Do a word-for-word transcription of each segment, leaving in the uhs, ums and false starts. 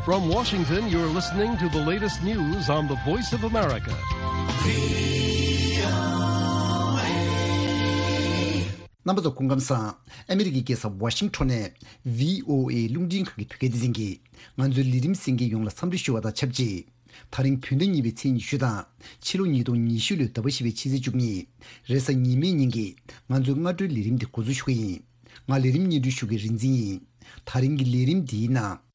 From Washington, you're listening to the latest news on the Voice of America. རྣམ་པ་ཚོ་སྐུ་ཁམས་བཟང་། ཨ་མི་རི་ཀའི་རྒྱལ་ས་ཝ་ཤིང་ཊོན་ནས་བྷི་ཨོ་ཨེ་རླུང་འཕྲིན་ཁང་གི་བོད་སྐད་སྡེ་ཚན་གྱིས་ང་ཚོའི་ལས་རིམ་གསན་མཁན་ཡོངས་ལ་འཚམས་འདྲི་ཞུ་བ་དང་ཆབས་ཅིག་ད་རིང་བོད་ཟླ་གཉིས་པའི་ཚེས་ཉི་ཤུ་དང་ཕྱི་ལོ་ཉིས་སྟོང་ཉི་ཤུ་ལོའི་ཟླ་བ་བཞི་པའི་ཕྱི་ཚེས་བཅུ་གཉིས། རེས་གཟའ་ཉི་མའི་ཉིན་གྱི་ང་ཚོའི་སྔ་དྲོའི་ལས་རིམ་འདི་འགོ་འཛུགས་ཞུ་གི་ཡིན། ང་ལས་རིམ་སྙན་སྒྲོན་ཞུ་མཁན་རིག་འཛིན་ཡིན། ད་རིང་གི་ལས་རིམ་འདིའི་ནང་།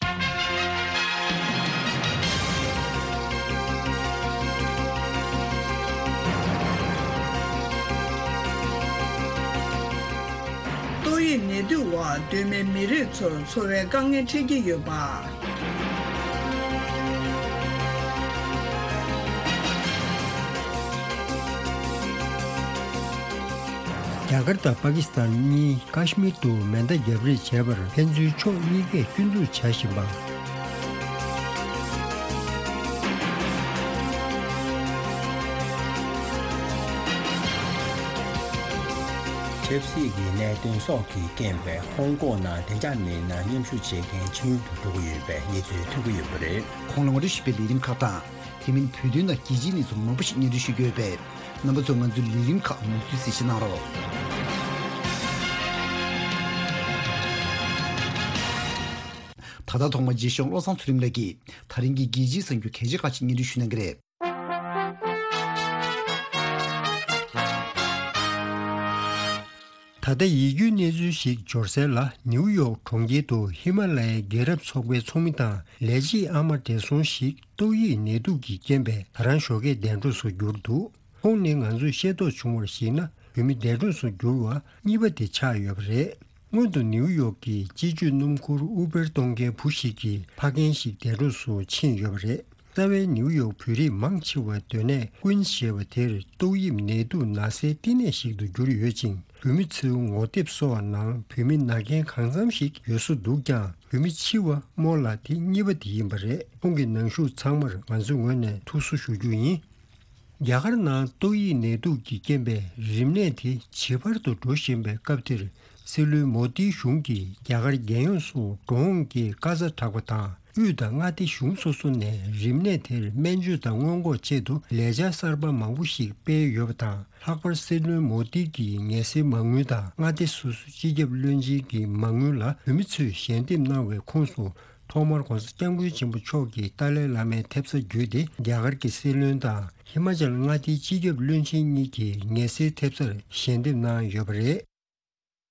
ཏོག་དབྱིབས་ནད་དུག་འོག་སྡོད་མི་མི་རིགས་ཚོར་འཚོ་བའི་དཀའ་ངལ་འཕྲད་ཀྱི་ཡོད་པ། རྒྱ་གར་དང་པ་ཀི་སི་ཐན་གཉིས་ཀ་ཤི་མིར་དུ་མེ་མདའ་བརྒྱབ་རེས་བྱས་པར་ཕན་ཚུན་ཕྱོགས་གཉིས་ཀས་སྐྱོན་འཛུགས་བྱ་བཞིན་པ། ཆབ་སྲིད་ཀྱི་གནད་དོན་སོགས་ཀྱི་རྐྱེན་པས་ཧོང་ཀོང་ནང་བདེ་འཇགས་མེད་ན་མཉམ་ཞུགས་བྱེད་མཁན་ཕྱི་ཡུལ་དུ་འགྲོ་གི་ཡོད་པའི་གནས་ཚུལ་ཐོན་གྱི་ཡོད་པ་རེད། ཁོང་ལ་ངོ་སྤྲོད་ཞུས་པའི་ལས་རིམ་ཁག་དང་། དེ་མིན་བོད་དོན་དང་རྒྱལ་སྤྱིའི་གནས་ཚུལ་མང་པོ་ཞིག་སྙན་སྒྲོན་ཞུ་རྒྱུ་ཡོད་པས། རྣམ་པ་ཚོས་ང་ཚོའི་ལས་རིམ་ཁག་མུ་མཐུད་གསན་བཞེས་གནང་རོགས། ད་ལྟ་ཐོག་མར་རྗེས་ཤོག་བློ་བཟང་ཚུལ་ཁྲིམས་ལགས་ཀྱིས་ད་རིང་གི་རྒྱལ་སྤྱིའི་གསར་འགྱུར་གལ་ཆེ་ཁག་ཅིག་སྙན་སྒྲོན་ཞུ་གནང་གི་རེད། ད་ལྟ་ཡིད་སྐྱོའི་གནས་ཚུལ་ཞིག་འབྱོར་གསལ་ལ། ནིའུ་ཡོག་གྲོང་ཁྱེར་དུ་ཧི་མ་ལ་ཡའི་རྒྱལ་རབས་ཚོགས་པའི་ཚོགས་མི་དང་ལས་བྱེད་ཨ་མ་བགྲེས་སོང་ཞིག་ཏོག་དབྱིབས་ནད་དུག་གི་རྐྱེན་པས་ད་རང་ཞོགས་ཀས་འདས་གྲོངས་སུ་གྱུར་འདུག་ཁོང་ནི་ང་ཚོས་ཤེས་རྟོགས་བྱུང་བར་གཞིགས་ན། བོད་མི་འདས་གྲོངས་སུ་གྱུར་བ་གཉིས་པ་དེ་ཆགས་ཡོད་པ་རེད། སྔོན་དུ་ནིའུ་ཡོག་གི་སྤྱི་སྤྱོད་སྣུམ་འཁོར་ཨུ་བེར་གཏོང་མཁན་བུ་ཞིག་གིས་ཕ་རྒན་ཞིག་འདས་གྲོངས་སུ་ཕྱིན་ཡོད་པ་རེད། རྩ་བའི་ནིའུ་ཡོག་བོད་རིགས་མང་ཆེ་བ་སྡོད་གནས་ཀུན་ཞེས་པ་དེར་ཏོག་དབྱིབས་ནད་དུག་ན་སའི་བསྟི་གནས་ཤིག་ཏུ་གྱུར་ཡོད་ཅིང་། བོད་མི་ཚོའི་ངོ་དེབ་སོགས་ནང་བོད་མི་ན་མཁན་གང་འཚམ་ཞིག་ཡོད་བཟོ་འདུག་ཀྱང་། བོད་མི་འཆི་བ་སྨོ་ལགས་དེ་གཉིས་པ་དེ་ཡིན་པ་རེད། ཁོང་གི་ནང་ཞུགས་ཚང་མར་ང་ཚོའི་ངོས་ནས་ཐུགས་གསོ་ཞུ་རྒྱུ་ཡིན། རྒྱ་གར་ནང་ཏོག་དབྱིབས་ནད་དུག་གི་རྐྱེན་པས་རིམས་ནད་དེ་ཇེ་འཕར་དུ་འགྲོ་བཞིན་པའི་སྐབས་དེར། སྲིད་བློན་མོ་དིའི་གཞུང་གིས་རྒྱ་གར་རྒྱལ་ཡོངས་སུ་འགྲོ་འོང་གི་དཀའ་ཚ་དྲག་པ་དང་། དབུས་དང་མངའ་སྡེ་གཞུང་སོ་སོ་ནས་རིམས་ནད་དེར་སྨན་བཅོས་དང་སྔོན་འགོག་ཆེད་དུ་ལས་འཆར་གསར་པ་མང་པོ་ཞིག་སྤེལ་ཡོད་པ་དང་། ལྷག་པར་སྲིད་བློན་མོ་དི་གིས་ངལ་སེལ་མ་དངུལ་དང་། མངའ་སྡེ་སོ་སོའི་སྤྱི་ཁྱབ་བློན་ཆེན་གྱི་མ་དངུལ་ལ་བོད་མི་ཚོས་ཞལ་འདེབས་གནང་བའི་ཁོངས་སུ། ཐོག་མར་༧གོང་ས་༧སྐྱབས་མགོན་ཆེན་པོ་མཆོག་གི་ཏཱ་ལའི་བླ་མའི་ཐེབས་རྩ་བརྒྱུད་དེ། རྒྱ་གར་གྱི་སྲིད་བློན་དང་། ཧི་མ་ཅལ་མངའ་སྡེའི་སྤྱི་ཁྱབ་བློན་ཆེན་གཉིས་ཀྱིས་ངལ་སེལ་ཐེབས་རྩར་ཞལ་འདེབས་གནང་ཡོད་པ་རེད།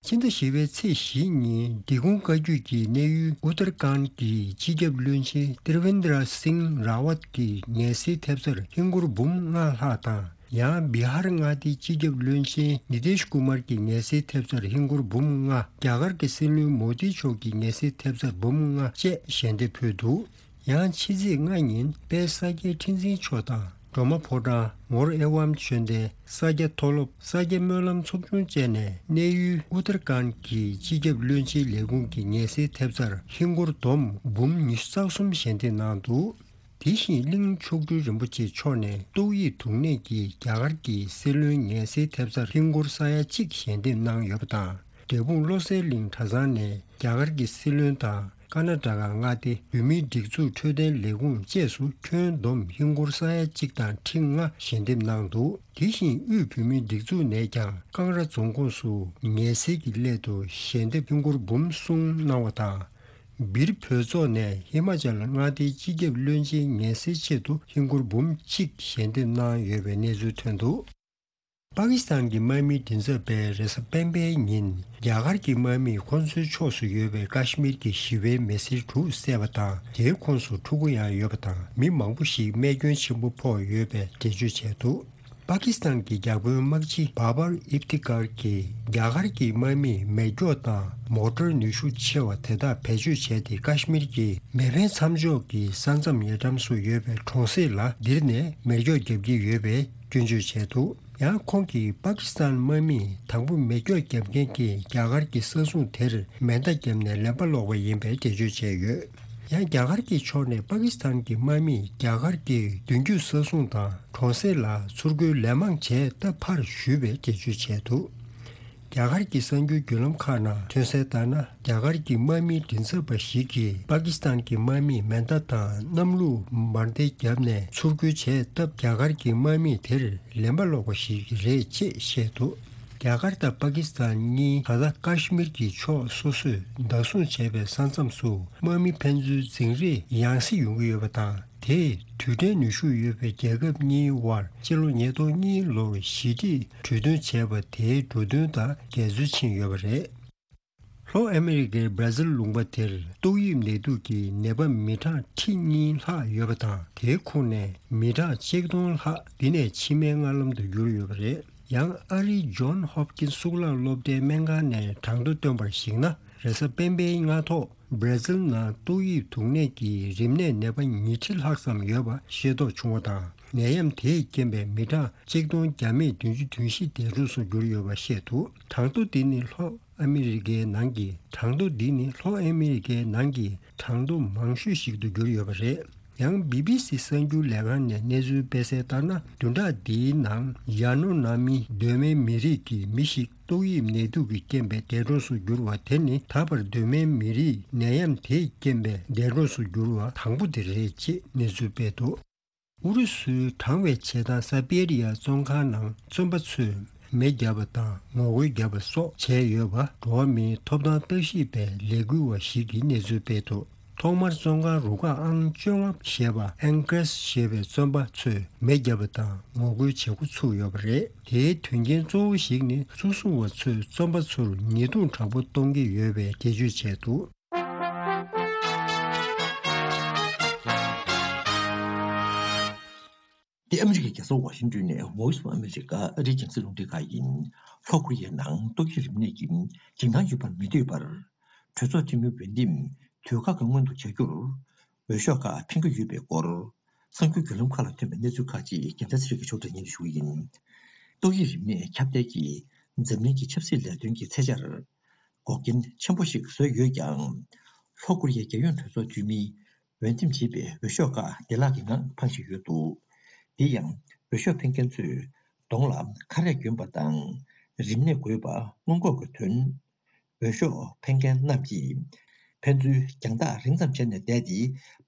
ཕྱི་ཟླ་བཞི་པའི་ཚེས་བཞི་ཉིན། འབྲི་གུང་བཀའ་བརྒྱུད་ཀྱི་གནས་ཡུལ་ཨུ་ཏར་ཁཱན་གྱི་སྤྱི་ཁྱབ་བློན་ཆེན་ཏི་རི་ཝེན་དྲ་སིང་ར་ཝཏ་ཀྱི་ངལ་སེལ་ཐེབས་རྩར་ཧིན་སྒོར་འབུམ་ལྔ་ལྷག་དང་། ཡང་། བི་ཧར་མངའ་སྡེའི་སྤྱི་ཁྱབ་བློན་ཆེན་ནི་ཏེཤ་ཀུ་མར་གྱི་ངལ་སེལ་ཐེབས་རྩར་ཧིན་སྒོར་འབུམ་ལྔ། རྒྱ་གར་གྱི་སྲིད་བློན་མོ་དི་མཆོག་གི་ངལ་སེལ་ཐེབས་རྩར་འབུམ་ལྔ་བཅས་ཞལ་འདེབས་ཕུལ་འདུག་ཡང་། ཕྱི་ཚེས་ལྔ་ཉིན་དཔལ་ས་སྐྱའི་ཁྲི་འཛིན་མཆོག་དང་། སྒྲོལ་མ་ཕོ་བྲང་། ངོར་ཨེ་ཝམ་ཆོས་སྡེ། ས་སྐྱ་མཐོ་སློབ། ས་སྐྱ་སྨོན་ལམ་ཚོགས་ཆུང་བཅས་ནས་གནས་ཡུལ་ཨུ་ཏར་ཁཱན་གྱི་སྤྱི་ཁྱབ་བློན་ཆེན་ལས་ཁུངས་ཀྱི་ངལ་སེལ་ཐེབས་རྩར་ཧིན་སྒོར་བསྡོམས་འབུམ་ཉི་ཤུ་རྩ་གསུམ་ཞལ་འདེབས་གནང་འདུག་དེ་བཞིན་གླིང་མཆོག་སྤྲུལ་རིན་པོ་ཆེ་མཆོག་ནས་ཏོག་དབྱིབས་དུག་ནད་ཀྱིས་རྒྱ་གར་གྱི་སྲིད་བློན་ངལ་སེལ་ཐེབས་རྩར་ཧིན་སྒོར་ས་ཡ་གཅིག་ཞལ་འདེབས་གནང་ཡོད་པ་དང་། འབྲས་སྤུངས་བློ་གསལ་གླིང་གྲྭ་ཚང་ནས་རྒྱ་གར་གྱི་སྲིད་བློན་དང་། ཀར་ནཱ་ཊ་ཀ་མངའ་སྡེ་བོད་མིའི་སྒྲིག་འཛུགས་འཕྲོད་བསྟེན་ལས་ཁུངས་བཅས་སུ་ཁྱོན་བསྡོམས་ཧིན་སྒོར་ས་ཡ་གཅིག་དང་ཁྲི་ལྔ་ཞལ་འདེབས་གནང་འདུག་དེ་བཞིན་དབུས་བོད་མིའི་སྒྲིག་འཛུགས་ནས་ཀྱང་ཀང་ར་རྫོང་ཁོངས་སུ་ངལ་སེལ་གྱི་སླད་དུ་ཞལ་འདེབས་ཧིན་སྒོར་འབུམ་གསུམ་གནང་བ་དང་། སྦིར་བོད་ཚོགས་ནས་ཧི་མ་ཅལ་མངའ་སྡེའི་སྤྱི་ཁྱབ་བློན་ཆེན་ངལ་སེལ་ཆེད་དུ་ཧིན་སྒོར་འབུམ་གཅིག་ཞལ་འདེབས་གནང་ཡོད་པའི་གནས་ཚུལ་ཐོན་འདུག་པ་ཀི་སི་ཐན་གྱི་དམག་མིའི་མགྲིན་ཚབ་པས་རེས་གཟའ་སྤེན་པའི་ཉིན། རྒྱ་གར་གྱི་དམག་མིས་ཁོ་ཚོའི་ཕྱོགས་སུ་ཡོད་པའི་ཀ་ཤི་མིར་གྱི་ཞི་བའི་མི་སེར་དྲུག་བསད་པ་དང་། དེའི་ཁོངས་སུ་ཕྲུ་གུ་ཡང་ཡོད་པ་དང་། མི་མང་པོ་ཞིག་རྨས་སྐྱོན་ཆེན་པོ་ཕོག་ཡོད་པའི་འགྲེལ་བརྗོད་བྱས་འདུག་པ་ཀི་སི་ཐན་གྱི་བརྒྱ་དཔོན་དམག་སྤྱི་བྷ་བར་ཨིབ་ཏི་ཀར་གྱིས། རྒྱ་གར་གྱི་དམག་མིས་མེ་སྒྱོགས་དང་མོ་ཊར་ནུས་ཤུགས་ཆེ་བ་དེ་དག་བེད་སྤྱོད་བྱས་ཏེ། ཀ་ཤི་མིར་གྱི་མེ་འཕེན་མཚམས་འཇོག་གི་ས་མཚམས་ཉེ་འགྲམ་སུ་ཡོད་པའི་གྲོང་གསེབ་ལ་ལྡིར་ནས་མེ་སྒྱོགས་བརྒྱབ་ཀྱི་ཡོད་པའི་སྐྱོན་བརྗོད་བྱས་འདུག་ཡང་། ཁོང་གིས་པ་ཀི་སི་ཐན་དམག་མིས་དང་པོ་མེ་སྒྱོགས་བརྒྱབ་མཁན་གྱི་རྒྱ་གར་གྱི་ས་སྲུང་དེར་མེ་མདའ་བརྒྱབ་ནས་ལན་པ་སློག་པ་ཡིན་པའི་འགྲེལ་བརྗོད་བྱས་ཡོད། ཡང་། རྒྱ་གར་གྱི་ཕྱོགས་ནས་པ་ཀི་སི་ཐན་གྱི་དམག་མིས་རྒྱ་གར་གྱི་མདུན་སྐྱོད་ས་སྲུང་དང་གྲོང་གསེབ་ལ་ཚུར་རྒོལ་ལན་མང་བྱས་སྟབས་ཕར་ཞུས་པའི་འགྲེལ་བརྗོད་བྱས་འདུག་རྒྱ་གར་གྱི་གསར་འགྱུར་བརྒྱུད་ལམ་ཁག་ནང་ཐོན་གསལ་ལྟར་ན། རྒྱ་གར་གྱི་དམག་མིའི་མགྲིན་ཚབ་པ་ཞིག་གིས་པ་ཀི་སི་ཐན་གྱི་དམག་མིས་མེ་མདའ་དང་གནམ་ལུགས་འབར་མདེལ་བརྒྱབ་ནས་ཚུར་རྒོལ་བྱས་སྟབས། རྒྱ་གར་གྱི་དམག་མི་དེར་ལན་པ་སློག་པ་ཞིག་རེད་ཅེས་བཤད་འདུག་རྒྱ་གར་དང་པ་ཀི་སི་ཐན་གཉིས་ད་ལྟ་ཀ་ཤི་མིར་གྱི་ཕྱོགས་སོ་སོས་བདག་བཟུང་བྱས་པའི་ས་མཚམས་སུ་དམག་མི་ཕན་ཚུན་འཛིང་རེས་ཡང་སེ་ཡོང་གི་ཡོད་པ་དང་། དེས་རྡུལ་ཕྲན་ནུས་ཤུགས་ཡོད་པའི་རྒྱལ་ཁབ་གཉིས་དབར་ཕྱི་ལོ་ཉིས་སྟོང་གཉིས་ལོར་ཞི་འགྲིག་གྲོས་མཐུན་བྱས་པ་དེའི་འགྲོ་དོན་དང་འགལ་འཛོལ་ཕྱིན་ཡོད་པ་རེད། ལྷོ་ཨ་མི་རི་ཀའི་བྷར་ཛིལ་ལུང་པ་དེར་ཏོག་དབྱིབས་ནད་དུག་གི་ནད་པ་མི་གྲངས་ཁྲི་གཉིས་ལྷག་ཡོད་པ་དང་། དེའི་ཁོངས་ནས་མི་གྲངས་ཆིག་སྟོང་ལྷག་འདི་ནས་འཆི་བའི་མངལ་ལམ་དུ་གྱུར་ཡོད་པ་རེད། ཡང་ཨ་རིའི་ཇོན་ཧོབ་ཀིན་གཙུག་ལག་སློབ་གྲྭའི་སྨན་ཁང་ནས་གྲངས་ཐོ་བཏོན་པར་གཞིགས་ན། རེས་གཟའ་སྤེན་པའི་སྔ་ཐོག་བྷར་ཛིལ་ནང་ཏོག་དབྱིབས་དུག་ནད་ཀྱི་རིམས་ནད་ནད་པ་ཉིས་ཁྲི་ལྷག་ཙམ་ཡོད་པ་ཤེས་རྟོགས་བྱུང་བ་དང་། ནད་ཡམས་དེས་རྐྱེན་པས་མི་གྲངས་ཆིག་སྟོང་བརྒྱ་མེད་བདུན་ཅུ་དོན་བཞི་འདས་གྲོངས་སུ་གྱུར་ཡོད་པ་བཤད་འདུག་གྲངས་ཐོ་འདི་ནི་ལྷོ་ཨ་མི་རི་ཀའི་ནང་གི་གྲངས་ཐོ་འདི་ནི་ལྷོ་ཨ་མི་རི་ཀའི་ནང་གི་གྲངས་ཐོ་མང་ཤོས་ཤིག་ཏུ་གྱུར་ཡོད་པ་རེད། ཡང་བི་བི་སི་གསར་འགྱུར་ལས་ཁང་ནས་གནས་ཚུལ་སྤེལ་གསལ་ལྟར་ན། བདུན་ཕྲག་འདིའི་ནང་ཡ་ནོ་ན་མི་གདོད་མའི་མི་རིགས་ཀྱི་མི་ཞིག་ཏོག་དབྱིབས་ནད་དུག་གིས་རྐྱེན་པས་འདས་གྲོངས་སུ་གྱུར་བ་དེ་ནི། ད་བར་གདོད་མའི་མི་རིགས་ནད་ཡམས་དེས་རྐྱེན་པས་འདས་གྲོངས་སུ་གྱུར་བ་དང་པོ་དེ་རེད་ཅེས་གནས་ཚུལ་སྤེལ་འདུག་ཨུ་རུ་སུའི་དྲང་བའི་བྱེ་ཐང་སཱ་པེ་རི་ཡ་བཙོན་ཁང་ནང་བཙོན་པ་ཚོས་མེ་བརྒྱབ་པ་དང་ངོ་རྒོལ་བརྒྱབ་པ་སོགས་བྱས་ཡོད་པ། འགྲོ་བ་མིའི་ཐོབ་ཐང་ལྟ་ཞིབ་པའི་ལས་འགུལ་བ་ཞིག་གིས་གནས་ཚུལ་སྤེལ་འདུག་ཐོག་མར་བཙོན་ཁང་རུ་ཁག་ཨང་བཅོ་ལྔ་ཞེས་པ། ཨེང་ཀྲེས་ཞེས་པའི་བཙོན་པ་ཚོས་མེ་བརྒྱབ་པ་དང་ངོ་རྒོལ་བྱེད་འགོ་ཚུགས་ཡོད་པ་རེད། དེའི་དོན་རྐྱེན་གཙོ་བོ་ཞིག་ནི། ཚོགས་བསྲུང་བ་ཚོས་བཙོན་པ་ཚོར་ཉེས་རྡུང་དྲག་པོ་གཏོང་གི་ཡོད་པའི་འགྲེལ་བརྗོད་བྱས་འདུག་འདི་ཨ་མི་རི་ཀའི་རྒྱལ་ས་ཝ་ཤིང་ཏོན་ནས་Voice of America ཨ་རིའི་རྒྱང་སྲིང་རླུང་འཕྲིན་ཁང་ཡིན། ལྷོ་ཀོ་རི་ཡའི་ནང་ཏོག་དབྱིབས་རིམས་ནད་ཀྱི་འཇིགས་སྣང་ཡོད་པར་མི་འདོད་པར། གྲོས་ཚོགས་འཐུས་མི་འོས་འདེམས་དུས་བཀག་གི་སྔོན་དུ་བྱ་རྒྱུར་འོས་ཤོག་ཁག་འཕེན་གྱི་ཡོད་པའི་སྐོར། གསར་འགྱུར་བརྒྱུད་ལམ་ཁག་ལ་ཐོན་པའི་གནས་ཚུལ་ཁག་ཅིག་རྒྱལ་མཚན་ཚེ་རིང་གིས་ཕྱོགས་སྒྲིག་སྙན་སྒྲོན་ཞུ་གི་ཡིན། ཏོག་དབྱིབས་རིམས་ནད་ཁྱབ་གདལ་གྱིས་འཛམ་གླིང་གི་ཆབ་སྲིད་ལས་དོན་གྱི་ཚད་འཆར་འགོག་རྐྱེན་ཆེན་པོ་ཞིག་བཟོས་ཡོད་ཀྱང་། ལྷོ་ཀོ་རི་ཡའི་རྒྱལ་ཡོངས་གྲོས་ཚོགས་འཐུས་མིས་འོས་འདེམས་བྱས་པའི་འོས་ཤོག་ཁག་བདེ་བླག་གི་ངང་འཕང་བཞིན་ཡོད་འདུག་དེ་ཡང་འོས་ཤོག་འཕེན་མཁན་ཚོས་གདོང་ལ་ཁ་རས་གྱོན་པ་དང་། རིམས་ནད་འགོས་པ་སྔོན་འགོག་གི་དོན། འོས་ཤོག་འཕེན་མཁན་རྣམས་ཀྱིས་ཕན་ཚུན་རྒྱང་ཐག་རིང་ཙམ་བྱས་ནས་བསྡད་དེ།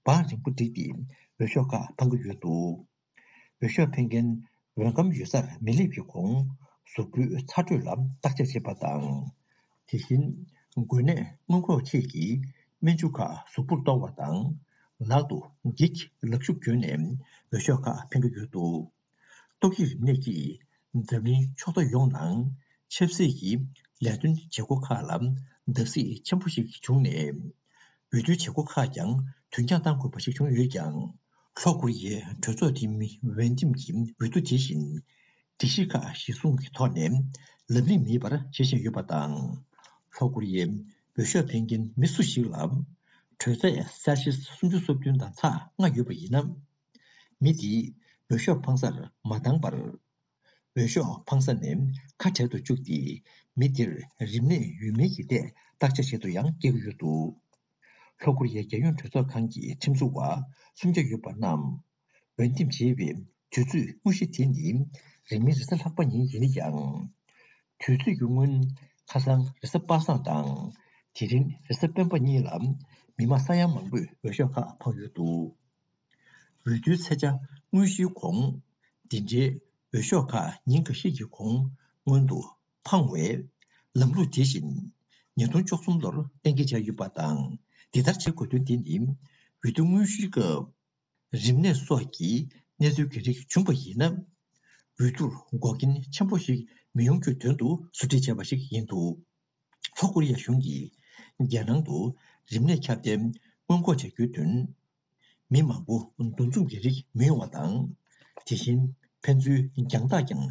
བང་རིང་པོ་བསྒྲིགས་ཏེ་འོས་ཤོག་ཁག་འཕང་གི་ཡོད་འདུག་འོས་ཤོག་འཕེན་མཁན་འོས་སྒམ་ཡོད་སར་མི་སླེབས་ཀྱི་གོང་གཟུགས་པོའི་ཚ་དྲོད་ལ་བརྟག་དཔྱད་བྱེད་པ་དང་། དེ་བཞིན་འགོས་ནད་སྔོན་འགོག་ཆེད་ཀྱི་སྨན་ཆུ་ཁག་གཟུགས་པོར་གཏོར་བ་དང་། ལག་ཏུ་འགྱིག་ལག་ཤུབས་གྱོན་ནས་འོས་ཤོག་ཁག་འཕེན་གྱི་ཡོད་འདུག་ཏོག་དབྱིབས་རིམས་ནད་ཀྱིས་འཛམ་གླིང་ཕྱོགས་མཐའ་ཡོངས་ནང་ཆབ་སྲིད་ཀྱི་ལས་དོན་བྱེད་སྒོ་ཁག་ལ་བརྡབ་གསིག་ཆེན་པོ་ཞིག་བྱུང་ནས། འོས་བསྡུའི་བྱེད་སྒོ་ཁག་ཀྱང་དུས་འགྱངས་གཏང་དགོས་པ་ཞིག་བྱུང་ཡོད་ཀྱང་། ལྷོ་ཀོ་རི་ཡའི་གྲོས་ཚོགས་འཐུས་མི་འོས་འདེམས་ཀྱི་འོས་བསྡུ་དེ་བཞིན་སྒྲིག་གཞི་ཁག་གཞིར་བཟུང་གི་ཐོག་ནས་ལམ་ལྷིང་མེད་པར་བྱེད་བཞིན་ཡོད་པ་དང་། ལྷོ་ཀོ་རི་ཡའི་འོས་ཤོག་འཕེན་མཁན་མི་སུ་ཞིག་ལ་དྲོད་ཚད་སེལ་ཤི་སུམ་ཅུ་སོ་བདུན་དང་ཚག་ལྔ་ཡོད་པ་ཡིན་ན། མི་དེས་འོས་ཤོག་འཕང་སར་མ་འདང་བར། འོས་ཤོག་འཕང་ས་ནས་ཁ་བྲལ་དུ་བཅུག་སྟེ། མི་དེར་རིམས་ནད་ཡོད་མེད་ཀྱི་ཐད་བརྟག་དཔྱད་བྱེད་དུ་ཡང་བསྐྱལ་གྱི་ཡོད་འདུག་ལྷོ་ཀོ་རི་ཡའི་རྒྱལ་ཡོངས་གྲོས་ཚོགས་ཁང་གི་ཁྲིམས་བཟོ་བ་སུམ་བརྒྱ་ཡོད་པ་རྣམས་འོས་འདེམས་བྱེད་པའི་དུས་ཚོད་དངོས་གཞི་དེ་ནི་རིང་མིན་རེས་གཟའ་ལྷག་པ་ཉིན་ཡིན་ན་ཡང་། དུས་ཚོད་ཀྱི་སྔོན་ཁ་སང་རེས་གཟའ་པ་སངས་དང་། དེ་རིང་རེས་གཟའ་སྤེན་པ་གཉིས་ལ་མི་མང་ས་ཡ་མང་པོས་འོས་ཤོག་ཁག་འཕངས་ཡོད་འདུག་འོས་བསྡུའི་ཚེས་ཆ་དངོས་གཞིའི་གོང་། འདི་འདྲའི་འོས་ཤོག་ཁག་ཉིན་འགའ་ཤས་ཀྱི་གོང་སྔོན་དུ་འཕངས་བས། ལམ་ལུགས་དེ་བཞིན་ཉིས་སྟོང་བཅུ་གསུམ་ལོར་གཏན་འཁེལ་བྱས་ཡོད་པ་དང་། འདི་ལྟར་བྱེད་དགོས་དོན་དེ་ནི། འོས་བསྡུ་དངོས་གཞིའི་སྐབས་རིམས་ནད་སོགས་ཀྱི་གནས་ཚུལ་གྱི་རིགས་བྱུང་བ་ཡིན་ན། འོས་བསྡུར་འགོག་རྐྱེན་ཆེན་པོ་ཞིག་མི་ཡོང་རྒྱུའི་དོན་དུ་བཟོ་སྒྲིག་བྱས་པ་ཞིག་ཡིན་འདུག་ལྷོ་ཀོ་རི་ཡ་གཞུང་གིས་རྒྱལ་ནང་དུ་རིམས་ནད་ཁྱབ་གདལ་སྔོན་འགོག་བྱ་རྒྱུའི་དོན། མི་མང་པོ་འདུ་འཛོམས་ཀྱི་རིགས་མི་ཡོང་བ་དང་། དེ་བཞིན་ཕན་ཚུན་རྒྱང་ཐག་ཀྱང་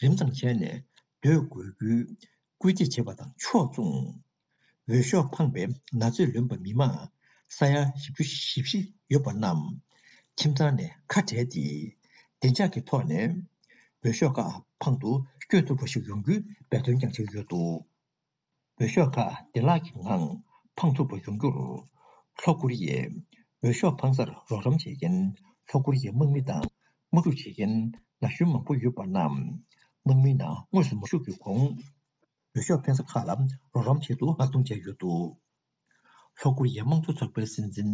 རིང་ཙམ་བྱས་ནས་སྡོད་དགོས་རྒྱུའི་སྐུལ་འདེད་བྱས་པ་དང་ཕྱོགས་མཚུངས། འོས་ཤོག་འཕངས་པའི་ན་ཚོད་ལོན་པ་མི་མང་ས་ཡ་བཞི་བཅུ་ཞེ་བཞི་ཡོད་པ་རྣམས་ཁྱིམ་ཚང་ནས་ཁ་བྲལ་ཏེ། བདེ་འཇགས་ཀྱི་ཐོག་ནས་འོས་ཤོག་ཁག་འཕང་དུ་བསྐྱོད་ཐུབ་པ་ཞིག་ཡོང་རྒྱུའི་འབད་བརྩོན་ཀྱང་བྱེད་ཀྱི་ཡོད་འདུག་འོས་ཤོག་ཁག་བདེ་བླག་གི་ངང་འཕང་ཐུབ་པ་ཡོང་རྒྱུར། ལྷོ་ཀོ་རི་ཡའི་འོས་ཤོག་འཕང་སར་རོགས་རམ་བྱེད་མཁན་ལྷོ་ཀོ་རི་ཡའི་དམག་མི་དང་དམག་འཁྲུག་བྱེད་མཁན་ན་གཞོན་མང་པོ་ཡོད་པ་རྣམས་དམག་མིའི་ནང་དངོས་སུ་མ་ཞུགས་པའི་གོང་། འོས་ཤོག་འཕེན་ས་ཁག་ལ་རོགས་རམ་ཆེད་དུ་མངགས་གཏོང་བྱས་ཡོད་འདུག། ལྷོ་ཀོ་རི་ཡའི་དམངས་གཙོ་ཚོགས་པའི་སྲིད་འཛིན་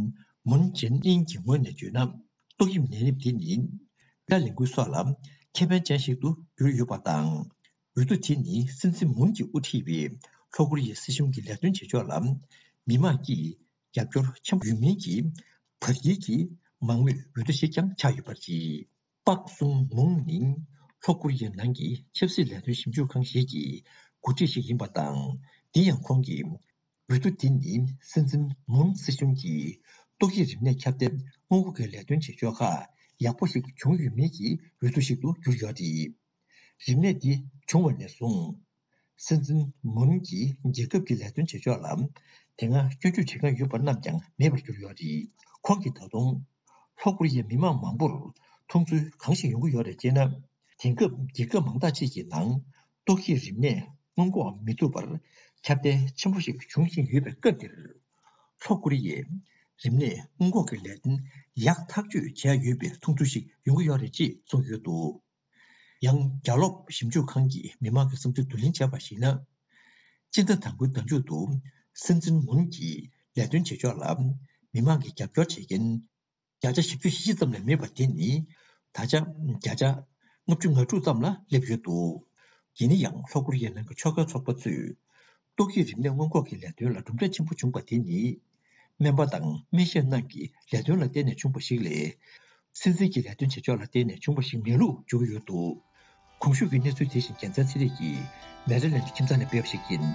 མུན་ཇིན་ཨིན་གྱི་ངོས་ནས་བརྗོད་ན། ཏོག་དབྱིབས་ནད་རིམས་དེ་ནི་ཡ་ལས་འགུལ་སོགས་ལ་ཁེ་ཕན་ཅན་ཞིག་ཏུ་གྱུར་ཡོད་པ་དང་། འོས་བསྡུ་དེ་ནི་སྲིད་འཛིན་མུན་གྱིས་དབུ་ཁྲིད་པའི་ལྷོ་ཀོ་རི་ཡའི་སྲིད་གཞུང་གི་ལས་དོན་བྱེད་ཕྱོགས་ལ་མི་མང་གིས་རྒྱབ་སྐྱོར་ཆེན་པོ་ཡོད་མིན་གྱི་བར་བརྒལ་གྱི་མང་མོས་འོས་བསྡུ་ཞིག་ཀྱང་ཆགས་ཡོད་པ་རེད། པག་སུང་མུང་ནི་ལྷོ་ཀོ་རི་ཡའི་ནང་གི་ཆབ་སྲིད་ལས་དོན་ཞིབ་འཇུག་ཁང་ཞིག་གི་འགོ་ཁྲིད་ཞིག་ཡིན་པ་དང་། དེ་ཡང་ཁོང་གིས། འོས་བསྡུ་འདི་ནི་སྲིད་འཛིན་མུན་སྲིད་གཞུང་གིས་ཏོག་དབྱིབས་རིམས་ནད་ཁྱབ་གདལ་སྔོན་འགོག་གི་ལས་དོན་བྱེད་ཕྱོགས་ཁག་ཡག་པོ་ཞིག་བྱུང་ཡོད་མེད་ཀྱི་འོས་བསྡུ་ཞིག་ཏུ་གྱུར་ཡོད་རེད། རིམས་ནད་འདི་བྱུང་བ་ནས་བཟུང་། སྲིད་འཛིན་མུན་གྱིས་རྒྱལ་ཁབ་ཀྱི་ལས་དོན་བྱེད་ཕྱོགས་ལ་དེ་སྔ་སྐྱོན་བརྗོད་བྱེད་མཁན་ཡོད་པ་རྣམས་ཀྱང་མེད་པར་གྱུར་ཡོད་རེད། ཁོང་གིས་ད་དུང་། ལྷོ་ཀོ་རི་ཡའི་མི་མང་མང་པོར་མཐོང་ཚུལ་གང་ཞིག་ཡོང་གི་ཡོད་རེད་ཅེ་ན། དེང་སྐབས་རྒྱལ་ཁབ་མང་དག་ཅིག་གི་ནང་ཏོག་དབྱིབས་རིམས་ནད་སྔོན་འགོག་མི་ཐུབ་པར་ཁྱབ་གདལ་ཆེན་པོ་ཞིག་འབྱུང་བཞིན་ཡོད་པའི་སྐབས་འདིར། ལྷོ་ཀོ་རི་ཡས་རིམས་ནད་སྔོན་འགོག་གི་ལས་དོན་ཡག་ཐག་གཅོད་བྱས་ཡོད་པའི་མཐོང་ཚུལ་ཞིག་ཡོང་གི་ཡོད་རེད་ཅེས་གསུངས་ཡོད་འདུག། ཡང་རྒྱ་ལོག་ཞིབ་འཇུག་ཁང་གིས་མི་མང་གི་བསམ་ཚུལ་བསྡུ་ལེན་བྱས་པར་གཞིགས་ན། སྤྱི་ཟླ་དང་པོའི་ཟླ་མཇུག་ཏུ་སྲིད་འཛིན་མུན་གྱི་ལས་དོན་བྱེད་ཕྱོགས་ལ་མི་མང་གིས་རྒྱབ་སྐྱོར་བྱེད་མཁན་བརྒྱ་ཆ་བཞི་བཅུ་ཞེ་བཞི་ཙམ་ལས་མེད་པ་དེ་ནི་ད་ཆ་བརྒྱ་ཆ་ལྔ་བཅུ་ང་དྲུག་ཙམ་ལ་སླེབས་ཡོད་འདུག། ཡིན་ན་ཡང་ལྷོ་ཀོ་རི་ཡའི་ནང་གི་ཕྱོགས་འགལ་ཚོགས་པ་ཚོས་ཏོག་དབྱིབས་རིམས་ནད་སྔོན་འགོག་གི་ལས་དོན་ལ་གྲུབ་འབྲས་ཆེན་པོ་བྱུང་པ་དེ་ནི། སྨན་པ་དང་སྨན་ཞབས་རྣམས་ཀྱི་ལས་དོན་ལ་བརྟེན་ནས་བྱུང་བ་ཞིག་ལས། སྲིད་འཛིན་གྱི་ལས་དོན་བྱེད་ཕྱོགས་ལ་བརྟེན་ནས་བྱུང་བ་ཞིག་མིན་ལུགས་བརྗོད་ཀྱི་ཡོད་འདུག། གོང་ཞུས་ཀྱི་གནས་ཚུལ་དེ་བཞིན་རྒྱལ་མཚན་ཚེ་རིང་གིས་མེ་རི་ལེན་ཌི་ཁྱིམ་ཚང་ནས་སྤེལ་བ་ཞིག་ཡིན།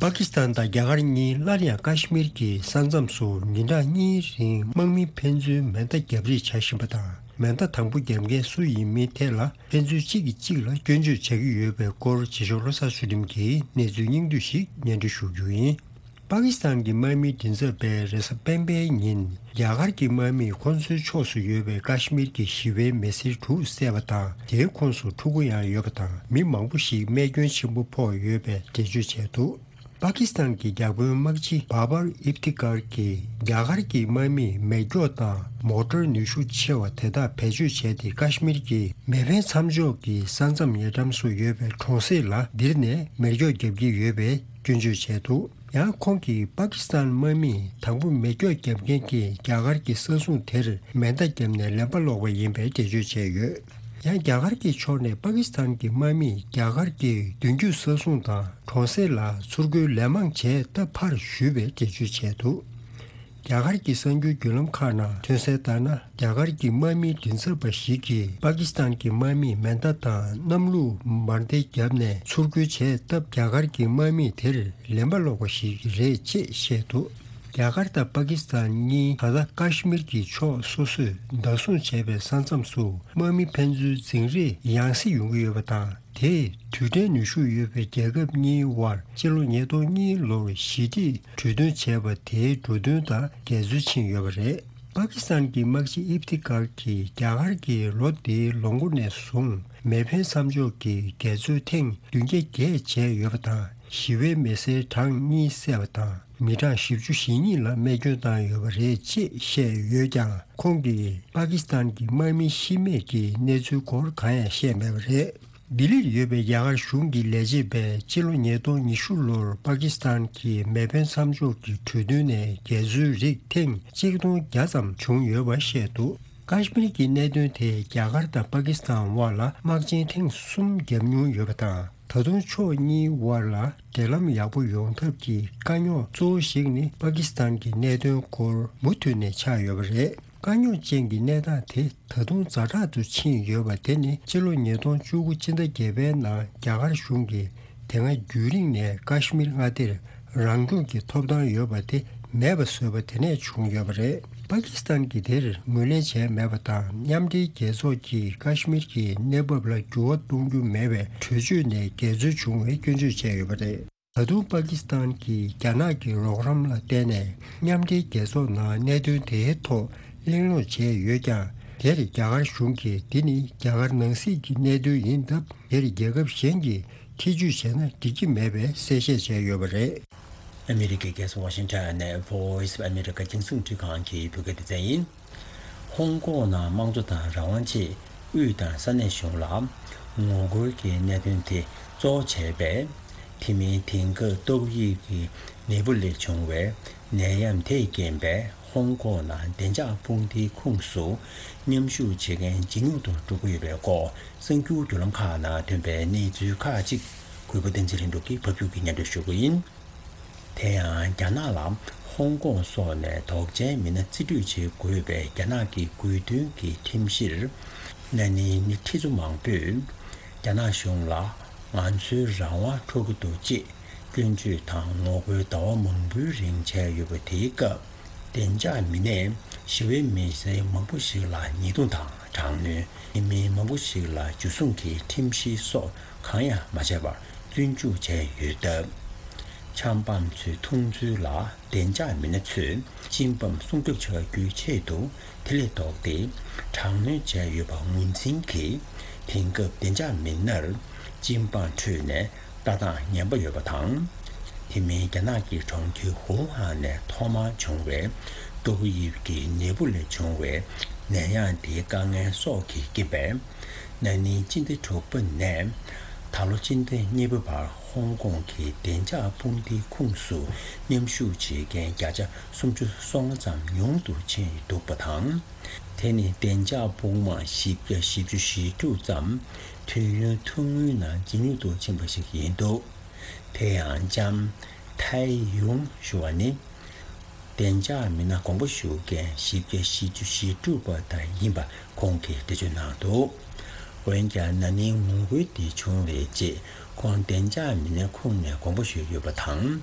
པ་ཀི་སི་ཐན་དང་རྒྱ་གར་གཉིས་སླར་ཡང་ཀ་ཤི་མིར་གྱི་ས་མཚམས་སུ་ཉིན་གྲངས་གཉིས་རིང་དམག་མི་ཕན་ཚུན་མེ་མདའ་བརྒྱབ་རེས་བྱ་བཞིན་པ་དང་། མེ་མདའ་དང་པོ་བརྒྱབ་མཁན་སུ་ཡིན་མིན་ཐད་ལ་ཕན་ཚུན་གཅིག་གིས་གཅིག་ལ་སྐྱོན་བརྗོད་བྱ་གི་ཡོད་པའི་སྐོར། བྱེད་ཞོར་བློ་བཟང་ཚུལ་ཁྲིམས་ཀྱིས་གནས་ཚུལ་སྙིང་བསྡུས་ཤིག་སྙན་སྒྲོན་ཞུ་རྒྱུ་ཡིན། པ་ཀི་སི་ཐན་གྱི་དམག་མིའི་མགྲིན་ཚབ་པས་རེས་གཟའ་སྤེན་པའི་ཉིན་རྒྱ་གར་གྱི་དམག་མིས་ཁོ་ཚོའི་ཕྱོགས་སུ་ཡོད་པའི་ཀ་ཤི་མིར་གྱི་ཞི་བའི་མི་སེར་དྲུག་བསད་པ་དང་། དེའི་ཁོངས་སུ་ཕྲུ་གུ་ཡང་ཡོད་པ་དང་། མི་མང་པོ་ཞིག་རྨས་སྐྱོན་ཆེན་པོ་ཕོག་ཡོད་པའི་འགྲེལ་བརྗོད་བྱས་འདུག། པ་ཀི་སི་ཐན་གྱི་བརྒྱ་དཔོན་དམག་སྤྱི་བྷ་བར་ཨིབ་ཐི་ཀར་གྱིས་རྒྱ་གར་གྱི་དམག་མིས་མེ་སྒྱོགས་དང་མོ་ཊར་ནུས་ཤུགས་ཆེ་བ་དེ་དག་བེད་སྤྱོད་བྱས་ཏེ། ཀ་ཤི་མིར་གྱི་མེ་འཕེན་མཚམས་འཇོག་གི་ས་མཚམས་ཉེ་འགྲམ་སུ་ཡོད་པའི་གྲོང་གསེབ་ལ་ལྡིར་ནས་མེ་སྒྱོགས་བརྒྱབ་ཀྱི་ཡོད་པའི་སྐྱོན་བརྗོད་བྱས་འདུག། ཡང་ཁོང་གིས་པ་ཀི་སི་ཐན་དམག་མིས་དང་པོ་མེ་སྒྱོགས་བརྒྱབ་མཁན་གྱི་རྒྱ་གར་གྱི་ས་སྲུང་དེར་མེ་མདའ་བརྒྱབ་ནས་ལན་པ་སློག་པ་ཡིན་པའི་འགྲེལ་བརྗོད་བྱས་ཡོད། ཡང་རྒྱ་གར་གྱི་ཕྱོགས་ནས་པ་ཀི་སི་ཐན་གྱི་དམག་མིས་རྒྱ་གར་གྱི་མདུན་རྒྱུད་ས་སྲུང་དང་གྲོང་གསེབ་ལ་ཚུར་རྒོལ་ལན་མང་བྱས་སྟབས་ཕར་ཞུས་པའི་འགྲེལ་བརྗོད་བྱས་འདུག། རྒྱ་གར་གྱི་གསར་འགྱུར་བརྒྱུད་ལམ་ཁག་ནང་ཐོན་གསལ་ལྟར་ན། རྒྱ་གར་གྱི་དམག་མིའི་མགྲིན་ཚབ་པ་ཞིག་གིས་པ་ཀི་སི་ཐན་གྱི་དམག་མིས་མེ་མདའ་དང་གནམ་ལོ་བར་མདེལ་བརྒྱབ་ནས་ཚུར་རྒོལ་བྱས་སྟབས། རྒྱ་གར་གྱི་དམག་མིས་དེར་ལན་པ་སློག་པ་ཞིག་རེད་ཅེས་བཤད་འདུག། རྒྱ་གར་དང་པ་ཀི་སི་ཐན་གཉིས་ད་ལྟ་ཀ་ཤི་མིར་གྱི་ཕྱོགས་སོ་སོས་བདག་བཟུང་བྱས་པའི་ས་མཚམས་སུ་དམག་མི་ཕན་ཚུན་འཛིང་རེས་ཡང་སེ་ཡོང་གི་ཡོད་པ་དང་། དེས་རྡུལ་ཕྲན་ནུས་ཤུགས་ཡོད་པའི་རྒྱལ་ཁབ་གཉིས་དབར་སྤྱི་ལོ་ཉིས་སྟོང་གཉིས་ལོར་ཞི་བདེའི་གྲོས་མཐུན་བྱས་པ་དེའི་འགྲོ་དོན་དང་འགལ་འཛོལ་ཕྱིན་ཡོད་པ་རེད། པ་ཀི་སི་ཐན་གྱི་དམག་སྤྱི་ཨིབ་ཐི་ཀར་གྱིས་རྒྱ་གར་གྱིས་ལོ་འདིའི་ལོ་མགོ་ནས་བཟུང་མེ་འཕེན་མཚམས་འཇོག་གི་འགལ་འཛོལ་ཐེངས་བདུན་བརྒྱ་བརྒྱད་བྱས་ཡོད་པ་དང་། ཞི་བའི་མི་སེར་གྲངས་གཉིས་བསད་པ་དང་། མི་གྲངས་བཞི་བཅུ་ཞེ་གཉིས་ལ་རྨས་སྐྱོན་བཏང་ཡོད་པ་རེད་ཅེས་བཤད་ཡོད་ཀྱང་། ཁོང་གིས་པ་ཀི་སི་ཐན་གྱི་དམག་མི་ཤི་རྨས་ཀྱི་གནས་ཚུལ་སྐོར་གང་ཡང་བཤད་མེད་པ་རེད། ལྡི་ལིར་ཡོད་པའི་རྒྱ་གར་གཞུང་གི་ལས་བྱེད་པས་སྤྱི་ལོ་ཉིས་སྟོང་ཉི་ཤུ་ལོར་པ་ཀི་སི་ཐན་གྱི་མེ་འཕེན་མཚམས་འཇོག་གི་གྲོས་མཐུན་ནས་འགལ་འཛོལ་རིགས་ཐེངས་གཅིག་སྟོང་བརྒྱ་ཙམ་བྱུང་ཡོད་པ་བཤད་འདུག། ཀ་ཤི་མིར་གྱི་གནད་དོན་དེས་རྒྱ་གར་དང་པ་ཀི་སི་ཐན་དབར་ལ་དམག་ཆེན་ཐེངས་གསུམ་བརྒྱབ་མྱོང་ཡོད་པ་དང་། ད་དུང་ཕྱོགས་གཉིས་དབར་ལ་འབྲེལ་ལམ་ཡག་པོ་ཡོང་ཐབས་ཀྱི་དཀའ་རྙོག་གཙོ་བོ་ཞིག་ནི་པ་ཀི་སི་ཐན་གྱི་གནད་དོན་སྐོར་མུ་མཐུད་ནས་ཆགས་ཡོད་པ་རེད། དཀའ་རྙོག་ཅན་གྱི་གནས་སྟངས་དེ་ད་དུང་ཛ་དྲག་ཏུ་ཕྱིན་ཡོད་པ་དེ་ནི་ཕྱི་ལོ་ཉིས་སྟོང་བཅུ་དགུ་སྤྱི་ཟླ་བརྒྱད་པའི་ནང་རྒྱ་གར་གཞུང་གིས་དེ་སྔ་རྒྱུན་རིང་ནས་ཀ་ཤི་མིར་མངའ་སྡེར་རང་སྐྱོང་གི་ཐོབ་ཐང་ཡོད་པ་དེ་མེད་པ་བཟོས་པ་དེ་ནས་བྱུང་ཡོད་པ་རེད། པ་ཀི་སི་ཐན་གྱིས་དེར་ངོས་ལེན་བྱས་མེད་པ་དང་། མཉམ་འབྲེལ་རྒྱལ་ཚོགས་ཀྱིས་ཀ་ཤི་མིར་གྱི་གནས་བབ་ལ་འགྱུར་བ་གཏོང་རྒྱུ་མེད་པའི་གྲོས་ཆོད་ནས་འགལ་འཛོལ་བྱུང་བའི་སྐྱོན་བརྗོད་བྱས་ཡོད་པ་རེད། ད་དུང་པ་ཀི་སི་ཐན་གྱིས་རྒྱ་ནག་གི་རོགས་རམ་ལ་བརྟེན་ནས་མཉམ་འབྲེལ་རྒྱལ་ཚོགས་ནང་གནད་དོན་དེའི་ཐོག་ གླེང་སློང་བྱས་ཡོད་ཀྱང་། དེར་རྒྱ་གར་གཞུང་གིས་འདི་ནི་རྒྱ་གར་ནང་སྲིད་ཀྱི་གནད་དོན་ཡིན་སྟབས། དེར་རྒྱལ་ཁབ་གཞན་གྱིས་ཐེ་ཇུས་བྱས་ན་འགྲིག་གི་མེད་པའི་གསལ་བཤད་བྱས་ཡོད་པ་རེད། ཨ་མི་རི་ཀའི་རྒྱལ་ས་ཝ་ཤིང་ཊོན་ནས་Voice of America རྒྱང་སྲིང་འཕྲིན་ཁང་གི་བོད་སྐད་སྡེ་ཚན་ཡིན། ཧོང་ཀོང་ནང་དམངས་གཙོ་དང་རང་དབང་ཆེད་དབུས་དང་ས་གནས་གཞུང་ལ་ངོ་རྒོལ་གྱི་གནད་དོན་དེ་གཙོ་བོ་བྱས་པས། དེ་མིན་དེང་སྐབས་ཏོག་དབྱིབས་ཀྱི་ནད་འབུ་ལས་བྱུང་བའི་ནད་ཡམས་དེས་རྐྱེན་པས། ཧོང་ཀོང་ནང་བདེ་འཇགས་དཔུང་སྡེའི་ཁོངས་སུ་མཉམ་ཞུགས་བྱེད་མཁན་ཇེ་ཉུང་དུ་འགྲོ་གི་ཡོད་པའི་སྐོར། གསར་འགྱུར་བརྒྱུད་ལམ་ཁག་ནང་ཐོན་པའི་གནས་ཚུལ་ཁག་ཅིག་གུས་པ་བསྟན་འཛིན་ལྷུན་གྲུབ་ཀྱིས་ཕབ་སྒྱུར་གྱིས་སྙན་སྒྲོན་ཞུ་གི་ཡིན། དེ་ཡང་རྒྱ་ནག་ལ་ཧོང་ཀོང་སོགས་ནས་དོགས་ཅན་མི་སྣ་རྩིས་སྤྲོད་བྱེད་དགོས་པའི་རྒྱ་ནག་གི་དགོས་འདུན་གྱི་ཁྲིམས་གཞིར། ན་ནིང་ནི་ཁྲི་ཚོ་མང་པོས་རྒྱ་ནག་གཞུང་ལ་ང་ཚོའི་རང་དབང་འཕྲོག་གི་འདུག་ཅེས་སྐྱོན་བརྗོད་དང་ངོ་རྒོལ་ཟླ་བ་མང་པོའི་རིང་བྱས་ཡོད་པ། དེའི་སྐབས་བདེ་འཇགས་མི་སྣས་ཞི་བའི་མི་སེར་མང་པོ་ཞིག་ལ་ཉེས་རྡུང་དང་དྲག་གནོན། ཉེས་མི་མང་པོ་ཞིག་ལ་འཇུ་བཟུང་གི་ཁྲིམས་གཞི་སོགས་གང་ཡང་མ་བྱས་པར་བཙོན་འཇུག་བྱས་ཡོད་སྟབས། ཆབ་འབངས་ཚོའི་མཐོང་ཚུལ་ལ། བདེ་འཇགས་མི་སྣ་ཚོས་སྤྱི་འབངས་སྲུང་སྐྱོབ་བྱ་རྒྱུའི་ཆེད་དུ་དེ་ལས་ལྡོག་སྟེ་དྲག་གནོན་བྱས་ཡོད་པ་ངོས་འཛིན་གྱིས། དེང་སྐབས་བདེ་འཇགས་མི་སྣར་སྤྱི་འབངས་ཁྲོད་ནས་ལྟ་སྟངས་ངན་པ་ཡོད་པ་དང་། དེ་མིན་རྒྱ་ནག་གི་གྲོང་ཁྱེར་ཝུ་ཧན་ནས་ཐོག་མར་བྱུང་བའི་ཏོག་དབྱིབས་ཀྱི་ནད་འབུ་ལས་བྱུང་བའི་ནད་ཡམས་དེའི་དཀའ་ངལ་སོགས་ཀྱི་རྐྱེན་པས། ན་ནིང་སྤྱི་ཟླ་དྲུག་པ་ནས་ད་ལོ་སྤྱི་ཟླ་གཉིས་པ་བར་ཧོང་ཀོང་གི་བདེ་འཇགས་དཔུང་སྡེའི་ཁོངས་སུ་མཉམ་ཞུགས་བྱེད་མཁན་བརྒྱ་ཆ་སུམ་ཅུ་སོ་ལྔ་ཙམ་ཉུང་དུ་ཕྱིན་འདུག་པ་དང་། དེ་ནི་བདེ་འཇགས་དཔུང་དམག་བཞི་བརྒྱ་བཞི་བཅུ་ཞེ་དྲུག་ཙམ་དུས་ཡུན་ཐུང་ངུའི་ནང་ཇེ་ཉུང་དུ་ཕྱིན་པ་ཞིག་ཡིན་འདུག་དེ་ཡང་ལྕམ་ཐའེ་ཡུང་ཞུ་བ་ནི། བདེ་འཇགས་མི་སྣ་དགོངས་པ་ཞུ་མཁན་བཞི་བརྒྱ་བཞི་བཅུ་ཞེ་དྲུག་པ་དག་ཡིན་པ་ཁོང་གིས་འགྲེལ་བརྗོད་གནང་འདུག་འོན་ཀྱང་ན་ནིང་ངོ་རྒོལ་དེ་བྱུང་བའི་རྗེས་ཁོང་བདེ་འཇགས་མི་སྣའི་ཁོངས་ནས་དགོངས་པ་ཞུས་ཡོད་པ་དང་།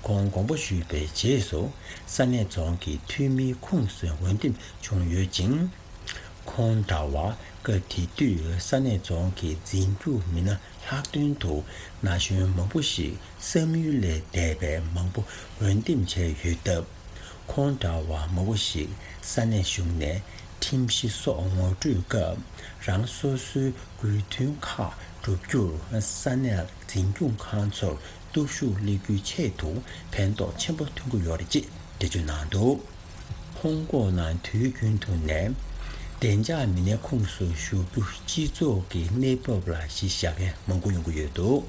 ཁོང་དགོངས་པ་ཞུས་པའི་རྗེས་སུ་ས་གནས་རྫོང་གི་འཐུས་མིའི་ཁོངས་སུ་འོས་འདེམས་བྱུང་ཡོད་ཅིང་། ཁོང་འདྲ་བར་སྐབས་དེ་དུས་ས་གནས་རྫོང་གི་འཛིན་སྐྱོང་མི་སྣ་ལྷག་དོན་དུ་ན་གཞོན་མང་པོ་ཞིག་བསམ་ཡུལ་ལས་འདས་པའི་མང་པོ་འོས་འདེམས་བྱས་ཡོད་སྟབས། ཁོང་འདྲ་བ་མང་པོ་ཞིག་ས་གནས་གཞུང་ནས་ཁྲིམས་གཞི་སོགས་ངོ་སྤྲོད་སྐབས། རང་སོ་སོའི་དགོས་འདུན་ཁག་བསྒྲུབ་རྒྱུར་ས་གནས་འཛིན་སྐྱོང་ཁང་ཚོར་སྟོབས་ཤུགས་སླེབས་རྒྱུའི་ཆེད་དུ་ཕན་ཐོགས་ཆེན་པོ་ཐོན་གྱི་ཡོད་རེད་ཅེས་འགྲེལ་བརྗོད་གནང་འདུག་ཧོང་ཀོང་ནང་དུས་རྒྱུན་དུ་ནས་བདེ་འཇགས་མི་སྣའི་ཁོངས་སུ་ཞུགས་རྒྱུ་སྤྱི་ཚོགས་ཀྱི་གནས་བབ་ལ་གཞི་བཞག་མཁན་མང་པོ་ཡོང་གི་ཡོད་འདུག་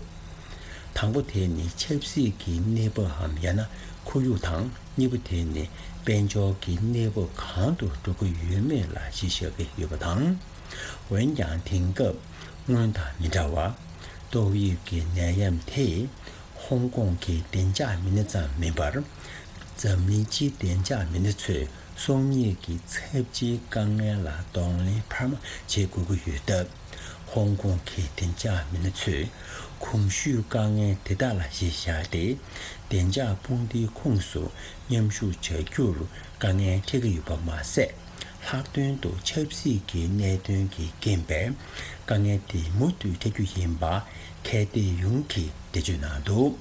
དང་པོ་དེ་ནི་ཆབ་སྲིད་ཀྱི་གནས་བབ་འམ་ཡང་ན་ཁོར་ཡུག་དང་། གཉིས་པ་དེ་ནི་དཔལ་འབྱོར་གྱི་གནས་བབ་གང་དུ་འགྲོ་གི་ཡོད་མེད་ལ་གཞི་བཞག་གི་ཡོད་པ་དང་། འོན་ཀྱང་དེང་སྐབས་སྔོན་དང་མི་འདྲ་བར་ཏོག་དབྱིབས་ཀྱི་ནད་ཡམས་དེས་ཧོང་ཀོང་གི་བདེ་འཇགས་མི་སྣ་ཙམ་མིན་པར། འཛམ་གླིང་སྤྱིའི་བདེ་འཇགས་མི་སྣ་ཚོས་སྲོག་ཉིད་ཀྱི་ཚབས་ཆེའི་དཀའ་ངལ་ལ་གདོང་ལེན་འཕར་མ་བྱེད་དགོས་ཀྱི་ཡོད་སྟབས། ཧོང་ཀོང་གི་བདེ་འཇགས་མི་སྣ་ཚོས་གོང་ཞུས་དཀའ་ངལ་དེ་དག་ལ་གཞི་བཞག་སྟེ། བདེ་འཇགས་དཔུང་སྡེའི་ཁོངས་སུ་མཉམ་ཞུགས་བྱ་རྒྱུར་དཀའ་ངལ་འཕྲད་ཀྱི་ཡོད་པ་མ་ཟད། ལྷག་དོན་དུ་ཆབ་སྲིད་ཀྱི་གནད་དོན་གྱི་རྐྱེན་པས་དཀའ་ངལ་དེ་མུ་མཐུད་འཕྲད་རྒྱུ་ཡིན་པ་མཁས་དེ་ཡུང་གིས་འགྲེལ་བརྗོད་གནང་འདུག་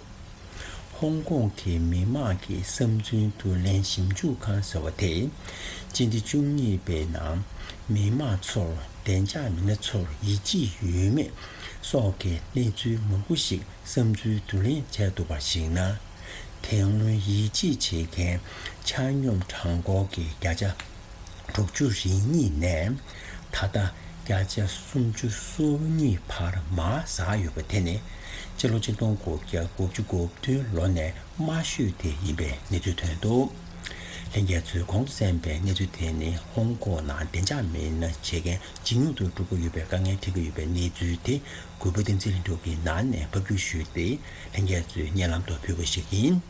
ཧོང་ཀོང་གི་མི་མང་གི་བསམ་ཚུལ་བསྡུ་ལེན་ཞིབ་འཇུག་ཁང་ཟེར་བ་དེས། སྤྱི་ཟླ་བཅུ་གཉིས་པའི་ནང་མི་མང་ཚོར་བདེ་འཇགས་མི་སྣ་ཚོར་ཡིད་ཆེས་ཡོད་མེད་སོགས་ཀྱི་གནས་ཚུལ་མང་པོ་ཞིག་བསམ་ཚུལ་བསྡུ་ལེན་བྱས་འདུག་པར་གཞིགས་ན། དེ་སྔོན་ཡིད་ཆེས་བྱེད་མཁན་ཆ་སྙོམས་གྲངས་འབོར་གྱི་བརྒྱ་ཆ་དྲུག་ཅུ་རེ་གཉིས་ནས་ད་ལྟ་བརྒྱ་ཆ་སུམ་ཅུ་སོ་གཉིས་བར་མར་ཟག་ཡོད་པ་དེ་ནི་སྤྱི་ལོ་ཆིག་སྟོང་དགུ་བརྒྱ་དགུ་བཅུ་གོ་བདུན་ལོ་ནས་དམའ་ཤོས་དེ་ཡིན་པའི་གནས་ཚུལ་ཐོན་འདུག་ལྷན་རྒྱས་ཚོས་གོང་དུ་གསན་པའི་གནས་ཚུལ་དེ་ནི་ཧོང་ཀོང་ནང་བདེ་འཇགས་མི་སྣ་བྱེད་མཁན་ཇེ་ཉུང་དུ་འགྲོ་གི་ཡོད་པའི་དཀའ་ངལ་འཕྲད་ཀྱི་ཡོད་པའི་གནས་ཚུལ་དེ་གུས་པ་བསྟན་འཛིན་ལྷུན་གྲུབ་ཀྱིས་ནང་ནས་ཕབ་སྒྱུར་ཞུས་ཏེ་ལྷན་རྒྱས་ཚོའི་སྙན་ལམ་དུ་ཕུལ་བ་ཞིག་ཡིན།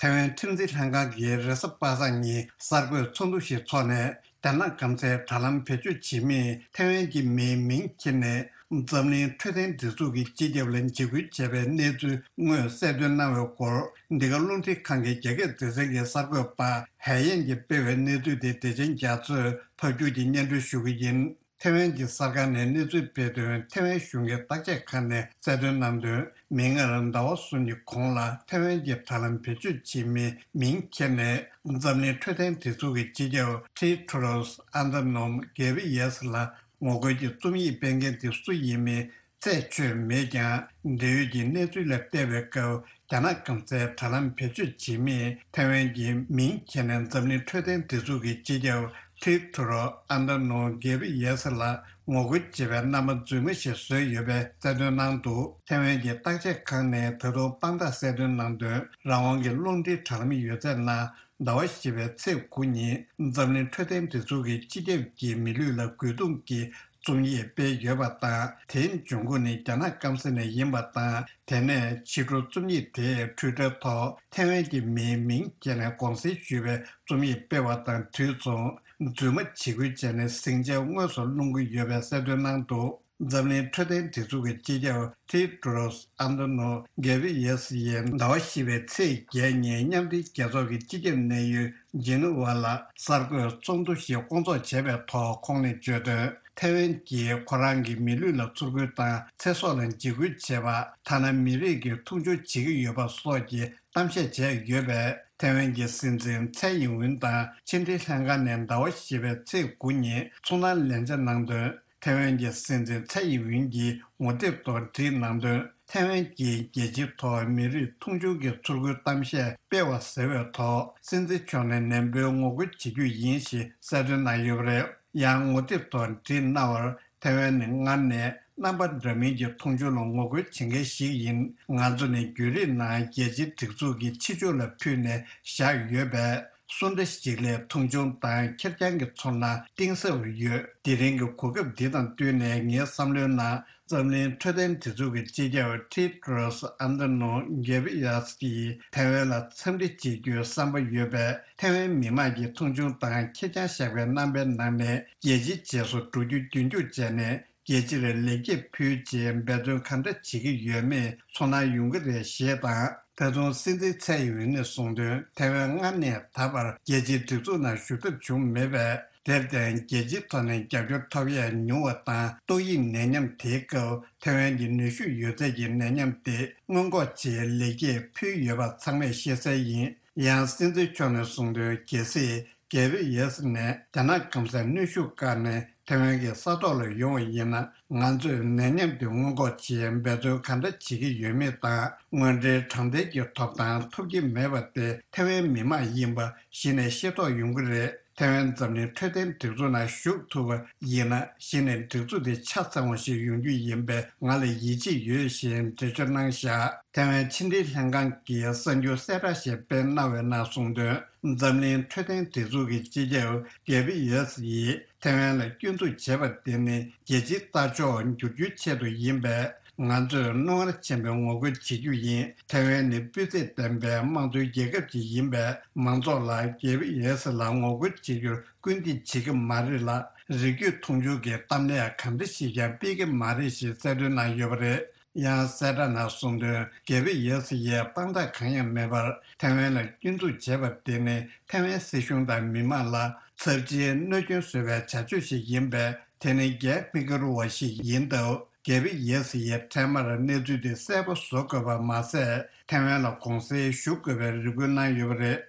ཐའེ་ཝན་ཁྲིམས་འཛིན་ལྷན་ཁང་གིས་རེས་གཟའ་པ་སངས་ཉིན་གསར་འགོད་ཚོགས་འདུ་ཞིག་འཚོགས་ནས། རྒྱ་ནག་སྐམ་སའི་དྲ་ལམ་བེད་སྤྱོད་བྱེད་མིས་ཐའེ་ཝན་གྱི་མིའི་མིང་འཁྱེར་ནས་འཛམ་གླིང་འཕྲོད་བསྟེན་སྒྲིག་འཛུགས་ཀྱི་སྤྱི་ཁྱབ་ལ་འཇིགས་སྐུལ་བྱས་པའི་གནས་ཚུལ་དངོས་གསལ་སྟོན་གནང་བའི་སྐོར། འདི་ག་རླུང་འཕྲིན་ཁང་གི་རྒྱ་སྐད་སྡེ་ཚན་གྱི་གསར་འགོད་པ་ཧའེ་ཡན་གྱིས་སྤེལ་བའི་གནས་ཚུལ་དེ་བདེ་ཆེན་རྒྱ་མཚོས་ཕབ་སྒྱུར་གྱིས་སྙན་སྒྲོན་ཞུ་གི་ཡིན། ཐེ་ཝན་གྱི་གསར་ཁང་ནས་གནས་ཚུལ་སྤེལ་དོན། ཐེ་ཝན་གཞུང་གི་བརྟག་དཔྱད་ཁང་ནས་གསལ་སྟོན་གནང་དོན། མིག་སྔར་ཟླ་བ་གསུམ་གྱི་གོང་ལ་ཐེ་ཝན་གྱི་དྲ་ལམ་བེད་སྤྱོད་བྱེད་མིའི་མིང་འཁྱེར་ནས་འཛམ་གླིང་འཕྲོད་བསྟེན་སྒྲིག་འཛུགས་ཀྱི་སྤྱི་ཁྱབ་ཊེ་ཌྲོས་ཨན་དྷ་ནོམ་གྷེ་བྷི་ཡེ་སི་ལ་ངོ་རྒོལ་གྱི་རྩོམ་ཡིག་སྤེལ་མཁན་དེ་སུ་ཡིན་མིན་ཚད་ཆོད་མེད་ཀྱང་། འབྲེལ་ཡོད་ཀྱི་གནས་ཚུལ་ལ་བལྟས་པའི་སྐབས། རྒྱ་ནག་སྐམ་སའི་དྲ་ལམ་བེད་སྤྱོད་བྱེད་མིས་ཐེ་ཝན་གྱི་མིང་འཁྱེར་ནས་འཛམ་གླིང་འཕྲོད་བསྟེན་སྒྲིག་འཛུགས་ཀྱི་སྤྱི་ཁྱབ་ཊེ་ཌྲོས་ཨན་དྷ་ནོམ་གྷེ་བྷི་ཡེ་སི་ལ་ངོ་རྒོལ་བྱེད་པའི་རྣམ་པ་རྫུན་མ་ཞིག་བཟོས་ཡོད་པའི་གསལ་སྟོན་གནང་འདུག་ཐེ་ཝན་གྱི་བརྟག་དཔྱད་ཁང་ནས་ད་དུང་དཔང་རྟགས་གསལ་སྟོན་གནང་དོན། རང་དབང་གི་རླུང་འཕྲིན་དྲ་ལམ་ཡོད་ཚད་ནང་ཟླ་བ་བཞི་པའི་ཚེས་དགུ་ཉིན་འཛམ་གླིང་འཕྲོད་བསྟེན་སྒྲིག་འཛུགས་ཀྱི་སྤྱི་ཁྱབ་ཀྱིས་མི་ལུས་ལ་རྒོལ་རྡུང་གི་རྩོམ་ཡིག་སྤེལ་ཡོད་པ་དང་། དེའི་འབྱུང་ཁུངས་ནི་རྒྱ་ནག་སྐམ་ས་ནས་ཡིན་པ་དང་། དེ་ནས་ཕྱི་དྲོ་རྩོམ་ཡིག་དེས་ཊུའི་ཊར་ཐོག་ཐེ་ཝན་གྱི་མིའི་མིང་བཀལ་ནས་དགོངས་སེལ་ཞུས་པའི་རྩོམ་ཡིག་སྤེལ་བ་དང་དུས་མཚུངས། རྫུན་མ་བྱེད་ཁུལ་བྱས་ནས་ཟིང་ཆ་དངོས་སུ་སློང་གི་ཡོད་པའི་གསལ་སྟོན་གནང་འདུག་འཛམ་གླིང་འཕྲོད་བསྟེན་སྒྲིག་འཛུགས་ཀྱི་སྤྱི་ཁྱབ་ཊེ་ཌྲོས་ཨན་དྷ་ནོམ་གྷེ་བྷི་ཡེ་སི་ཡིས་ཟླ་བ་བཞི་པའི་ཚེས་བརྒྱད་ཉིན་མཉམ་འབྲེལ་རྒྱལ་ཚོགས་ཀྱི་སྤྱི་ཁྱབ་གནད་ཡོད་ཇི་ནི་ཝ་ལ་གསར་འགོད་ཚོགས་འདུ་ཞིག་བསྐོང་ཚོགས་བྱས་པའི་ཐོག་ཁོང་ནས་བརྗོད་དོན། ཐེ་ཝན་གྱིས་ཁོ་རང་གི་མི་ལུས་ལ་ཚུར་རྒོལ་དང་ཚེ་སྲོག་ལ་འཇིགས་སྐུལ་བྱས་པ། ཐ་ན་མི་རིགས་ཀྱི་མཐོང་ཆུང་བྱེད་ཀྱི་ཡོད་པ་སོགས་ཀྱི་གཏམ་བཤད་བྱས་ཡོད་པས། ཐེ་ཝན་གྱི་སྲིད་འཛིན་ཚའེ་ཡིན་ཝུན་དང་ཕྱི་འབྲེལ་ལྷན་ཁང་ནས་ཟླ་བ་བཞི་པའི་ཚེས་དགུ་ཉིན་ཚོང་ལམ་ལན་ཆ་གནང་དོན། ཐེ་ཝན་གྱི་སྲིད་འཛིན་ཚའེ་ཡིན་ཝུན་གྱིས་ངོ་དེབ་ཐོག་བྲིས་གནང་དོན། ཐེ་ཝན་གྱིས་རྒྱལ་སྤྱིའི་ཐོག་མི་རིགས་མཐོང་ཆུང་གི་ཚུར་རྒོལ་གཏམ་བཤད་སྤེལ་བ་ཟེར་བའི་ཐོག་སྲིད་འཛིན་མཆོག་ནས་ནན་པོའི་ངོ་རྒོལ་བྱེད་རྒྱུ་ཡིན་ཞེས་གསལ་སྟོན་གནང་ཡོད་པ་རེད། ཡང་ངོ་དེབ་ཐོག་བྲིས་གནང་བར། ཐེ་ཝན་ནི་སྔར་ནས་རྣམ་པ་འདྲ་མིན་གྱི་མཐོང་ཆུང་ལ་ངོ་རྒོལ་བྱེད་མཁན་ཞིག་ཡིན། ང་ཚོ་ནི་བརྒྱུད་རིམ་ནང་རྒྱལ་སྤྱིའི་སྒྲིག་འཛུགས་ཀྱི་ཕྱི་ཕྱོགས་ལ་ཕུལ་ནས་བཞག་ཡོད་པས། སུ་འདྲ་ཞིག་ལས་མཐོང་ཆུང་དང་ཁེར་རྐྱང་གི་ཚོར་སྣང་གཏིང་ཟབ་ཡོད། དེ་རིང་གི་གོ་སྐབས་འདི་དང་བསྟུན་ནས་ངའི་བསམ་བློའི་ནང་འཛམ་གླིང་འཕྲོད་བསྟེན་སྒྲིག་འཛུགས་ཀྱི་སྤྱི་ཁྱབ་ཊེ་ཌྲོས་ཨན་དྷ་ནོམ་གྷེ་བྷི་ཡེ་སི་ཡིས་ཐེ་ཝན་ལ་འཚམས་འདྲི་བྱེད་རྒྱུའི་བསམ་པ་ཡོད་པས། ཐེ་ཝན་མི་དམངས་ཀྱིས་མཐོང་ཆུང་དང་ཁེར་རྐྱང་བཞག་པའི་རྣམ་པའི་ནང་ནས་རྒྱལ་སྤྱིའི་རྗེས་སུ་འགྲོ་རྒྱུ་རྒྱུན་འཁྱོངས་བྱས་ནས། རྒྱལ་སྤྱིར་ལེགས་སྐྱེས་ཕུལ་རྗེས་འབད་བརྩོན་གང་འདྲ་བྱེད་ཀྱི་ཡོད་མེད་ཚོར་སྣང་ཡོང་གི་རེད་ཞེས་དང་། ད་དུང་སྲིད་འཛིན་ཚའེ་ཡིན་ཝུན་ནས་གསུངས་དོན། ཐེ་ཝན་སྔར་ནས་ད་བར་རྒྱལ་སྤྱིའི་སྒྲིག་འཛུགས་ནང་ཞུགས་ཐབས་བྱུང་མེད་པས། དེར་བརྟེན་རྒྱལ་སྤྱིའི་ཐོག་ནས་རྒྱབ་སྐྱོར་ཐོབ་ཡས་ཉུང་བ་དང་། ཏོག་དབྱིབས་ནད་ཉམས་དེའི་སྐབས་ཐེ་ཝན་གྱི་ནུས་ཤུགས་ཡོད་ཚད་ཀྱི་ནད་ཉམས་དེ་སྔོན་འགོག་ཆེད་ལེགས་སྐྱེས་ཕུལ་ཡོད་པ་ཚང་མས་ཤེས་གསལ་ཡིན། ཡང་སྲིད་འཛིན་མཆོག་ནས་གསུངས་དོན། གལ་སྲིད་གྷེ་བྷི་ཡེ་སི་ནས་རྒྱ་ནག་སྐམ་སར་གནོན་ཤུགས་བཀག་ནས་ཐེ་ཝན་གྱི་ས་ཐོག་ལ་ཡོང་བ་ཡིན་ན། ང་ཚོས་ནད་ཉམས་དེ་སྔོན་འགོག་ཆེད་འབད་བརྩོན་ག་འདྲ་བྱེད་ཀྱི་ཡོད་མེད་དང་། དངོས་འབྲེལ་དྲང་བདེན་གྱི་ཐོབ་ཐང་ཐོབ་ཀྱི་མེད་པ་དེ་ཐེ་ཝན་མི་དམངས་ཡིན་པ་གཞི་ནས་ཤེས་རྟོགས་ཡོང་གི་རེད། ཐེ་ཝན་འཛམ་གླིང་འཕྲོད་བསྟེན་སྒྲིག་འཛུགས་ནང་ཞུགས་ཐུབ་པ་ཡིན་ན། གཞི་ནས་སྒྲིག་འཛུགས་དེ་ཆ་ཚང་བ་ཞིག་ཡོང་རྒྱུ་ཡིན་པས་ང་ལ་ཡིད་ཆེས་ཡོད་ཞེས་འགྲེལ་བརྗོད་གནང་བཞག་ཐེ་ཝན་ཕྱི་འབྲེལ་ལྷན་ཁང་གིས་གསར་འགྱུར་གསལ་བསྒྲགས་ཤིག་སྤེལ་གནང་བའི་ནང་གསུངས་དོན། འཛམ་གླིང་འཕྲོད་བསྟེན་སྒྲིག་འཛུགས་ཀྱི་སྤྱི་ཁྱབ་གྷེ་བྷི་ཡེ་སི་ཡིས་ཐེ་ཝན་ལ་སྐྱོན་འཛུགས་བྱས་པ་དེ་ནི་རྒྱལ་སྤྱིའི་ལྟ་ཕྱོགས་འགྱུར་རྒྱུའི་ཆེད་དུ་ཡིན་པས། ང་ཚོས་རྣོ་ངར་ཆེན་པོས་ངོ་རྒོལ་བྱེད་རྒྱུ་ཡིན། ཐེ་ཝན་ནི་སྤུས་ཚད་ལྡན་པའི་དམངས་གཙོའི་རྒྱལ་ཁབ་ཅིག་ཡིན་པས། མང་ཚོགས་ལ་གྷེ་བྷི་ཡེ་སི་ལ་ངོ་རྒོལ་བྱེད་རྒྱུར་སྐུལ་འདེད་བྱེད་ཀྱི་མ་རེད་ལ། རིགས་རྒྱུད་མཐོང་ཆུང་གི་གཏམ་གླེང་གང་འདྲ་ཞིག་ཀྱང་སྤེལ་གྱི་མ་རེད་ཞེས་གསལ་སྟོན་གནང་ཡོད་པ་རེད། ཡང་གསལ་བསྒྲགས་ནང་གསུངས་དོན། གྷེ་བྷི་ཡེ་སི་ཡིས་དཔང་རྟགས་གང་ཡང་མེད་པར་ཐེ་ཝན་ལ་སྐྱོན་འཛུགས་བྱས་པ་དེ་ནི་ཐེ་ཝན་སྲིད་གཞུང་དང་མི་དམངས་ལ་ཚབས་ཆེའི་གནོད་སྐྱོན་བཟོ་བའི་བྱ་སྤྱོད་ཞིག་ཡིན་པས། དེ་ནི་གྱལ་མི་དགའ་རུ་བ་ཞིག་ཡིན་སྟབས། གྷེ་བྷི་ཡེ་སི་ཡིས་འཕྲལ་མར་གནས་ཚུལ་དེ་གསལ་པོ་བཟོ་དགོས་པ་མ་ཟད། ཐེ་ཝན་ལ་དགོངས་སེལ་ཞུ་དགོས་པའི་རེ་སྐུལ་གནང་ཡོད་པ་རེད།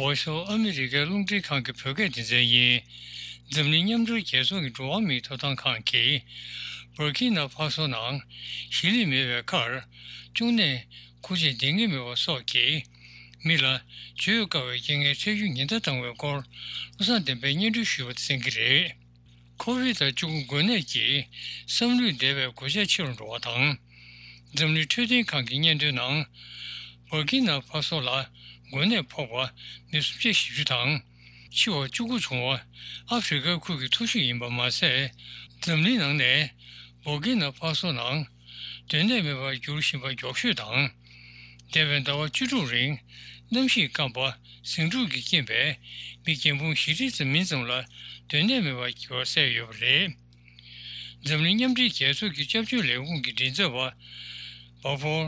འོས་སོ་ཨ་མི་རི་ཀའི་རླུང་འཕྲིན་ཁང་གི་བོད་སྐད་སྡེ་ཚན་ཡིན། འཛམ་གླིང་མཉམ་འབྲེལ་རྒྱལ་ཚོགས་ཀྱི་འགྲོ་བ་མིའི་ཐོབ་ཐང་ཁང་གིས། བར་ཀི་ན་ཕ་སོ་ནང་ཞི་ལི་མེད་པའི་ཁར། གཅོང་ནད་འགོས་ཆེད་སྡིག་ཉེས་མེད་པ་སོགས་ཀྱིས། མི་ལ་བརྗོད་དཀའ་བའི་རྐྱེན་ངན་འཕྲད་རྒྱུ་ཉེན་བརྡ་བཏང་བའི་སྐོར། བློ་བཟང་བསྟན་པས་སྙན་སྒྲོན་ཞུས་པ་གསན་གྱི་རེད། ཁོ་བིད་བཅུ་དགུ་འགོས་ནད་ཀྱིས་བསམ་ལུས་འདས་པའི་གོད་ཆག་ཆེ་རུ་འགྲོ་བ་དང་། འཛམ་གླིང་འཕྲོད་བསྟེན་ཁང་གི་སྙན་ཐོའི་ནང་། བར་ཀི་ན་ཕ་སོ་ལ་འགོས་ནད་ཕོག་པ་མི་སུམ་བརྒྱ་བཞི་བཅུ་དང་། འཆི་བ་བཅུ་དགུ་བྱུང་བ་ཨ་ཧྥེ་རི་ཁའི་ཁུལ་གྱི་མཐོ་ཤོས་ཡིན་པ་མ་ཟད། འཛམ་གླིང་ནང་ནས་བར་ཀི་ན་ཕ་སོ་ནང་སྡོད་གནས་མེད་པར་འགྱུར་བཞིན་པ་མགྱོགས་ཤོས་དང་། འདས་པའི་ཟླ་བ་བཅུ་དྲུག་རིང་གནམ་གཤིས་སྐམ་པ། ཟིང་འཁྲུག་གི་རྐྱེན་པས་མི་རྒན་འབུམ་བཞི་ཁྲིའི་ཙམ་མིན་ཙམ་ལ་སྡོད་གནས་མེད་པར་གྱུར་བ་གསལ་ཡོད་པ་རེད། འཛམ་གླིང་མཉམ་འབྲེལ་རྒྱལ་ཚོགས་ཀྱི་སྐྱབས་བཅོལ་ལས་ཁུངས་ཀྱི་མགྲིན་ཚབ་པ་བྷ་ཕོར་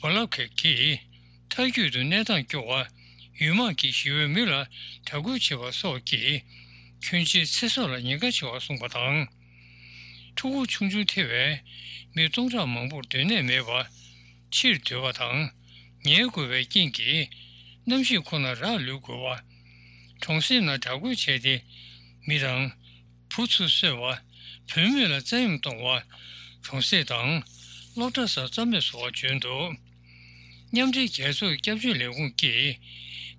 བྷ་ལབ་ཁེ་གིས་མཐའ་འཁྱོལ་དུ་གནས་སྟངས་སྐྱོ་བ་ ཡུལ་དམག་གིས་ཞི་བའི་མི་ལ་དྲག་རྒོལ་བྱེད་པ་སོགས་ཀྱིས་ཁྱོན་ཆེའི་ཚེ་སྲོག་ལ་ཉེན་ཁ་ཆེ་བར་སོང་པ་དང་། ཕྲུ་གུ་ཆུང་ཆུང་ཐེ་བའི་མི་སྟོང་ཕྲག་མང་པོར་སྡོད་གནས་མེད་པ། ཕྱིར་སྡོད་པ་དང་ཉལ་དགོས་པའི་རྐྱེན་གྱིས་གནམ་གཤིས་ཁོ་ནར་རག་ལུས་དགོས་པ། གྲོང་གསེབ་ནང་དྲག་རྒོལ་བྱས་ཏེ་མི་དང་བུ་ཚུར་གསོས་པ། བུད་མེད་ལ་བཙན་གཡེམ་གཏོང་བ། གྲོང་གསེབ་དང་སློབ་གྲྭ་སོགས་རྩ་མེད་བཟོ་བ་བྱོན་འདུག་མཉམ་འབྲེལ་རྒྱལ་ཚོགས་ཀྱི་སྐྱབས་བཅོལ་ལས་ཁུངས་ཀྱིས་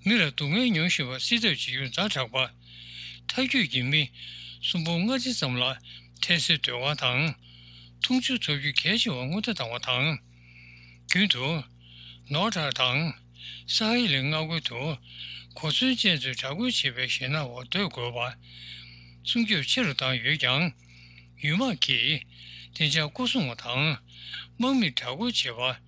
མི་ལ་སྡུག་བསྔལ་མྱོང་བཞིན་པ་སེལ་ཐབས་བྱེད་རྒྱུར་ཛ་དྲག་པ། ཐར་རྒྱུད་ཀྱི་མི་སུམ་སྟོང་ལྔ་བརྒྱ་ཙམ་ལ་འཕྲལ་སེལ་ཟློས་གར་དང་། འཐུང་ཆུ་ཐོབ་རྒྱུ་གལ་ཆེ་བར་སྔོན་བརྡ་བཏང་བ་དང་། རྒྱུན་དུ་ནོར་ཐར་དང་ས་ཧ་ལའི་མངའ་ཁུལ་དུ་གོ་མཚོན་ཅན་ཚོས་དྲག་རྒོལ་བྱེད་པའི་ཞེད་སྣང་འོག་སྡོད་དགོས་པ། སྲུང་སྐྱོབ་ཆེ་རུ་བཏང་ཡོད་ཀྱང་། ཡུལ་དམག་གིས་བདེ་འཇགས་སྐོར་སྲུང་བ་དང་། དམག་མིར་དྲག་རྒོལ་བྱེད་པ།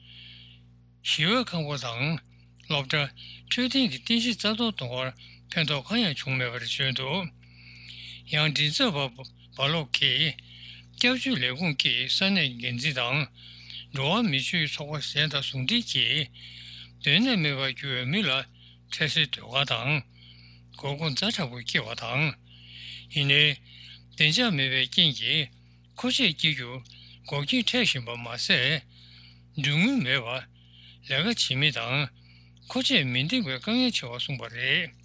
ཞི་བའི་ཁང་པ་དང་། སློབ་གྲྭ། འཕྲོད་བསྟེན་གྱི་རྟེན་གཞི་རྩ་གཏོར་གཏོང་བར་ཕན་ཐོགས་གང་ཡང་བྱུང་མེད་པར་བརྗོད་འདུག་ཡང་མགྲིན་ཚབ་པ་བྷ་ལོག་གིས་སྐྱབས་བཅོལ་ལས་ཁུངས་ཀྱིས་ས་གནས་འགན་འཛིན་དང་འགྲོ་བ་མི་ཆོས་ཚོགས་པ་གཞན་དང་ཟུང་འབྲེལ་གྱིས་སྡོད་གནས་མེད་པར་གྱུར་བའི་མི་ལ་འཕྲལ་སེལ་ཟློས་གར་དང་། མགོ་སྐོར་ཛ་དྲག་པོ་སྐྱེལ་བ་དང་། ཡིན་ནའི། བདེ་འཇགས་མེད་པའི་རྐྱེན་གྱིས་མཁོ་ཆས་སྐྱེལ་རྒྱུར་འགོག་རྐྱེན་འཕྲད་བཞིན་པ་མ་ཟད། མགྲོན་དངུལ་མེད་པ། ལས་ཀ་བྱེད་མི་དང་མཁོ་ཆས་མི་འདེང་བའི་དཀའ་ངལ་ཆེ་བར་སོང་བ་རེད།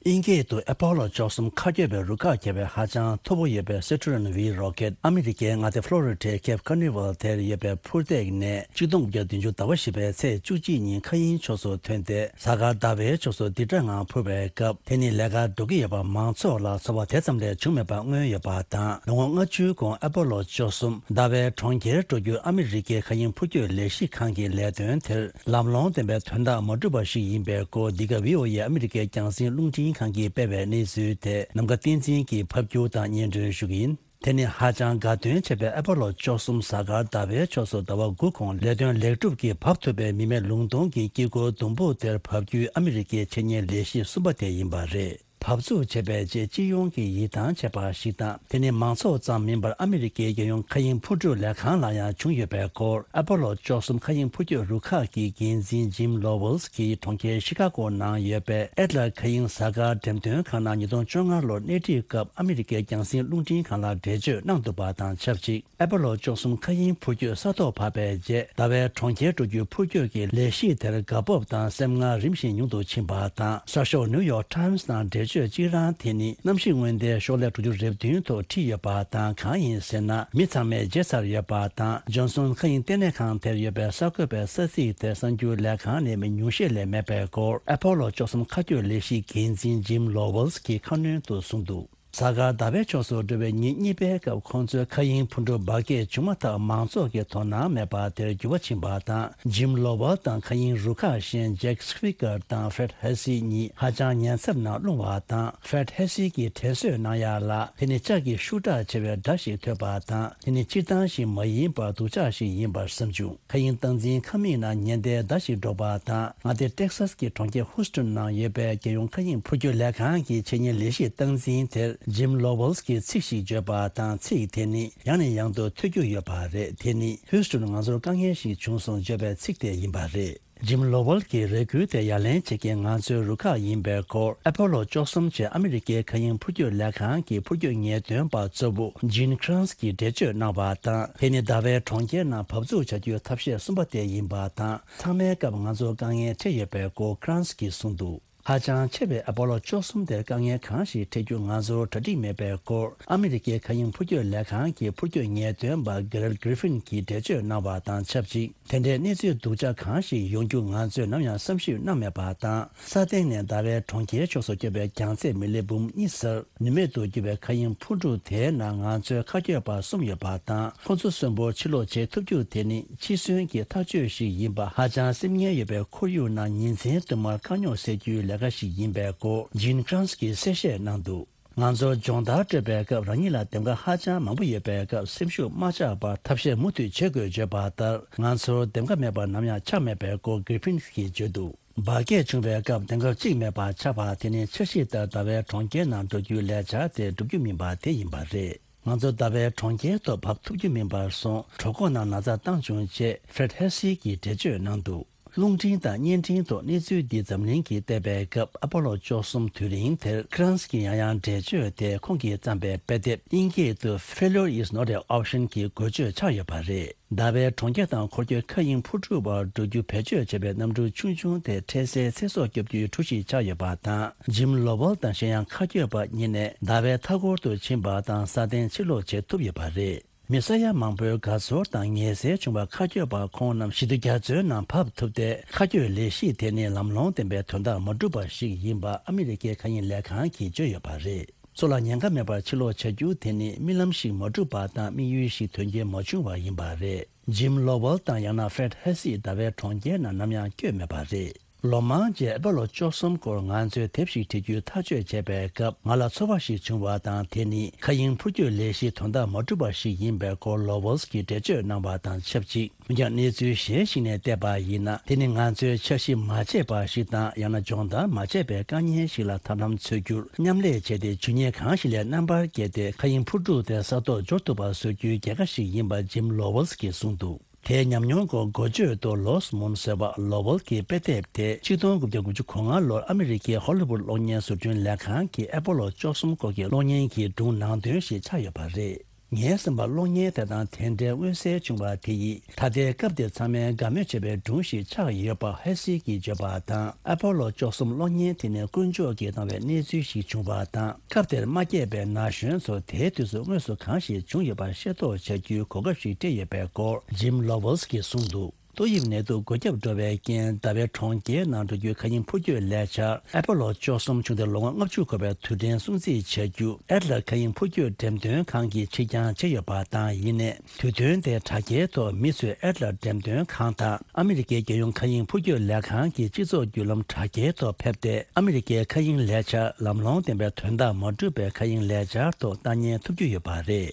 དབྱིན་སྐད་དུ་ཨེ་པོ་ལོ་བཅུ་གསུམ་མཁའ་སྐྱོད་པའི་རུ་ཁག་ཁྱབ་པའི་ཧ་ཅང་མཐོ་པོ་ཡོད་པའི་སེ་ཊུ་རན་ཝི་རོ་ཀེད་ཨ་མི་རི་ཀའི་མངའ་སྡེ་ཕློ་རི་ཌའི་ཁེབ་ཀར་ནི་ཝལ་དེར་ཡོད་པའི་འཕུར་སྟེགས་ནས་གཅིག་སྟོང་དགུ་བརྒྱ་བདུན་ཅུ་ཟླ་བ་བཞི་པའི་ཚེས་བཅུ་གཅིག་ཉིན་མཁའ་དབྱིངས་ཕྱོགས་སུ་ཐོན་ཏེ། གཟའ་སྐར་ཟླ་བའི་ཕྱོགས་སུ་ལྡིར་སྒྲ་ངང་འཕུར་བའི་སྐབས། དེ་ནི་ལས་ཀ་འགྲོ་གི་ཡོད་པ་མང་ཚོགས་ལ་ཚོར་བ་དེ་ཙམ་ལས་བྱུང་མེད་པ་མངོན་ཡོད་པ་དང་། ལོ་ངོ་ལྔ་བཅུའི་གོང་ཨེ་པོ་ལོ་བཅུ་གསུམ་ཟླ་བའི་གྲོང་ཁྱེར་འགྲོ་རྒྱུ་ཨ་མི་རི་ཀའི་མཁའ་དབྱིངས་འཕུར་སྐྱོད་ལས་གཞི་ཁང་གི་ལས་དོན་དེར་ལམ་ལྷོང་ལྡན་པའི་དོན་དག་མ་གྲུབ་པ་ཞིག་ཡིན་པའི་སྐོར། འདི་ག་བྷི་ཨོ་ཨེ་ཨ་མི་རི་ཀའི་རྒྱང་སྲིང་རླུང་འཕྲིན་ཁང་གིས་སྤེལ་བའི་གནས་ཚུལ་དེ་ནམ་མཁའ་བསྟན་འཛིན་གྱིས་ཕབ་སྒྱུར་དང་སྙན་སྒྲོན་ཞུ་གི་ཡིན། དེ་ནི་ཧ་ཅང་དགའ་སྟོན་ཆེ་བའི་ཨེ་པོ་ལོ་བཅུ་གསུམ་གཟའ་སྐར་ཟླ་བའི་ཕྱོགས་སུ་ཟླ་བ་དགུ་གོང་ལས་དོན་ལེགས་གྲུབ་ཀྱིས་བབས་ཐུབ་པའི་མི་མེད་ལུང་སྟོང་གི་དཀྱིལ་འཁོར་ཟླུམ་པོ་དེར་བབས་རྒྱུའི་ཨ་མི་རི་ཀའི་འཆད་ཉན་ལས་གཞི་གསུམ་པ་དེ་ཡིན་པ་རེད། བབས་ཚུགས་བྱས་པའི་རྗེས་སྤྱི་ཡོངས་ཀྱི་ཡིད་ཐང་ཆད་པ་ཞིག་དང་། དེ་ནི་མང་ཚོགས་ཙམ་མིན་པར་ཨ་མི་རི་ཀའི་རྒྱལ་ཡོངས་མཁའ་དབྱིངས་འཕུར་གྲུ་ལས་ཁང་ལ་ཡང་བྱུང་ཡོད་པའི་སྐོར། ཨེ་པོ་ལོ་བཅུ་གསུམ་མཁའ་དབྱིངས་འཕུར་སྐྱོད་རུ་ཁག་གི་འགན་འཛིན་ཇིམ་ལོ་ཝལ་གྱིས་གྲོང་ཁྱེར་ཤི་ཀ་གོ་ནང་ཡོད་པའི་ཨེ་ཏི་ལ་མཁའ་དབྱིངས་གཟའ་སྐར་འགྲེམས་སྟོན་ཁང་ནང་ཉིས་སྟོང་བཅོ་ལྔ་ལོར་སྣེ་ཁྲིད་སྐབས་ཨ་མི་རི་ཀའི་རྒྱང་སྲིང་རླུང་འཕྲིན་ཁང་ལ་འགྲེལ་བརྗོད་གནང་འདུག་པ་དང་ཆབས་ཅིག་ཨེ་པོ་ལོ་བཅུ་གསུམ་མཁའ་དབྱིངས་འཕུར་སྐྱོད་ས་ཐོག་བབས་པའི་རྗེས། ཟླ་བའི་གྲོང་ཁྱེར་འགྲོ་རྒྱུའི་འཕུར་སྐྱོད་ཀྱི་ལས་གཞི་དེར་དགའ་སྤོབས་དང་སེམས་ངལ་རིམ་བཞིན་ཉུང་དུ་ཕྱིན་པ་དང་། གསར་ཤོག་ནིའུ་ཡོག་ཊའིམ་སི་ནང་འགྲེལ་བརྗོད་གཅིག་རང་དེ་ནི་གནམ་གཤིས་སྔོན་བརྡའི་ཤོག་ལྷེ་དྲུག་ཅུ་རེ་བདུན་ཐོག་བྲིས་ཡོད་པ་དང་། གང་ཡིན་ཟེར་ན། མི་ཚང་མས་བརྗེད་ཚར་ཡོད་པ་དང་། ཇོན་སོན་མཁའ་དབྱིངས་ལྟེ་གནས་ཁང་དེར་ཡོད་པའི་གསར་འགོད་པའི་ས་ཚིགས་དེར་གསར་འགྱུར་ལས་ཁང་ནས་མི་ཉུང་ཤས་ལས་མེད་པའི་སྐོར། ཨེ་པོ་ལོ་བཅུ་གསུམ་མཁའ་སྐྱོད་ལས་གཞིའི་འགན་འཛིན་ཇིམ་ལོ་ཝལ་གྱིས་ཁ་སྣོན་དུ་གསུངས་འདུག་གཟའ་སྐར་ཟླ་བའི་ཕྱོགས་སུ་འགྲོ་བའི་ཉིན་གཉིས་པའི་སྐབས། ཁོང་ཚོའི་མཁའ་དབྱིངས་འཕུར་འགྲོ་འབར་གས་བྱུང་མ་ཐག་མང་ཚོགས་ཀྱི་དོ་སྣང་མེད་པ་དེར་འགྱུར་བ་ཕྱིན་པ་དང་། ཇིམ་ལོ་ཝལ་དང་མཁའ་དབྱིངས་རུ་ཁག་གཞན་ཇེག་སི་ཕི་ཀར་དང་ཧྥེད་ཧེ་སི་གཉིས་ཧ་ཅང་ཉེན་ཚབས་ནང་ལྷུང་བ་དང་། ཧྥེད་ཧེ་སི་གིས་དྲན་གསོས་གནང་ཡག་ལ། དེ་ནི་ལྕགས་ཀྱི་ཤུགས་དྲག་ཆེ་བའི་སྒྲ་ཞིག་ཐོས་པ་དང་། དེ་ནི་སྤྱིར་བཏང་ཞིག་མ་ཡིན་པར་སྡུག་ཅག་ཞིག་ཡིན་པར་བསམ་བྱུང་། མཁའ་དབྱིངས་སྟངས་འཛིན་ཁང་མིག་ནང་ཉེན་བརྡའི་བརྡ་ཞིག་སྒྲོག་པ་དང་། མངའ་སྡེ་ཊེག་སཱས་ཀྱི་གྲོང་ཁྱེར་ཧུ་སི་ཊོན་ནང་ཡོད་པའི་རྒྱལ་ཡོངས་མཁའ་དབྱིངས་འཕུར་སྐྱོད་ལས་ཁང་གི་འཆད་ཉན་ལས་གཞིའི་སྟངས་འཛིན་དེར་ཇིམ་ལོ་ཝལ་གྱིས་ཚིག་ཞིག་བརྗོད་པ་དང་། ཚིག་དེ་ནི་ཡང་ནས་ཡང་དུ་ཐོས་རྒྱུ་ཡོད་པ་རེད། དེ་ནི། ཧུ་སི་ཊོན། ང་ཚོར་དཀའ་ངལ་ཞིག་བྱུང་སོང་བརྗོད་པའི་ཚིག་དེ་ཡིན་པ་རེད། ཇིམ་ལོ་ཝལ་གྱིས་རེ་སྐུལ་དེ་ཡ་ལན་བྱེད་མཁན་ང་ཚོའི་རུ་ཁག་ཡིན་པའི་སྐོར། ཨེ་པོ་ལོ་བཅུ་གསུམ་ཅེས་ཨ་མི་རི་ཀའི་མཁའ་དབྱིངས་འཕུར་སྐྱོད་ལས་ཁང་གི་འཕུར་སྐྱོད་ངེས་སྟོན་པ་གཙོ་བོ་ཇིན་ཁྲན་སི་གིས་འགྲེལ་བརྗོད་གནང་བ་དང་། དེ་ནི་ཟླ་བའི་གྲོང་ཁྱེར་ནང་བབས་ཚུགས་བྱ་རྒྱུའི་ཐབས་ཤེས་གསུམ་པ་དེ་ཡིན་པ་དང་། ཚང་མའི་སྐབས་ང་ཚོར་དཀའ་ངལ་འཕྲད་ཡོད་པའི་སྐོར་ཁྲན་སི་གིས་གསུངས་འདུག་ཧ་ཅང་ཆེ་བའི་ཨ་པོ་ལོ་བཅུ་གསུམ་དེར་དཀའ་ངལ་གང་ཞིག་འཕྲད་རྒྱུ་ང་ཚོར་གྲ་སྒྲིག་མེད་པའི་སྐོར། ཨ་མི་རི་ཀའི་མཁའ་དབྱིངས་འཕུར་སྐྱོད་ལས་ཁང་གི་འཕུར་སྐྱོད་ངེས་སྟོན་པ་གེ་རལ་གྷི་རི་ཕིན་གྱིས་འགྲེལ་བརྗོད་གནང་བ་དང་ཆབས་ཅིག་དེ་འདྲའི་གནས་ཚུལ་སྡུག་ཅག་གང་ཞིག་ཡོང་རྒྱུ་ང་ཚོས་ནམ་ཡང་བསམ་ཤེས་གནང་མེད་པ་དང་། ས་སྟེང་ནས་ཟླ་བའི་གྲོང་ཁྱེར་ཕྱོགས་སུ་སྐྱོད་པའི་རྒྱང་ཚད་མི་ལི་འབུམ་གཉིས་ཟེར། ནུས་མེད་དུ་གྱུར་བའི་མཁའ་དབྱིངས་འཕུར་གྲུ་དེའི་ནང་ང་ཚོའི་མཁའ་སྐྱོད་པ་གསུམ་ཡོད་པ་དང་། ཁོ་ཚོ་གསོན་པོར་ཕྱིར་ལོག་བྱེད་ཐུབ་རྒྱུ་དེ་ནི་འཕྲི་སྲོལ་གྱི་ཐག་གཅོད་ཞིག་ཡིན་པ། ཧ་ཅང་སེམས་ངལ་ཡོད་པའི་ཁོར་ཡུག་ནང་ཉིན་མཚན་དུ་མར་དཀའ་རྙོག་སེལ་རྒྱུའི་ལས་ཀ་ཞིག་ཡིན་པའི་སྐོར་ཇིན་ཁྲན་སི་གིས་གསལ་བཤད་གནང་འདུག་ང་ཚོར་སྦྱོང་བརྡར་སྤྲོད་པའི་སྐབས། རང་ཉིད་ལ་འདེམས་ཀ་ཧ་ཅང་མང་པོ་ཡོད་པའི་སྐབས། སེམས་ཤུགས་མ་ཆག་པར་ཐབས་ཤེས་མུ་མཐུད་བྱེད་དགོས་བརྗོད་པ་ལྟར། ང་ཚོར་འདེམས་ཀ་མེད་པ་ནམ་ཡང་ཆགས་མེད་པའི་སྐོར་གྷི་རི་ཕིན་གྱིས་བརྗོད་འདུག་འབར་གས་བྱུང་བའི་སྐབས་དེང་སྐབས་གཅིག་མེད་པར་ཆགས་པ་དེ་ནི་འཆར་གཞི་ལྟར་ཟླ་བའི་གྲོང་ཁྱེར་ནང་འགྲོ་རྒྱུའི་ལས་འཆར་དེ་འགྲུབ་རྒྱུ་མིན་པ་དེ་ཡིན་པ་རེད། ང་ཚོ་ཟླ་བའི་གྲོང་ཁྱེར་ཐོག་བབས་ཐུབ་རྒྱུ་མིན་པར་སོང་། གྲོད་ཁོག་ནང་ན་ཚ་བཏང་བྱུང་ཅེས་ཧྥྲེད་ཧེ་སི་གིས་འགྲེལ་བརྗོད་གནང་འདུག་རླུང་འཕྲིན་དང་བརྙན་འཕྲིན་ཐོག་གནས་ཚུལ་འདི་འཛམ་གླིང་གིས་བལྟས་པའི་སྐབས། ཨ་པོ་ལོ་བཅུ་གསུམ་དུས་རིང་དེར་ཁི་རན་སི་གིས་ཡང་ཡང་འགྲེལ་བརྗོད་དེ་ཁོང་གིས་བརྩམས་པའི་དཔེ་དེབ། དབྱིན་སྐད་དུ། Failure is not an option གྱི་འགོ་བརྗོད་ཆགས་ཡོད་པ་རེད། ཟླ་བའི་གྲོང་ཁྱེར་དང་འཁོར་སྐྱོད་མཁའ་དབྱིངས་འཕུར་གྲུ་བར་འགྲོ་རྒྱུ་བེད་སྤྱོད་བྱས་པའི་གནམ་གྲུ་ཆུང་ཆུང་དེ་འཕྲལ་སེལ་ཚེ་སྲོག་སྐྱོབ་རྒྱུའི་གྲུ་ཞིག་ཆགས་ཡོད་པ་དང་། ཇིམ་ལོ་ཝལ་དང་གཞན་ཡང་མཁའ་སྐྱོད་པ་གཉིས་ནས་ཟླ་བའི་མཐའ་འཁོར་དུ་ཕྱིན་པ་དང་ས་སྟེང་ཕྱིར་ལོག་བྱེད་ཐུབ་ཡོད་པ་རེད། མི་ས་ཡ་མང་པོའི་དགའ་ཚོར་དང་ངལ་སེལ་བྱུང་བ་མཁའ་སྐྱོད་པ་ཁོང་རྣམས་ཞི་བདེ་རྒྱ་མཚོའི་ནང་བབས་ཐུབ་སྟེ། མཁའ་སྐྱོད་ལས་གཞི་དེ་ནི་ལམ་ལྷོང་ལྡན་པའི་དོན་དག་མ་འགྲུབ་པ་ཞིག་ཡིན་པ་ཨ་མི་རི་ཀའི་མཁའ་དབྱིངས་ལས་ཁང་གིས་བརྗོད་ཡོད་པ་རེད། མཚོ་ལ་ཉེན་ཁ་མེད་པར་ཕྱིར་ལོག་བྱ་རྒྱུ་དེ་ནི་རྨི་ལམ་ཞིག་མ་གྲུབ་པ་དང་དམིགས་ཡུལ་ཞིག་དོན་རྐྱེན་མ་བྱུང་བ་ཡིན་པ་རེད། ཇིམ་ལོ་ཝལ་དང་ཡང་ན་ཧྥྲེད་ཧེ་སི་ཟླ་བའི་གྲོང་ཁྱེར་ནང་ནམ་ཡང་བསྐྱོད་མེད་པ་རེད། ལོ་མང་རྗེས་ཨ་པོ་ལོ་བཅུ་གསུམ་སྐོར་ང་ཚོས་དེབ་ཞིག་བྲི་རྒྱུའི་ཐག་གཅོད་བྱས་པའི་སྐབས། ང་ལ་ཚོར་བ་ཞིག་བྱུང་བ་དང་། དེ་ནི་མཁའ་དབྱིངས་འཕུར་སྐྱོད་ལས་གཞི་དོན་དག་མ་འགྲུབ་པ་ཞིག་ཡིན་པའི་སྐོར་ལོ་ཝལ་གྱིས་འགྲེལ་བརྗོད་གནང་བ་དང་ཆབས་ཅིག་འོན་ཀྱང་། གནས་ཚུལ་གཞན་ཞིག་ནས་བལྟས་པ་ཡིན་ན། དེ་ནི་ང་ཚོས་འཆར་གཞི་མ་བྱས་པ་ཞིག་དང་། ཡང་ན་སྦྱོང་བརྡར་མ་བྱས་པའི་དཀའ་ངལ་ཞིག་ལ་ཐབས་ལམ་འཚོལ་རྒྱུར་མཉམ་ལས་བྱས་ཏེ། ཇུས་ཉེས་གང་ཞིག་ལས་རྣམ་པར་རྒྱལ་ཏེ། མཁའ་དབྱིངས་འཕུར་གྲུ་དེ་ས་ཐོག་འབྱོར་ཐུབ་པ་བཟོ་རྒྱུའི་རྒྱལ་ཁ་ཞིག་ཡིན་པ་ཇིམ་ལོ་ཝལ་གྱིས་གསུངས་འདུག་དེའི་ཉམས་མྱོང་སྐོར་འགོ་བརྗོད་དུ། ལོ་སི་མོན་ཟེར་བ་ལོ་ཝལ་གྱིས་དཔེ་དེབ་དེ་ཆིག་སྟོང་དགུ་བརྒྱ་དགུ་བཅུ་གོ་ལྔ་ལོར་ཨ་མི་རི་ཀའི་ཧོ་ལི་ཝུད་གློག་བརྙན་བཟོ་སྐྲུན་ལས་ཁང་གིས་ཨ་པོ་ལོ་བཅུ་གསུམ་སྐོར་གྱི་གློག་བརྙན་གྱི་སྒྲུང་ནང་དོན་ཞིག་ཆགས་ཡོད་པ་རེད། ངའི་བསམ་པར། གློག་བརྙན་དེ་དང་དེ་འདྲའི་མངོན་གསལ་བྱུང་བ་དེ་ཡིས། ད་ལྟའི་སྐབས་དེར་ཚང་མས་དགའ་མོས་བྱེད་པའི་སྒྲུང་ཞིག་ཆགས་ཡོད་པ་ཧེ་སི་གིས་བརྗོད་པ་དང་། ཨ་པོ་ལོ་བཅུ་གསུམ་གློག་བརྙན་དེ་ནི་དཀོན་མཆོག་གིས་བཏང་བའི་གནས་ཚུལ་ཞིག་བྱུང་བ་དང་། སྐབས་དེར་མ་སྐྱེས་པའི་ན་གཞོན་ཚོ་དེའི་དུས་སུ་དངོས་སུ་གང་ཞིག་བྱུང་ཡོད་པ་ཤེས་རྟོགས་བྱ་རྒྱུའི་གོ་སྐབས་ཤིག་སྤྲད་ཡོད་པའི་སྐོར་ཇིམ་ལོ་ཝལ་གྱིས་གསུངས་འདུག་ཏོག་དབྱིབས་ནད་དུག་འགོས་ཁྱབ་འགྲོ་བའི་རྐྱེན། ཟླ་བའི་གྲོང་ཁྱེར་ནང་འགྲོ་རྒྱུའི་མཁའ་དབྱིངས་འཕུར་སྐྱོད་ལས་འཆར། ཨ་པོ་ལོ་བཅུ་གསུམ་བྱུང་སྟེ་ལོ་ངོ་ལྔ་བཅུ་འཁོར་བའི་དུས་དྲན་སྲུང་བརྩི་བྱ་རྒྱུ། ཨེ་ཏི་ལ་མཁའ་དབྱིངས་འཕུར་སྐྱོད་འགྲེམས་སྟོན་ཁང་གིས་ཕྱིར་འགྱངས་བྱས་ཡོད་པ་དང་། ཡིན་ནའི། དུས་སྟོན་དེ་དྲ་རྒྱའི་ཐོག་མི་ཚོས་ཨེ་ཏི་ལ་འགྲེམས་སྟོན་ཁང་དང་། ཨ་མི་རི་ཀའི་རྒྱལ་ཡོངས་མཁའ་དབྱིངས་འཕུར་སྐྱོད་ལས་ཁང་གི་སྤྱི་ཚོགས་བརྒྱུད་ལམ་དྲ་རྒྱའི་ཐོག་ཕེབས་ཏེ། ཨ་མི་རི་ཀའི་མཁའ་དབྱིངས་ལས་འཆར་ལམ་ལྷོང་ལྡན་པའི་དོན་དག་མ་འགྲུབ་པའི་མཁའ་དབྱིངས་ལས་འཆར་ཐོག་ལྟ་ཉན་ཐུབ་རྒྱུ་ཡོད་པ་རེད།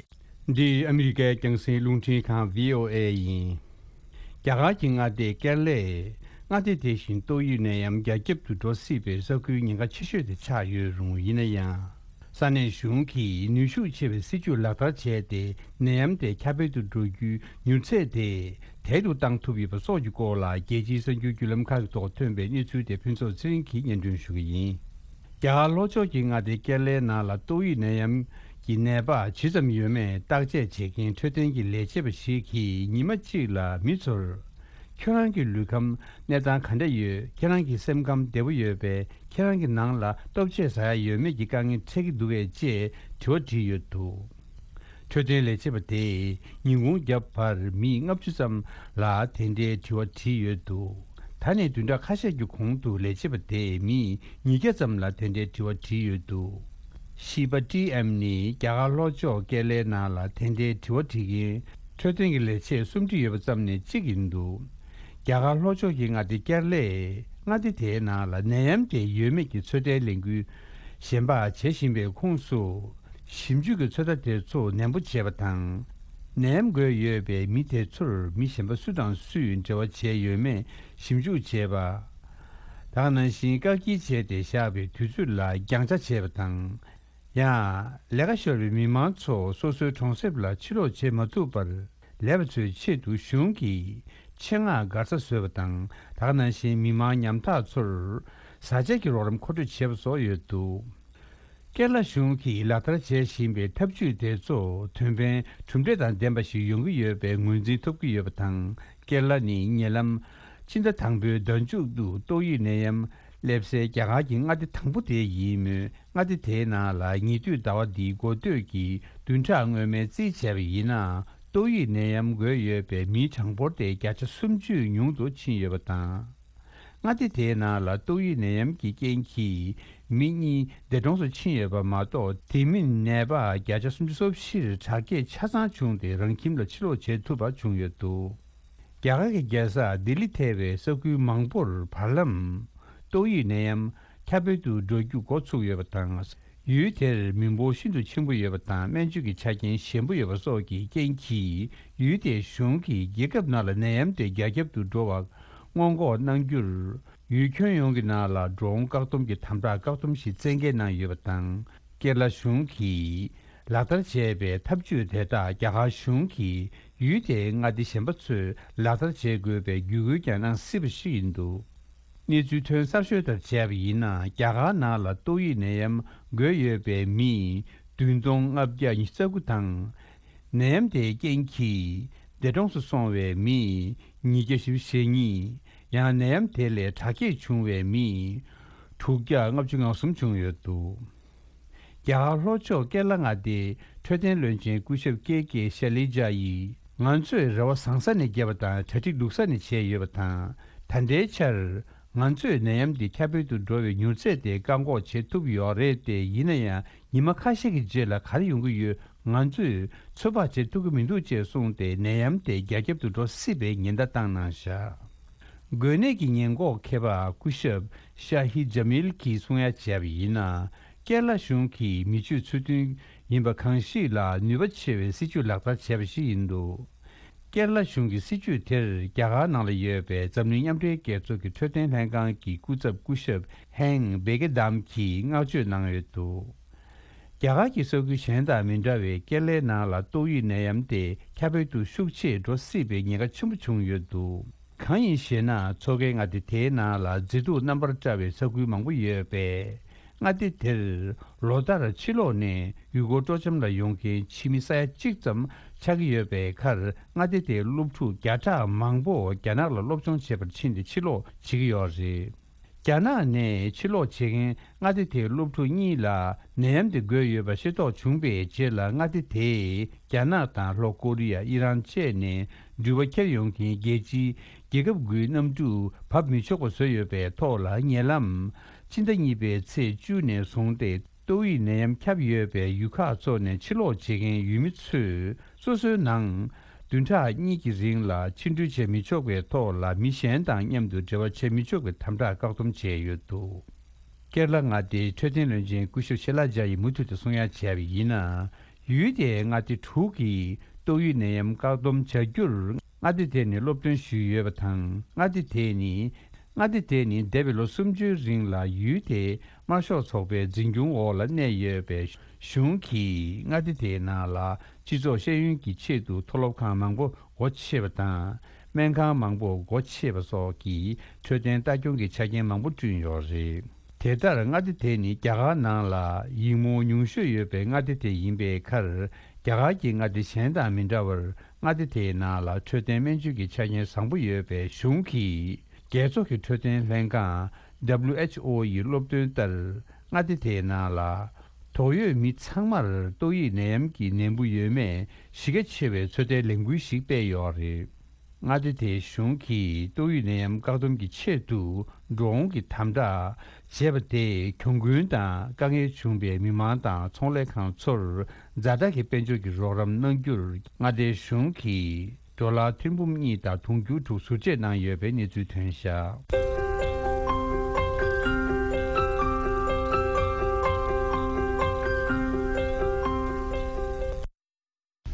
འདི་ཨ་མི་རི་ཀའི་རྒྱང་སྲིང་རླུང་འཕྲིན་ཁང་བྷི་ཨོ་ཨེ་ཡིན། རྒྱ་གར་གྱི་མངའ་སྡེ་ཀེ་ར་ལའི་མངའ་སྡེ་དེ་བཞིན་ཏོག་དབྱིབས་ནད་ཡམས་རྒྱ་ཁྱབ་ཏུ་འགྲོ་སྲིད་པའི་ས་ཁུལ་ཉེན་ཁ་ཆེ་ཤོས་དེ་ཆགས་ཡོད་རུང་། ཡིན་ན་ཡང་། ས་གནས་གཞུང་གིས་ནུས་ཤུགས་ཆེ་བའི་སྲིད་ཇུས་ལག་བསྟར་བྱས་ཏེ། ནད་ཡམས་དེ་ཁྱབ་སྤེལ་དུ་འགྲོ་རྒྱུའི་མྱུར་ཚད་དེ་དལ་དུ་བཏང་ཐུབ་ཡོད་པ་སོགས་ཀྱི་སྐོར་ལ། རྒྱལ་སྤྱིའི་གསར་འགྱུར་བརྒྱུད་ལམ་ཁག་གི་ཐོག་ཐོན་པའི་གནས་ཚུལ་དེ་ཕུན་ཚོགས་ཚེ་རིང་གིས་སྙན་སྒྲོན་ཞུ་གི་ཡིན། རྒྱ་གར་ལྷོ་ཕྱོགས་ཀྱི་མངའ་སྡེ་ཀེ་ར་ལའི་ནང་ལ་ཏོག་དབྱིབས་ནད་ཡམས་ཀྱི་ནད་པ་ཇི་ཙམ་ཡོད་མེད་བརྟག་དཔྱད་བྱེད་མཁན་འཕྲོད་བསྟེན་གྱི་ལས་བྱེད་པ་ཞིག་གིས་ཉི་མ་གཅིག་ལ་མི་ཚོར། ཁྱོད་རང་གི་ལུས་ཁམས་གནས་སྟངས་ག་འདྲ་ཡོད། ཁྱེད་རང་གི་སེམས་ཁམས་བདེ་པོ་ཡོད་པས། ཁྱེད་རང་གི་ནང་ལ་ལྟོ་ཆས་ཟ་ཡ་ཡོད་མེད་ཀྱི་དཀའ་ངལ་འཕྲད་ཀྱི་འདུག་གས། ཅེས་དྲི་བ་དྲིས་ཡོད་འདུག་འཕྲོད་བསྟེན་ལས་བྱེད་པ་དེས་ཉིན་གུང་རྒྱབ་བར་མི་ལྔ་བཅུ་ཙམ་ལ་དེ་འདྲའི་དྲི་བ་དྲིས་ཡོད་འདུག་ད་ནས་བདུན་ཕྲག་ཁ་ཤས་ཀྱི་གོང་དུ་ལས་བྱེད་པ་དེས་མི་ཉིས་བརྒྱ་ཙམ་ལ་དེ་འདྲའི་དྲི་བ་དྲིས་ཡོད་འདུག་ཤི་པ་ཊི་ཨེམ་ནི་རྒྱ་གར་ལྷོ་ཕྱོགས་ཀེ་ར་ལའི་ནང་ལ་དེ་འདྲའི་དྲི་བ་དྲི་མཁན་འཕྲོད་བསྟེན་གྱི་ལས་བྱེད་སུམ་ཁྲི་ཡོད་པ་ཙམ་ནས་གཅིག་ཡིན་འདུག་རྒྱ་གར་ལྷོ་ཕྱོགས་ཀྱི་མངའ་སྡེ་ཀེ་ར་ལའི་མངའ་སྡེ་དེའི་ནང་ལ་ནད་ཡམས་དེ་ཡོད་མེད་ཀྱི་ཚོད་ལྟའི་ལས་འགུལ་གཞན་པ་བྱེད་བཞིན་པའི་ཁོངས་སུ། ཞིབ་འཇུག་གི་ཚོད་ལྟ་དེ་ཚོ་ནན་པོ་བྱས་པ་དང་། ནད་ཡམས་འགོས་ཡོད་པའི་མི་དེ་ཚོར་མི་གཞན་པ་སུ་དང་སུས་འབྲེལ་བ་བྱས་ཡོད་མེད་ཞིབ་འཇུག་བྱས་པ། ད་ག་ནང་བཞིན་བཀག་སྐྱིལ་བྱས་ཏེ་བཞག་པའི་དུས་ཚོད་ལ་རྒྱང་ཆ་བྱས་པ་དང་། ཡང་། ལས་ཀ་ཤོར་བའི་མི་མང་ཚོ་སོ་སོའི་གྲོང་གསེབ་ལ་ཕྱིར་ལོག་བྱེད་མ་ཐུབ་པར། ལས་པ་ཚོའི་ཆེད་དུ་གཞུང་གིས་ཆེད་མངགས་སྒར་ས་བཟོས་པ་དང་། ད་ག་ནང་བཞིན་མི་མང་ཉམ་ཐག་ཚོར་བཟའ་བཅའ་གི་རོགས་རམ་མཁོ་སྤྲོད་བྱས་པ་སོགས་ཡོད་འདུག་ཀེ་ར་ལ་གཞུང་གིས་ལག་བསྟར་བྱེད་བཞིན་པའི་ཐབས་ཇུས་དེ་ཚོ་དོན་ཕན་གྲུབ་འབྲས་དང་ལྡན་པ་ཞིག་ཡོང་གི་ཡོད་པའི་ངོས་འཛིན་ཐོབ་ཀྱི་ཡོད་པ་དང་། ཀེ་ར་ལ་ནི་ཉེ་ལམ་ཕྱི་ཟླ་དང་པོའི་ཟླ་མཇུག་ཏུ་ཏོག་དབྱིབས་ནད་ཡམས་སླེབས་སའི་རྒྱ་གར་གྱི་མངའ་སྡེ་དང་པོ་དེ་ཡིན་མོད། མངའ་སྡེ་དེའི་ནང་ལ་ཉེ་དུས་ཟླ་བ་འདིའི་འགོ་སྟོད་ཀྱི་བདུན་ཕྲག་སྔོན་མའི་རྩིས་བྱས་པ་ཡིན་ན། ཏོག་དབྱིབས་ནད་ཡམས་འགོས་ཡོད་པའི་མིའི་གྲངས་འབོར་དེ་བརྒྱ་ཆ་སུམ་ཅུ་ཉུང་དུ་ཕྱིན་ཡོད་པ་དང་། མངའ་སྡེ་དེའི་ནང་ལ་ཏོག་དབྱིབས་ནད་ཡམས་ཀྱི་རྐྱེན་གྱིས་མི་གཉིས་འདས་གྲོངས་སུ་ཕྱིན་ཡོད་པ་མ་གཏོགས། དེ་མིན་ནད་པ་བརྒྱ་ཆ་སུམ་ཅུ་སོ་བཞིར་དྲག་སྐྱེད་ཆ་ཚང་བྱུང་སྟེ། རང་ཁྱིམ་ལ་ཕྱིར་ལོག་བྱེད་ཐུབ་པ་བྱུང་ཡོད་འདུག་རྒྱ་གར་གྱི་རྒྱལ་ས་ལྡི་ལི་ཐེ་བའི་ས་ཁུལ་མང་པོར་བར་ལམ་ཏོག་དབྱིབས་ནད་ཡམས་ཁྱབ་སྤེལ་དུ་འགྲོ་རྒྱུ་འགོ་ཚུགས་ཡོད་པ་དང་། ཡུལ་དེར་མི་འབོར་ཤིན་ཏུ་ཆེན་པོ་ཡོད་པ་དང་། སྨན་བཅོས་ཀྱི་ཆ་རྐྱེན་ཞན་པོ་ཡོད་པ་སོགས་ཀྱི་རྐྱེན་གྱིས། ཡུལ་དེའི་གཞུང་གིས་རྒྱལ་ཁབ་ནང་ལ་ནད་ཡམས་དེ་རྒྱ་ཁྱབ་ཏུ་འགྲོ་བ་སྔོན་འགོག་གནང་རྒྱུར། ཡུལ་ཁྱོན་ཡོངས་ཀྱི་ནང་ལ་འགྲོ་འོང་བཀག་སྡོམ་གྱི་དམ་དྲག་བཀག་སྡོམ་ཞིག་བཙན་འགེལ་གནང་ཡོད་པ་དང་། ཀེ་ར་ལ་གཞུང་གིས་ལག་བསྟར་བྱས་པའི་ཐབས་ཇུས་དེ་དག་རྒྱ་གར་གཞུང་གིས་ཡུལ་དེའི་མངའ་སྡེ་གཞན་པ་ཚོས་ལག་བསྟར་བྱེད་དགོས་པའི་བརྒྱུད་སྐུལ་ཀྱང་གནང་སྲིད་པ་ཞིག་ཡིན་འདུག་གནས་ཚུལ་ཐོན་གསར་ཤོས་ལྟར་བྱས་པ་ཡིན་ན། རྒྱ་གར་ནང་ལ་ཏོག་དབྱིབས་ནད་ཡམས་འགོས་ཡོད་པའི་མི་བདུན་སྟོང་ལྔ་བརྒྱ་ཉི་ཤུ་རྩ་དགུ་དང་། ནད་ཡམས་དེའི་རྐྱེན་གྱིས་འདས་གྲོངས་སུ་སོང་བའི་མི་ཉིས་བརྒྱ་བཞི་བཅུ་ཞེ་གཉིས། ཡང་ནད་ཡམས་དེ་ལས་དྲག་སྐྱེད་བྱུང་བའི་མི་དྲུག་བརྒྱ་ལྔ་བཅུ་ང་གསུམ་བྱུང་ཡོད་འདུག་རྒྱ་གར་ལྷོ་ཕྱོགས་ཀེ་ར་ལ་མངའ་སྡེའི་འཕྲོད་བསྟེན་བློན་ཆེན་སྐུ་ཞབས་ཀེ་ཀེ་ཤ་ལི་ཇ་ཡིས། ང་ཚོས་རེ་བ་བཟང་ས་ནས་བརྒྱབ་པ་དང་། གྲ་སྒྲིག་སྡུག་ས་ནས་བྱས་ཡོད་པ་དང་། ད་ལྟའི་ཆར་ང་ཚོས་ནད་ཡམས་འདི་ཁྱབ་སྤེལ་དུ་འགྲོ་བའི་མྱུར་ཚད་དེ་བཀག་འགོག་བྱེད་ཐུབ་ཡོད་རེད་དེ། ཡིན་ན་ཡང་ཉི་མ་ཁ་ཤས་ཀྱི་རྗེས་ལ་ག་རེ་ཡོང་གི་ཡོད། ང་ཚོས་ཚོད་དཔག་བྱེད་ཐུབ་ཀྱི་མི་འདུག་ཅེས་གསུངས་ཏེ། ནད་ཡམས་དེ་རྒྱ་ཁྱབ་ཏུ་འགྲོ་སྲིད་པའི་ཉེན་བརྡ་བཏང་གནང་བཞག་འགོས་ནད་ཀྱི་ཉེན་འགོག་མཁས་པ་སྐུ་ཞབས་ཤ་ཧི་ཇ་མིལ་གྱིས་གསུང་ཡ་བྱས་པ་ཡིན་ན། ཀེ་ར་ལ་གཞུང་གིས་མི་སྤྱོད་ཚུལ་མཐུན་ཡིན་པ་གང་ཞིག་ལ་ནུས་པ་ཆེ་བའི་སྲིད་ཇུས་ལག་བསྟར་བྱས་པ་ཞིག་ཡིན་འདུག་ཀེ་ར་ལ་གཞུང་གི་སྲིད་ཇུས་དེར་རྒྱ་གར་ནང་ལ་ཡོད་པའི་འཛམ་གླིང་མཉམ་འབྲེལ་རྒྱལ་ཚོགས་ཀྱི་འཕྲོད་བསྟེན་ལྷན་ཁང་གི་སྐུ་ཚབ་སྐུ་ཞབས་ཧེང་བེ་ཀེ་དམ་གྱིས་བསྔགས་བརྗོད་གནང་ཡོད་འདུག་རྒྱ་གར་གྱི་ས་ཁུལ་གཞན་དང་མི་འདྲ་བའི་ཀེ་ར་ལའི་ནང་ལ་ཏོག་དབྱིབས་ནད་ཡམས་དེ་ཁྱབ་སྤེལ་དུ་ཤུགས་ཆེ་འགྲོ་སྲིད་པའི་ཉེན་ཁ་ཆེན་པོ་བྱུང་ཡོད་འདུག་གང་ཡིན་ཞེ་ན། མཚོ་ཁའི་མངའ་སྡེ་དེའི་ནང་ལ་མཛེས་སྡུག་རྣམ་པར་བཀྲ་བའི་ས་ཁུལ་མང་པོ་ཡོད་པས། མངའ་སྡེ་དེར་ལོ་ལྟར་ཕྱི་ལོགས་ནས་ཡུལ་སྐོར་སྤྲོ་འཆམ་ལ་ཡོང་མཁན་ཕྱི་མི་ས་ཡ་གཅིག་ཙམ་ཆགས་ཀྱི་ཡོད་པའི་ཁར། མངའ་སྡེ་དེའི་སློབ་ཕྲུག་བརྒྱ་ཕྲག་མང་པོ་རྒྱ་ནག་ལ་སློབ་སྦྱོང་བྱེད་པར་ཕྱིན་ཏེ་ཕྱིར་ལོག་བྱེད་ཀྱི་ཡོད་རེད། རྒྱ་ནག་ནས་ཕྱིར་ལོག་བྱེད་མཁན་མངའ་སྡེ་དེའི་སློབ་ཕྲུག་གཉིས་ལ་ནད་ཡམས་དེ་འགོས་ཡོད་པ་ཤེས་རྟོགས་བྱུང་པའི་རྗེས་ལ། མངའ་སྡེ་དེས་རྒྱ་ནག་དང་ལྷོ་ཀོ་རི་ཡ། ཨི་རན་བཅས་ནས་འགྲུལ་པ་འཁྱེར་ཡོང་མཁན་རྒྱལ་སྤྱིའི་རྒྱལ་ཁབ་དགུའི་གནམ་གྲུ་བབས་མི་ཆོག་པ་བཟོས་ཡོད་པའི་ཐོག་ལ། ཉེ་ལམ་ཕྱི་ཟླ་གཉིས་པའི་ཚེས་བཅུ་ནས་བཟུང་སྟེ། ཏོག་དབྱིབས་ནད་ཡམས་ཁྱབ་ཡོད་པའི་ཡུལ་ཁག་ཚོ་ནས་ཕྱིར་ལོག་བྱེད་མཁན་ཡུལ་མི་ཚོས་སོ་སོའི་ནང་བདུན་ཕྲག་གཉིས་ཀྱི་རིང་ལ་ཕྱིར་འགྲུལ་བྱེད་མི་ཆོག་པའི་ཐོག་ལ། མི་གཞན་དང་མཉམ་དུ་འབྲེལ་བ་བྱེད་མི་ཆོག་པའི་དམ་དྲག་བཀག་སྡོམ་བྱས་ཡོད་འདུག་ཀེ་ར་ལ་མངའ་སྡེའི་འཕྲོད་བསྟེན་བློན་ཆེན་སྐུ་ཞབས་ཤེ་ལ་ཇ་ཡིས་མུ་མཐུད་དུ་གསུང་ཡ་བྱས་པ་ཡིན་ན། ཡུལ་དེའི་མངའ་སྡེ་དྲུག་གིས་ཏོག་དབྱིབས་ནད་ཡམས་བཀག་སྡོམ་བྱ་རྒྱུར་མངའ་སྡེ་དེ་ནི་སློབ་སྟོན་ཞུས་ཡོད་པ་དང་། མངའ་སྡེ་དེ་ནི། མངའ་སྡེ་དེ་ནི་འདས་པའི་ལོ་སུམ་ཅུའི་རིང་ལ་ཡུལ་དེའི་དམར་ཤོག་ཚོགས་པའི་འཛིན་སྐྱོང་འོག་ལ་གནས་ཡོད་པས། གཞུང་གིས་མངའ་སྡེ་དེའི་ནང་ལ་སྤྱི་ཚོགས་ཤེས་ཡོན་གྱི་ཆེད་དུ་མཐོ་སློབ་ཁང་མང་པོ་སྒོ་ཕྱེ་བ་དང་། སྨན་ཁང་མང་པོ་སྒོ་ཕྱེ་བ་སོགས་ཀྱི་འཕྲོད་བསྟེན་ལྟ་སྐྱོང་གི་ཆ་རྐྱེན་མང་པོ་བསྐྲུན་ཡོད་རེད། དེ་ལྟར་མངའ་སྡེ་དེ་ནི་རྒྱ་གར་ནང་ལ་ཡིག་རྨོངས་ཉུང་ཤོས་ཡོད་པའི་མངའ་སྡེ་དེ་ཡིན་པའི་ཁར། རྒྱ་གར་གྱི་མངའ་སྡེ་གཞན་དང་མི་འདྲ་བར། མངའ་སྡེ་དེའི་ནང་ལ་འཕྲོད་བསྟེན་སྨན་བཅོས་ཀྱི་ཆ་རྐྱེན་བཟང་པོ་ཡོད་པས། གཞུང་གིས་རྒྱལ་ཚོགས་ཀྱི་འཕྲོད་བསྟེན་ལྷན་ཁང་། W H O ཡི་སློབ་སྟོན་ལྟར། མངའ་སྡེ་དེའི་ནང་ལ་དོགས་ཡོད་མི་ཚང་མར་ཏོག་དབྱིབས་ནད་ཡམས་ཀྱི་ནད་འབུ་ཡོད་མེད་གཞི་རྒྱ་ཆེ་བའི་ཚོད་ལྟའི་ལས་འགུལ་ཞིག་སྤེལ་ཡོད་རེད། མངའ་སྡེ་དེའི་གཞུང་གིས་ཏོག་དབྱིབས་ནད་ཡམས་བཀག་སྡོམ་གྱི་ཆེད་དུ་འགྲོ་འོང་གི་དམ་དྲག་བྱས་པ་དེས་གྱོང་གུན་དང་དཀའ་ངལ་བྱུང་བའི་མི་མང་དང་ཚོང་ལས་ཁང་ཚོར་ཛ་དྲག་གི་དཔལ་འབྱོར་གྱི་རོགས་རམ་གནང་རྒྱུར་མངའ་སྡེའི་གཞུང་གིས་ཌོ་ལར་ཐེར་འབུམ་གཉིས་དང་དུང་ཕྱུར་དྲུག་ཟུར་བཅད་གནང་ཡོད་པའི་གནས་ཚུལ་ཐོན་བཞག་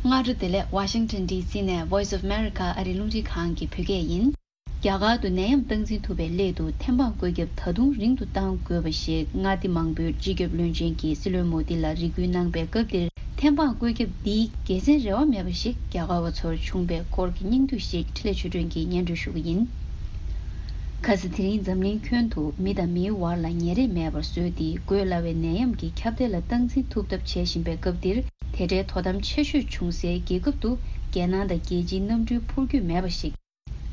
སྔ་དྲོ་བདེ་ལེགས། ཝ་ཤིང་ཊོན་ཌི་སི་ནས་Voice of America ཨ་རིའི་རླུང་འཕྲིན་ཁང་གི་བོད་སྐད་ཡིན། རྒྱ་གར་དུ་ནད་ཡམས་སྟངས་འཛིན་ཐུབ་པའི་སླད་དུ་ཐེམ་སྤང་བཀོད་ཁྱབ་ད་དུང་རིང་དུ་གཏང་དགོས་པ་ཞིག་མངའ་སྡེ་མང་པོའི་སྤྱི་ཁྱབ་བློན་ཆེན་གྱིས་སྲིད་བློན་མོ་དི་ལ་རེ་སྐུལ་གནང་པའི་སྐབས་འདིར། ཐེམ་སྤང་བཀོད་ཁྱབ་འདིའི་དགེ་མཚན་རེ་བ་མེད་པ་ཞིག་རྒྱ་གར་བ་ཚོར་བྱུང་པའི་སྐོར་གྱི་སྙིང་བསྡུས་ཤིག་འཕྲིན་ལས་ཆོས་སྒྲོན་གྱིས་སྙན་སྒྲོན་ཞུ་གི་ཡིན། ཁ་སང་དེ་རིང་འཛམ་གླིང་ཁྱོན་དུ་མི་དང་མིའི་བར་ལ་ཉེ་རེས་མེད་པར་བཟོས་ཏེ། འགོས་སླ་བའི་ནད་ཡམས་ཀྱི་ཁྱབ་གདལ་ལ་སྟངས་འཛིན་ཐུབ་ཐབས་བྱེད་བཞིན་པའི་སྐབས་འདིར། དེ་འདྲའི་དོ་དམ་ཆེ་ཤོས་བྱུང་སའི་རྒྱལ་ཁབ་ཏུ་རྒྱལ་ནང་དང་རྒྱལ་སྤྱིའི་གནམ་གྲུའི་འཕུར་སྐྱོད་མེད་པ་ཞིག་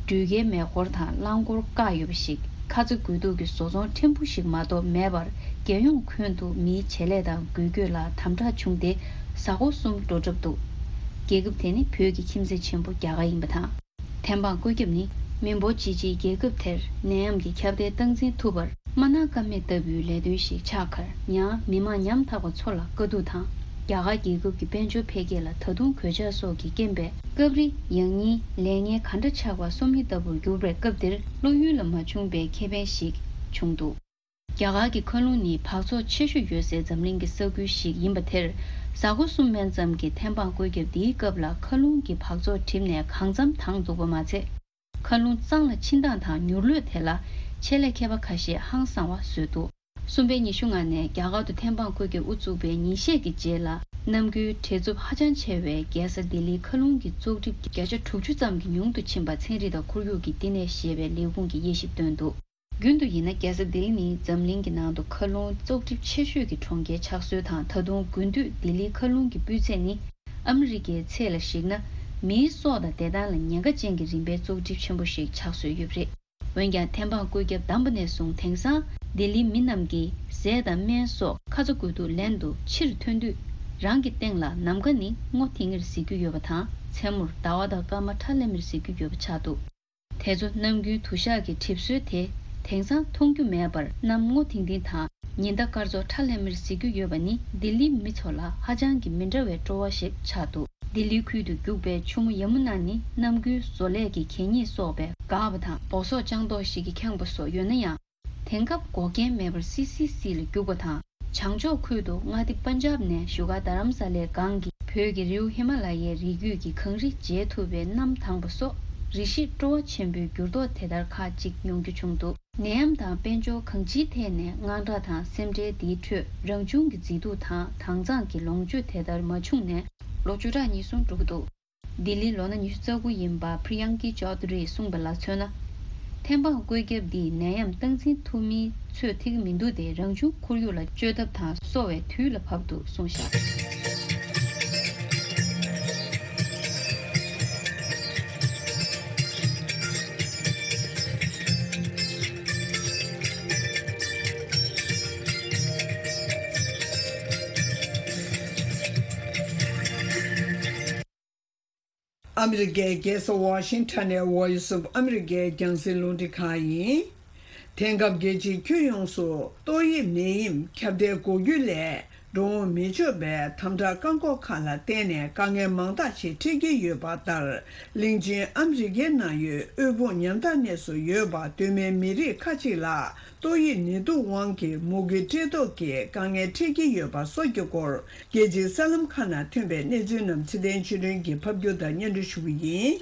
འགྲུལ་སྐྱེལ་མེ་འཁོར་དང་རླངས་འཁོར་བཀག་ཡོད་པ་ཞིག་ཁ་ཚ་དགོས་གཏུགས་ཀྱི་བཟོ་ཚོང་ཕྲན་བུ་ཞིག་མ་གཏོགས་མེད་པར། རྒྱལ་ཡོངས་ཁྱོན་དུ་མིའི་བྱེད་ལས་དང་འགུལ་སྐྱོད་ལ་དམ་དྲག་བྱུང་སྟེ། གཟའ་འཁོར་གསུམ་འགྲོ་གྲབས་འདུག་རྒྱལ་ཁབ་དེ་ནི་བོད་ཀྱི་ཁྱིམ་མཚེས་ཆེན་པོ་རྒྱ་གར་ཡིན་པ་དང་། ཐེམ་སྤང་བཀོད་ཁྱབ་ནི་མི་འབོར་ཆེ་ཆེའི་རྒྱལ་ཁབ་དེར་ནད་ཡམས་ཀྱི་ཁྱབ་གདལ་སྟངས་འཛིན་ཐུབ་པར། མ་གནང་ཀ་མེད་ལྟ་བུའི་ལས་དོན་ཞིག་ཆགས་ཁར། ཡང་མི་མང་ཉམ་ཐག་པ་ཚོ་ལ་དཀའ་སྡུག་དང་། རྒྱ་གར་རྒྱལ་ཁབ་ཀྱི་དཔལ་འབྱོར་འཕེལ་རྒྱས་ལ་ད་དུང་གོད་ཆག་སོགས་ཀྱི་རྐྱེན་པས། སྐབས་རེ་ཡང་སྙིང་ལས་ངན་ག་འདྲ་ཆགས་པ་སོམ་ཉི་ལྟ་བུར་གྱུར་པའི་སྐབས་འདིར། བློ་ཡུལ་ལ་མ་བྱུང་པའི་ཁེ་ཕན་ཞིག་བྱུང་འདུག་རྒྱ་གར་གྱི་མཁའ་རླུང་ནི་འབག་བཙོག་ཆེ་ཤོས་ཡོད་སའི་འཛམ་གླིང་གི་ས་ཁུལ་ཞིག་ཡིན་པ་དེར། གཟའ་འཁོར་གསུམ་མན་ཙམ་གྱི་ཐེམ་སྤང་བཀོད་ཁྱབ་འདིའི་སྐབས་ལ། མཁའ་རླུང་གི་འབག་བཙོག་གྲིབ་ནས་གང་འཚམ་དྭངས་འདུག་པ་མ་ཚད། མཁའ་རླུང་གཙང་ལ་ཕྱིན་སྟངས་དང་མྱུར་ལྷོད་དེ་ལ་ ཆེད་ལས་མཁས་པ་ཁ་ཤས་ཧང་སངས་པ་བཟོས་འདུག་གསུམ་པའི་ཉི་ཤུ་ལྔ་ནས་རྒྱ་གར་དུ་ཐེམ་སྤང་བཀོད་ཁྱབ་དབུ་བཙུགས་པའི་ཉིན་ཤས་ཀྱི་རྗེས་ལ། ནམ་རྒྱུན་བྲེལ་འཚུབ་ཧ་ཅང་ཆེ་བའི་རྒྱལ་ས་ལྡི་ལིའི་མཁའ་རླུང་གི་བཙོག་གྲིབ་བརྒྱ་ཆ་དྲུག་ཅུ་ཙམ་གྱིས་ཉུང་དུ་ཕྱིན་པ་ཚན་རིག་དང་ཁོར་ཡུག་གི་བསྟི་གནས་ཞེས་པའི་ལས་ཁུངས་ཀྱིས་དབྱེ་ཞིབ་བཏོན་འདུག་རྒྱུན་དུ་ཡིན་ན། རྒྱལ་ས་ལྡི་ལི་ནི་འཛམ་གླིང་གི་ནང་དུ་མཁའ་རླུང་བཙོག་གྲིབ་ཆེ་ཤོས་ཀྱི་གྲོང་ཁྱེར་ཆགས་སྲོལ་དང་། ད་དུང་དགུན་དུས་ལྡི་ལིའི་མཁའ་རླུང་གི་སྤུས་ཚད་ནི་ཨ་མི་རི་ཀའི་ཚད་ལ་གཞིགས་ན། མིའི་སྲོག་དང་བདེ་ཐང་ལ་ཉེན་ཁ་ཅན་གྱི་རིམ་པའི་བཙོག་གྲིབ་ཆེན་པོ་ཞིག་ཆགས་སྲོལ་ཡོད་པ་རེད། འོན་ཀྱང་། ཐེམ་སྤང་བཀོད་ཁྱབ་བསྡམས་པ་ནས་བཟུང་དེང་སང་ལྡི་ལིའི་མི་རྣམས་ཀྱིས་ཟས་དང་སྨན་སོགས་ཁ་ཚ་དགོས་གཏུགས་ལེན་དུ་ཕྱིར་ཐོན་དུས། རང་གི་སྟེང་ལ་ནམ་མཁའ་ནི་སྔོ་ཐིང་ངེར་གཟིགས་རྒྱུ་ཡོད་པ་དང་། མཚན་མོར་ཟླ་བ་དང་སྐར་མ་ཁྲ་ལམ་མེར་གཟིགས་རྒྱུ་ཡོད་པ་ཆགས་འདུག་དེ་ཚོ་གནམ་དགུན་དུ་ཞག་གི་གྲིབ་སོལ་དེ་དེང་སང་མཐོང་རྒྱུ་མེད་པར། གནམ་སྔོ་ཐིང་ཐིང་དང་ཉི་ཟླ་སྐར་ཚོགས་ཁྲ་ལམ་མེར་གཟིགས་རྒྱུ་ཡོད་པ་ནི་ལྡི་ལིའི་མི་ཚོ་ལ་ཧ་ཅང་གི་མི་འདྲ་བའི་སྤྲོ་བ་ཞིག་ཆགས་འདུག་ལྡི་ལིའི་ཁུལ་དུ་རྒྱུག་པའི་ཆུ་མོ་ཡ་མུ་ན་ནི་གནམ་དགུན་བཟོ་ལས་ཀྱི་གད་སྙིགས་གསོག་པའི་འགག་པ་དང་། སྦོ་སོག་ལྕང་ཏོག་ཞིག་གིས་ཁེངས་པ་སོགས་ཡོད་ན་ཡང་། དེང་སྐབས་འགོག་རྐྱེན་མེད་པར་སི་སི་སི་ལ་རྒྱུག་པ་དང་། བྱང་ཕྱོགས་ཁུལ་དུ་མངའ་སྡེ་པན་ཇབ་ནས་བཞུགས་སྒར་རྡ་རམ་ས་ལའི་སྒང་གི་བོད་ཀྱི་རི་བོ་ཧི་མ་ལ་ཡའི་རི་རྒྱུད་ཀྱི་གངས་རི་མཇལ་ཐུབ་པའི་གནམ་དྭངས་པ་སོགས། རེ་ཞིག་སྤྲོ་བ་ཆེན་པོའི་འགྱུར་ལྡོག་དེ་ལྟར་ཁག་ཅིག་མྱོང་རྒྱུ་བྱུང་འདུག་ནད་ཡམས་དང་དཔལ་འབྱོར་གང་ཅིའི་ཐད་ནས་དངངས་སྐྲག་དང་། སེམས་ཁྲལ་འདིའི་ཁྲོད་རང་བྱུང་གི་མཛེས་སྡུག་དང་དྭངས་གཙང་གི་ལོངས་སྤྱོད་དེ་ལྟར་མ་བྱུང་ནས་ལོ་བཅུ་ཕྲག་གཉིས་སོང་འགྲོ་གི་འདུག་ལྡི་ལིའི་ལོ་ན་ཉི་ཤུ་རྩ་དགུ་ཡིན་པ་Priyanki Chaudhary གསུངས་པ་ལ་མཚོན་ན། ཐེམ་སྤང་བཀོད་ཁྱབ་འདིས་ནད་ཡམས་སྟངས་འཛིན་ཐུབ་མིན་ཚོད་ཐིག་མི་འདུག་སྟེ། རང་བྱུང་ཁོར་ཡུག་ལ་བཅོས་ཐབས་དང་གསོ་བའི་དུས་ལ་བབ་འདུག་གསུངས་བཞག་ཨ་མི་རི་ཀའི་རྒྱལ་ས་ཝ་ཤིང་ཊོན་ནས་Voice of America རྒྱང་སྲིང་རླུང་འཕྲིན་ཁང་ཡིན། དེང་སྐབས་རྒྱལ་སྤྱིའི་ཁྱོན་ཡོངས་སུ་ཏོག་དབྱིབས་ནད་ཡམས་ཁྱབ་གདལ་འགོག་རྒྱུའི་སླད། འགྲོ་འོང་མི་ཆོག་པའི་དམ་དྲག་བཀག་འགོག་ཁག་ལ་བརྟེན་ནས་དཀའ་ངལ་མང་དག་ཞིག་འཕྲད་ཀྱི་ཡོད་པ་ལྟར། གླིང་ཆེན་ཨ་མི་རི་ཀའི་ནང་ཡོད་དབུལ་ཕོངས་ཉམ་ཐག་གནས་སུ་ཡོད་པ་གདོད་མའི་མི་རིགས་ཁག་ཅིག་ལ། ཏོག་དབྱིབས་ནད་དུག་དབང་གིས་མུ་གེ་བཀྲེས་ལྟོགས་ཀྱི་དཀའ་ངལ་འཕྲད་ཀྱི་ཡོད་པ་སོགས་ཀྱི་སྐོར། རྒྱལ་སྤྱིའི་གསར་ལམ་ཁག་ནང་ཐོན་པའི་གནས་ཚུལ་རྣམས་ཚེ་བརྟན་ཆོས་སྒྲོན་གྱིས་ཕབ་སྒྱུར་དང་སྙན་སྒྲོན་ཞུ་གི་ཡིན།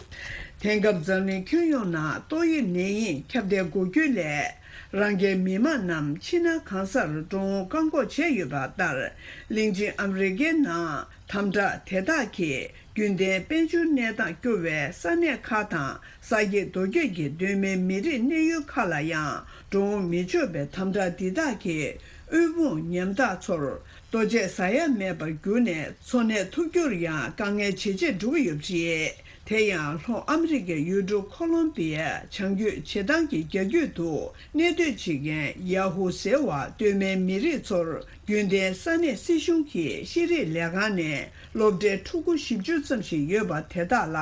དེང་སྐབས་འཛམ་གླིང་ཁྱོན་ཡོངས་ནང་ཏོག་དབྱིབས་ནད་ཡམས་ཁྱབ་གདལ་འགོག་རྒྱུའི་སླད། རང་རྒྱལ་མི་དམངས་རྣམས་ཕྱི་ནང་གང་སར་འགྲོ་འོང་བཀག་འགོག་བྱས་ཡོད་པ་ལྟར། གླིང་ཆེན་ཨ་མི་རི་ཀའི་ནང་དམ་དྲག་དེ་དག་གིས། རྒྱུན་ལྡན་དཔལ་འབྱོར་གནས་སྟངས་སྐྱོ་བའི་ས་གནས་ཁག་དང་། ས་སྐྱེས་རྡོ་སྐྱེས་ཀྱི་གདོད་མའི་མི་རིགས་གནས་ཡུལ་ཁག་ལ་ཡང་། འགྲོ་འོང་མི་ཆོག་པའི་དམ་དྲག་འདི་དག་གིས། དབུལ་ཕོངས་ཉམ་ཐག་ཚོར། ལྟོ་ཆས་ཟ་ཡ་མེད་པར་གྱུར་ནས། འཚོ་གནས་ཐུབ་རྒྱུར་ཡང་དཀའ་ངལ་ཇེ་ཆེར་འགྲོ་གི་ཡོད་པ་རེད། དེ་ཡང་། ལྷོ་ཨ་མི་རི་ཀའི་ཡུལ་གྲུ་ཁོ་ལོམ་པི་ཡའི་བྱང་རྒྱུད་བྱེ་ཐང་གི་རྒྱ་རྒྱུད་དུ། གནས་སྡོད་བྱེད་མཁན་ཡ་ཧུ་ཟེར་བ་གདོད་མའི་མི་རིགས་ཚོར། རྒྱུན་ལྡན་ས་གནས་སྲིད་གཞུང་གི་ཤེས་རིག་ལས་ཁང་ནས་སློབ་གྲྭའི་ཕྲུ་གུ་བཞི་བཅུ་ཙམ་ཞིག་ཡོད་པ་དེ་དག་ལ་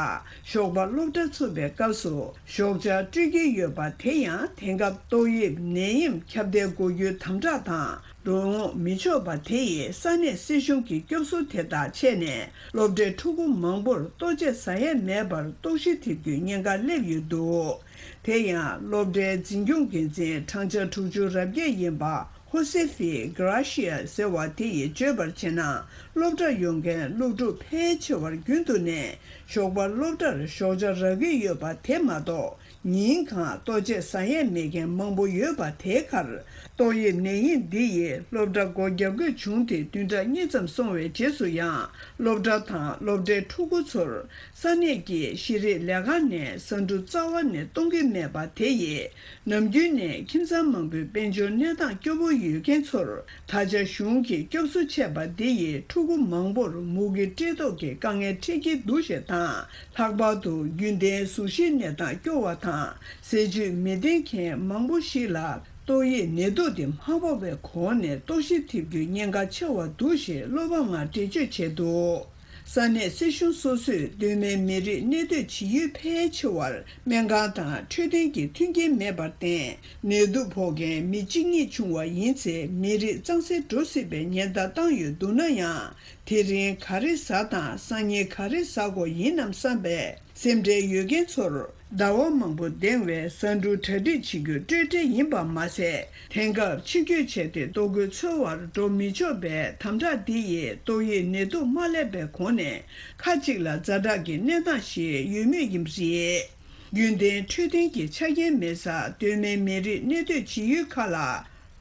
ཞོགས་པ་སློབ་གྲྭ་ཚུགས་པའི་སྐབས་སུ་ཞོགས་ཇ་སྤྲོད་ཀྱི་ཡོད་པ། དེ་ཡང་དེང་སྐབས་ཏོག་དབྱིབས་ནད་ཡམས་ཁྱབ་གདལ་འགོག་རྒྱུའི་དམ་དྲག་དང་འགྲོ་འོང་མི་ཆོག་པ་དེ་ཡིས་ས་གནས་སྲིད་གཞུང་གི་སྐྱོབ་གསོ་དེ་དག་ཆད་ནས་སློབ་གྲྭའི་ཕྲུ་གུ་མང་པོར་ལྟོ་ཆས་ཟ་ཡས་མེད་པར་ལྟོགས་ཤི་ཐེབས་རྒྱུའི་ཉེན་ཁ་སླེབས་ཡོད་འདུག་དེ་ཡང་སློབ་གྲྭའི་འཛིན་སྐྱོང་འགན་འཛིན་བགྲང་བྱ་དྲུག་ཅུ་རབ་རྒྱས་ཡིན་པ། ཧོ་སེ་ཧྥི་གྷ་ར་ཤི་ཡ་ཟེར་བ་དེ་ཡིས་བརྗོད་པར་བྱས་ན། སློབ་གྲྭར་ཡོང་མཁན་སློབ་ཕྲུག་ཕལ་ཆེ་བར་རྒྱུན་དུ་ནས་ཞོགས་པ་སློབ་གྲྭར་ཞོགས་ཇ་རག་གི་ཡོད་པ་དེ་མ་གཏོགས། ཉིན་གང་ལྟོ་ཆས་ཟ་ཡས་མེད་མཁན་མང་པོ་ཡོད་པ་དེའི་ཁར། ཏོག་དབྱིབས་ནད་ཡམས་འདི་ཡིས་སློབ་གྲྭ་སྒོ་བརྒྱབ་དགོས་བྱུང་སྟེ། བདུན་ཕྲག་གཉིས་ཙམ་སོང་བའི་རྗེས་སུ་ཡང་། སློབ་གྲྭ་དང་སློབ་གྲྭའི་ཕྲུ་གུ་ཚོར་ས་གནས་ཀྱི་ཤེས་རིག་ལས་ཁང་ནས་ཟ་འབྲུ་རྩ་བ་ནས་གཏོང་གི་མེད་པ་དེ་ཡིས། ནམ་རྒྱུན་ནས་ཁྱིམ་ཚང་མང་པོའི་དཔལ་འབྱོར་གནས་སྟངས་སྐྱོ་པོ་ཡོད་མཁན་ཚོར། ད་ཆ་གཞུང་གིས་སྐྱོབ་གསོ་བྱས་པ་འདི་ཡིས་ཕྲུ་གུ་མང་པོར་མུ་གེ་བཀྲེས་ལྟོགས་ཀྱི་དཀའ་ངལ་འཕྲད་ཀྱི་འདུག་ཞེས་དང་། ལྷག་པར་དུ་རྒྱུན་ལྡན་གཟུགས་གཞིའི་གནས་སྟངས་སྐྱོ་བ་དང་། ཟས་བཅུད་མི་ལྡན་མཁན་མང་པོ་ཞིག་ལ་ཏོག་དབྱིབས་ནད་དུག་འདི་མ་ཕོག་པའི་གོང་ནས་ལྟོགས་ཤི་ཐེབས་རྒྱུའི་ཉེན་ཁ་ཆེ་བ་འདུག་ཞེས་བློ་ཕམ་ངང་འགྲེལ་བརྗོད་བྱས་འདུག་ས་གནས་སྲིད་གཞུང་སོ་སོས་གདོད་མའི་མི་རིགས་གནས་སྡོད་བྱེད་ཡུལ་ཕལ་ཆེ་བར་སྨན་ཁང་དང་འཕྲོད་བསྟེན་གྱི་མཐུན་རྐྱེན་མེད་པར་བརྟེན། ནད་དུག་ཕོག་མཁན་མི་གཅིག་གཉིས་བྱུང་བ་ཡིན་ཚེ། མི་རིགས་གཙང་སེལ་འགྲོ་སྲིད་པའི་ཉེན་བརྡ་བཏང་ཡོད་འདུག་ན་ཡང་། དེ་རིང་ག་རེ་ཟ་དང་སང་ཉིན་ག་རེ་ཟ་དགོས་ཡིན་ནམ་བསམ་པའི་སེམས་ཁྲལ་ཡོད་མཁན་ཚོར། ཟླ་བ་མང་པོ་འདས་པའི་ཟ་འབྲུ་གྲ་སྒྲིག་བྱེད་རྒྱུ་སྤྲོས་བྲལ་ཡིན་པ་མ་ཟད། དེང་སྐབས་ཕྱི་སྐྱོད་བྱས་ཏེ་ལྟོ་གོས་འཚོལ་བར་འགྲོ་མི་ཆོག་པའི་དམ་དྲག་འདི་ཡིས་ཏོག་དབྱིབས་ནད་དུག་མ་སླེབས་པའི་གོང་ནས་ཁ་ཅིག་ལ་ཛ་དྲག་གི་གནས་སྟངས་ཤིག་ཡོད་མུས་ཡིན་པ་རེད། རྒྱུན་ལྡན་འཕྲོད་བསྟེན་གྱི་ཆ་རྐྱེན་མེད་སར་སྟོད་སྨད་མི་རིགས་གནས་སྡོད་བྱེད་ཡུལ་ཁག་ལ་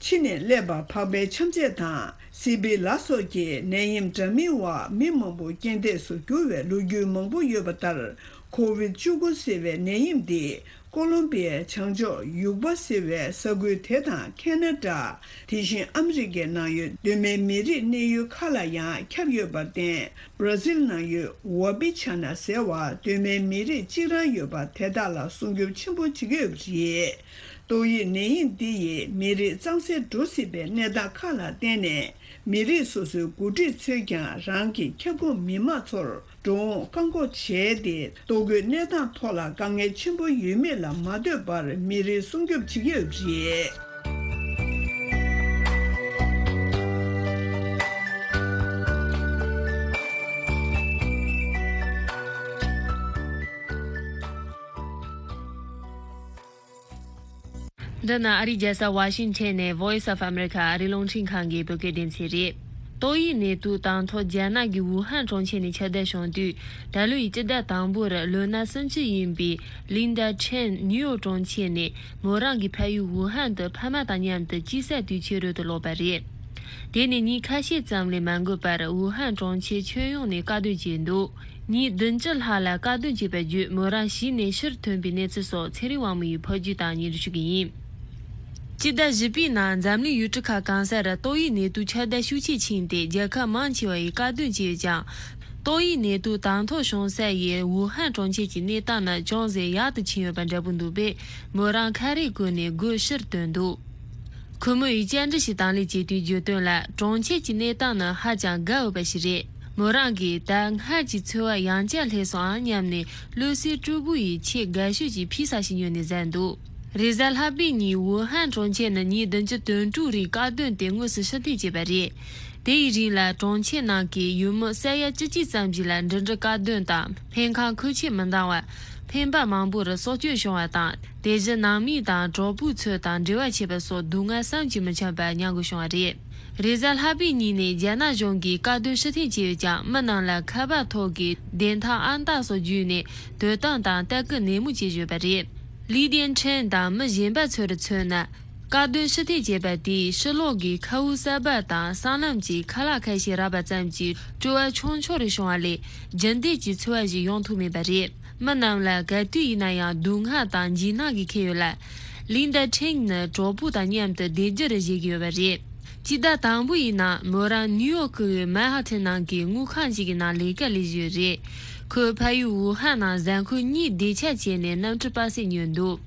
ཕྱི་ནས་སླེབས་པ་ཕག་པའི་ཆམ་ཚད་དང་སི་པི་ལ་སོགས་ཀྱི་ནད་ཡམས་འདྲ་མིན་འོག་མི་མང་པོ་རྐྱེན་འདས་སུ་གྱུར་བའི་ལོ་རྒྱུས་མང་པོ་ཡོད་པ་ལྟར། ཁོ་ཝིད་བཅུ་དགུ་ཟེར་བའི་ནད་ཡམས་འདི་ཀོ་ལོམ་པི་ཡའི་བྱང་ཕྱོགས་ཡུག་པ་ཟེར་བའི་ས་ཁུལ་དེ་དང་ཁེ་ན་ཌ། དེ་བཞིན་ཨ་མི་རི་ཀའི་ནང་ཡོད་སྟོད་སྨད་མི་རིགས་གནས་ཡུལ་ཁག་ལ་ཡང་ཁྱབ་ཡོད་པར་བརྟེན། བྷ་ར་ཟིལ་ནང་ཡོད་ཝ་པི་ཆ་ན་ཟེར་བ་སྟོད་སྨད་མི་རིགས་གཅིག་རང་ཡོད་པ་དེ་དག་ལ་སྲུང་སྐྱོབ་ཆེན་པོ་བྱེད་ཀྱི་ཡོད་པ་རེད། ཏོག་དབྱིབས་ནད་ཡམས་འདི་ཡིས་མི་རིགས་གཙང་སེལ་འགྲོ་སྲིད་པའི་གནས་སྟངས་ཁག་ལ་བརྟེན་ནས། མི་རིགས་སོ་སོའི་འགོ་ཁྲིད་ཚོས་ཀྱང་རང་གི་ཁྱབ་ཁོངས་མི་མང་ཚོར་འགྲོ་འོང་བཀག་འགོག་བྱས་ཏེ། ལྟོ་གོས་གནས་སྟངས་ཐོག་ལ་དཀའ་ངལ་ཆེན་པོ་ཡོད་མེད་ལ་མ་ལྟོས་པར་མི་རིགས་སྲུང་སྐྱོབ་བྱེད་ཀྱི་ཡོད་པ་རེད། འདི་ནི་ཨ་རིའི་རྒྱལ་ས་ཝ་ཤིང་ཊོན་ནས་Voice of America ཨ་རིའི་རླུང་འཕྲིན་ཁང་གི་བོད་སྐད་སྡེ་ཚན་རེད། ཏོག་དབྱིབས་ནད་དུག་དང་ཐོག་རྒྱ་ནག་གི་ཝུ་ཧན་གྲོང་ཁྱེར་ནས་ཁྱབ་གདལ་བྱུང་དུས། ད་ལོའི་སྤྱི་ཟླ་དང་པོར་ལོ་ན་སུམ་ཅུ་ཡིན་པའི་ལིན་ཌ་ཁྲེན་ནིའུ་ཡོག་གྲོང་ཁྱེར་ནས་མོ་རང་གི་ཕ་ཡུལ་ཝུ་ཧན་དུ་ཕ་མ་དང་མཉམ་དུ་དཔྱིད་གསར་དུས་ཆེན་རོལ་དུ་ལོག་པ་རེད། དེ་ནས་ཉིན་ཁ་ཤས་ཙམ་ལས་མ་འགོར་བར་ཝུ་ཧན་གྲོང་ཁྱེར་ཁྱོན་ཡོངས་ནས་བཀག་སྡོམ་བྱས་འདུག་ཉིན་བདུན་ཅུ་ལྷག་ལ་བཀག་སྡོམ་བྱས་པ་བརྒྱུད་མོ་རང་གཞི་ནས་ཕྱིར་ཐོན་པའི་གནས་ཚུལ་སོགས་ཚེ་རིང་དབང་མོ་ཡིས་ཕབ་སྒྱུར་དང་སྙན་སྒྲོན་ཞུ་གི་ཡིན། སྤྱི་ཟླ་བཞི་པའི་ནང་འཛམ་གླིང་ཡུལ་གྲུ་ཁག་གང་སར་ཏོག་དབྱིབས་ནད་དུག་ཁྱབ་གདལ་ཤུགས་ཆེ་ཕྱིན་ཏེ། རྒྱལ་ཁབ་མང་ཆེ་བ་ཡིས་བཀག་སྡོམ་བྱས་ཡོད་ཀྱང་། ཏོག་དབྱིབས་ནད་དུག་དང་ཐོག་བྱུང་ས་ཡི་ཝུ་ཧན་གྲོང་ཁྱེར་གྱི་གནས་སྟངས་ནི་ཅུང་ཟད་ཡག་ཏུ་ཕྱིན་ཡོད་པ་འདྲ་པོ་འདུག་པས། མོ་རང་ཁ་རས་བཀོལ་ནས་སྒོ་ཕྱིར་ཐོན་འདུག་ཁོ་མོ་ཡིས་བཅར་འདྲི་ཞིག་དང་ལེན་བྱས་དུས་བརྗོད་དོན་ལ། གྲོང་ཁྱེར་གྱི་གནས་སྟངས་ནི་ཧ་ཅང་དགའ་འོས་པ་ཞིག་རེད། མོ་རང་གིས་ད་སྔར་གྱི་འཚོ་བ་ཡང་བསྐྱར་སླེབས་སོང་ཨང་སྙམ་ནས། བློ་གསལ་སྤྲོ་པོ་ཡིས་ཆེས་དགའ་ཤོས་ཀྱི་ཕྱི་ས་ཞིག་ཉོས་ནས་བཟས་འདུག་རེས་གཟའ་ལྷག་པའི་ཉིན་ཝུ་ཧན་གྲོང་ཁྱེར་ནི་ཉིན་བདུན་ཅུ་དོན་དྲུག་རིང་བཀག་སྡོམ་དེ་དངོས་སུ་ཕྱིར་འཐེན་བྱས་པ་རེད། དེ་ཡི་རིང་ལ་གྲོང་ཁྱེར་ནང་གི་ཡུལ་མི་ས་ཡ་བཅུ་གཅིག་ཙམ་ཞིག་ལ་འགྲིམ་འགྲུལ་བཀག་སྡོམ་དང་སྨན་ཁང་ཁུལ་ཆེད་མི་འདང་བ། འཕེན་པ་མང་པོར་སྲོག་སྐྱོན་བྱུང་བ་དང་། དེ་བཞིན་ནང་མི་དང་གྲོགས་པོ་ཚོ་དང་འབྲེལ་བ་བྱས་པ་སོགས་སྡུག་བསྔལ་བསམ་གྱིས་མི་ཁྱབ་པ་མྱང་དགོས་བྱུང་བ་རེད། རེས་གཟའ་ལྷག་པའི་ཉིན་ནས་རྒྱ་ནག་གཞུང་གིས་བཀག་སྡོམ་ཕྱིར་འཐེན་བྱས་ཡོད་ཀྱང་། མི་རྣམས་ལ་ཁ་པར་ཐོག་གི་བདེན་མཐའ་ཨང་རྟགས་སོགས་བརྒྱུད་ནས་དོ་དམ་དང་ལྟ་སྐུལ་ནན་མོ་བྱེད་བཞིན་ཡོད་པ་རེད། ལི་ཏེན་ཁྲེན་དང་མི་གཞན་པ་ཚོར་མཚོན་ན། བཀག་སྡོམ་ཕྱིར་འཐེན་བྱས་པ་དེས་ཕྱི་ལོགས་ཀྱི་མཁའ་དབུགས་གསར་པ་དང་སྲང་ལམ་གྱི་ཁ་ལག་ཁ་ཤས་རག་པ་ཙམ་གྱིས་སྤྲོ་བ་ཆུང་ཆུང་རེ་བྱུང་བ་ལས། རྒྱུན་ལྡན་གྱི་འཚོ་བ་ཞིག་ཡོང་ཐུབ་མེད་པ་རེད། མི་རྣམས་ལ་ག་དུས་ཡིན་ན་ཡང་སྡུག་བསྔལ་དང་འཇིགས་སྣང་གིས་ཁེངས་ཡོད་ལ། ལིན་ཏ་ཁྲེང་ནི་གྲོགས་པོ་དང་མཉམ་དུ་བདེ་སྐྱིད་རུ་བཞེས་ཀྱི་ཡོད་པ་རེད། སྤྱི་ཟླ་དང་པོ་ཡི་ནང་མོ་རང་ནིའུ་ཡོག་གི་མན་ཧ་ཐན་ནང་གི་དངུལ་ཁང་ཞིག་གི་ནང་ལས་ཀ་ལས་བཞིན་ཡོད་རེད། ཁོས་ཕ་ཡུལ་ཝུ་ཧན་ནང་གཟའ་འཁོར་གཉིས་བདེ་འཇགས་བྱས་ནས་གནམ་གྲུ་པ་སེ་ཉོས་འདུག་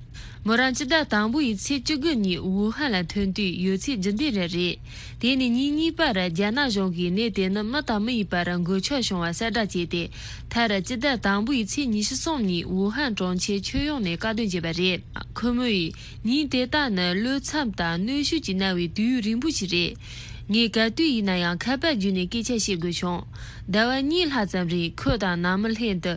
མོ་རང་སྤྱི་ཟླ་དང་པོ་ཡི་ཚེས་བཅུ་དགུ་ཉིན་ཝུ་ཧན་ལ་ཐོན་དུས་ཡོད་ཚད་རྒྱུན་ལྡན་རང་རེད། དེ་ནས་ཉིན་གཉིས་པར་རྒྱ་ནག་གཞུང་གིས་ནད་དེ་ནི་མི་དང་མི་ཡི་བར་འགོས་ཆགས་བྱུང་བ་གསལ་བསྒྲགས་བྱས་ཏེ། མཐར་སྤྱི་ཟླ་དང་པོ་ཡི་ཚེས་ཉི་ཤུ་གསུམ་ཉིན་ཝུ་ཧན་གྲོང་ཁྱེར་ཁྱོན་ཡོངས་ནས་བཀག་སྡོམ་བྱས་པ་རེད། ཁོ་མོ་ཡིས་ཉིན་དེ་དག་ནི་གློད་འཚབ་དང་གནོན་ཤུགས་ཀྱིས་མནར་བའི་དུས་ཡུན་རིང་པོ་ཞིག་རེད། ངས་ག་དུས་ཡིན་ན་ཡང་ཁ་པར་བརྒྱུད་ནས་སྐད་ཆ་བཤད་དགོས་བྱུང་། ཟླ་བ་གཉིས་ལྷག་ཙམ་རིང་ཁོ་དང་ནང་མི་ལྷན་དུ་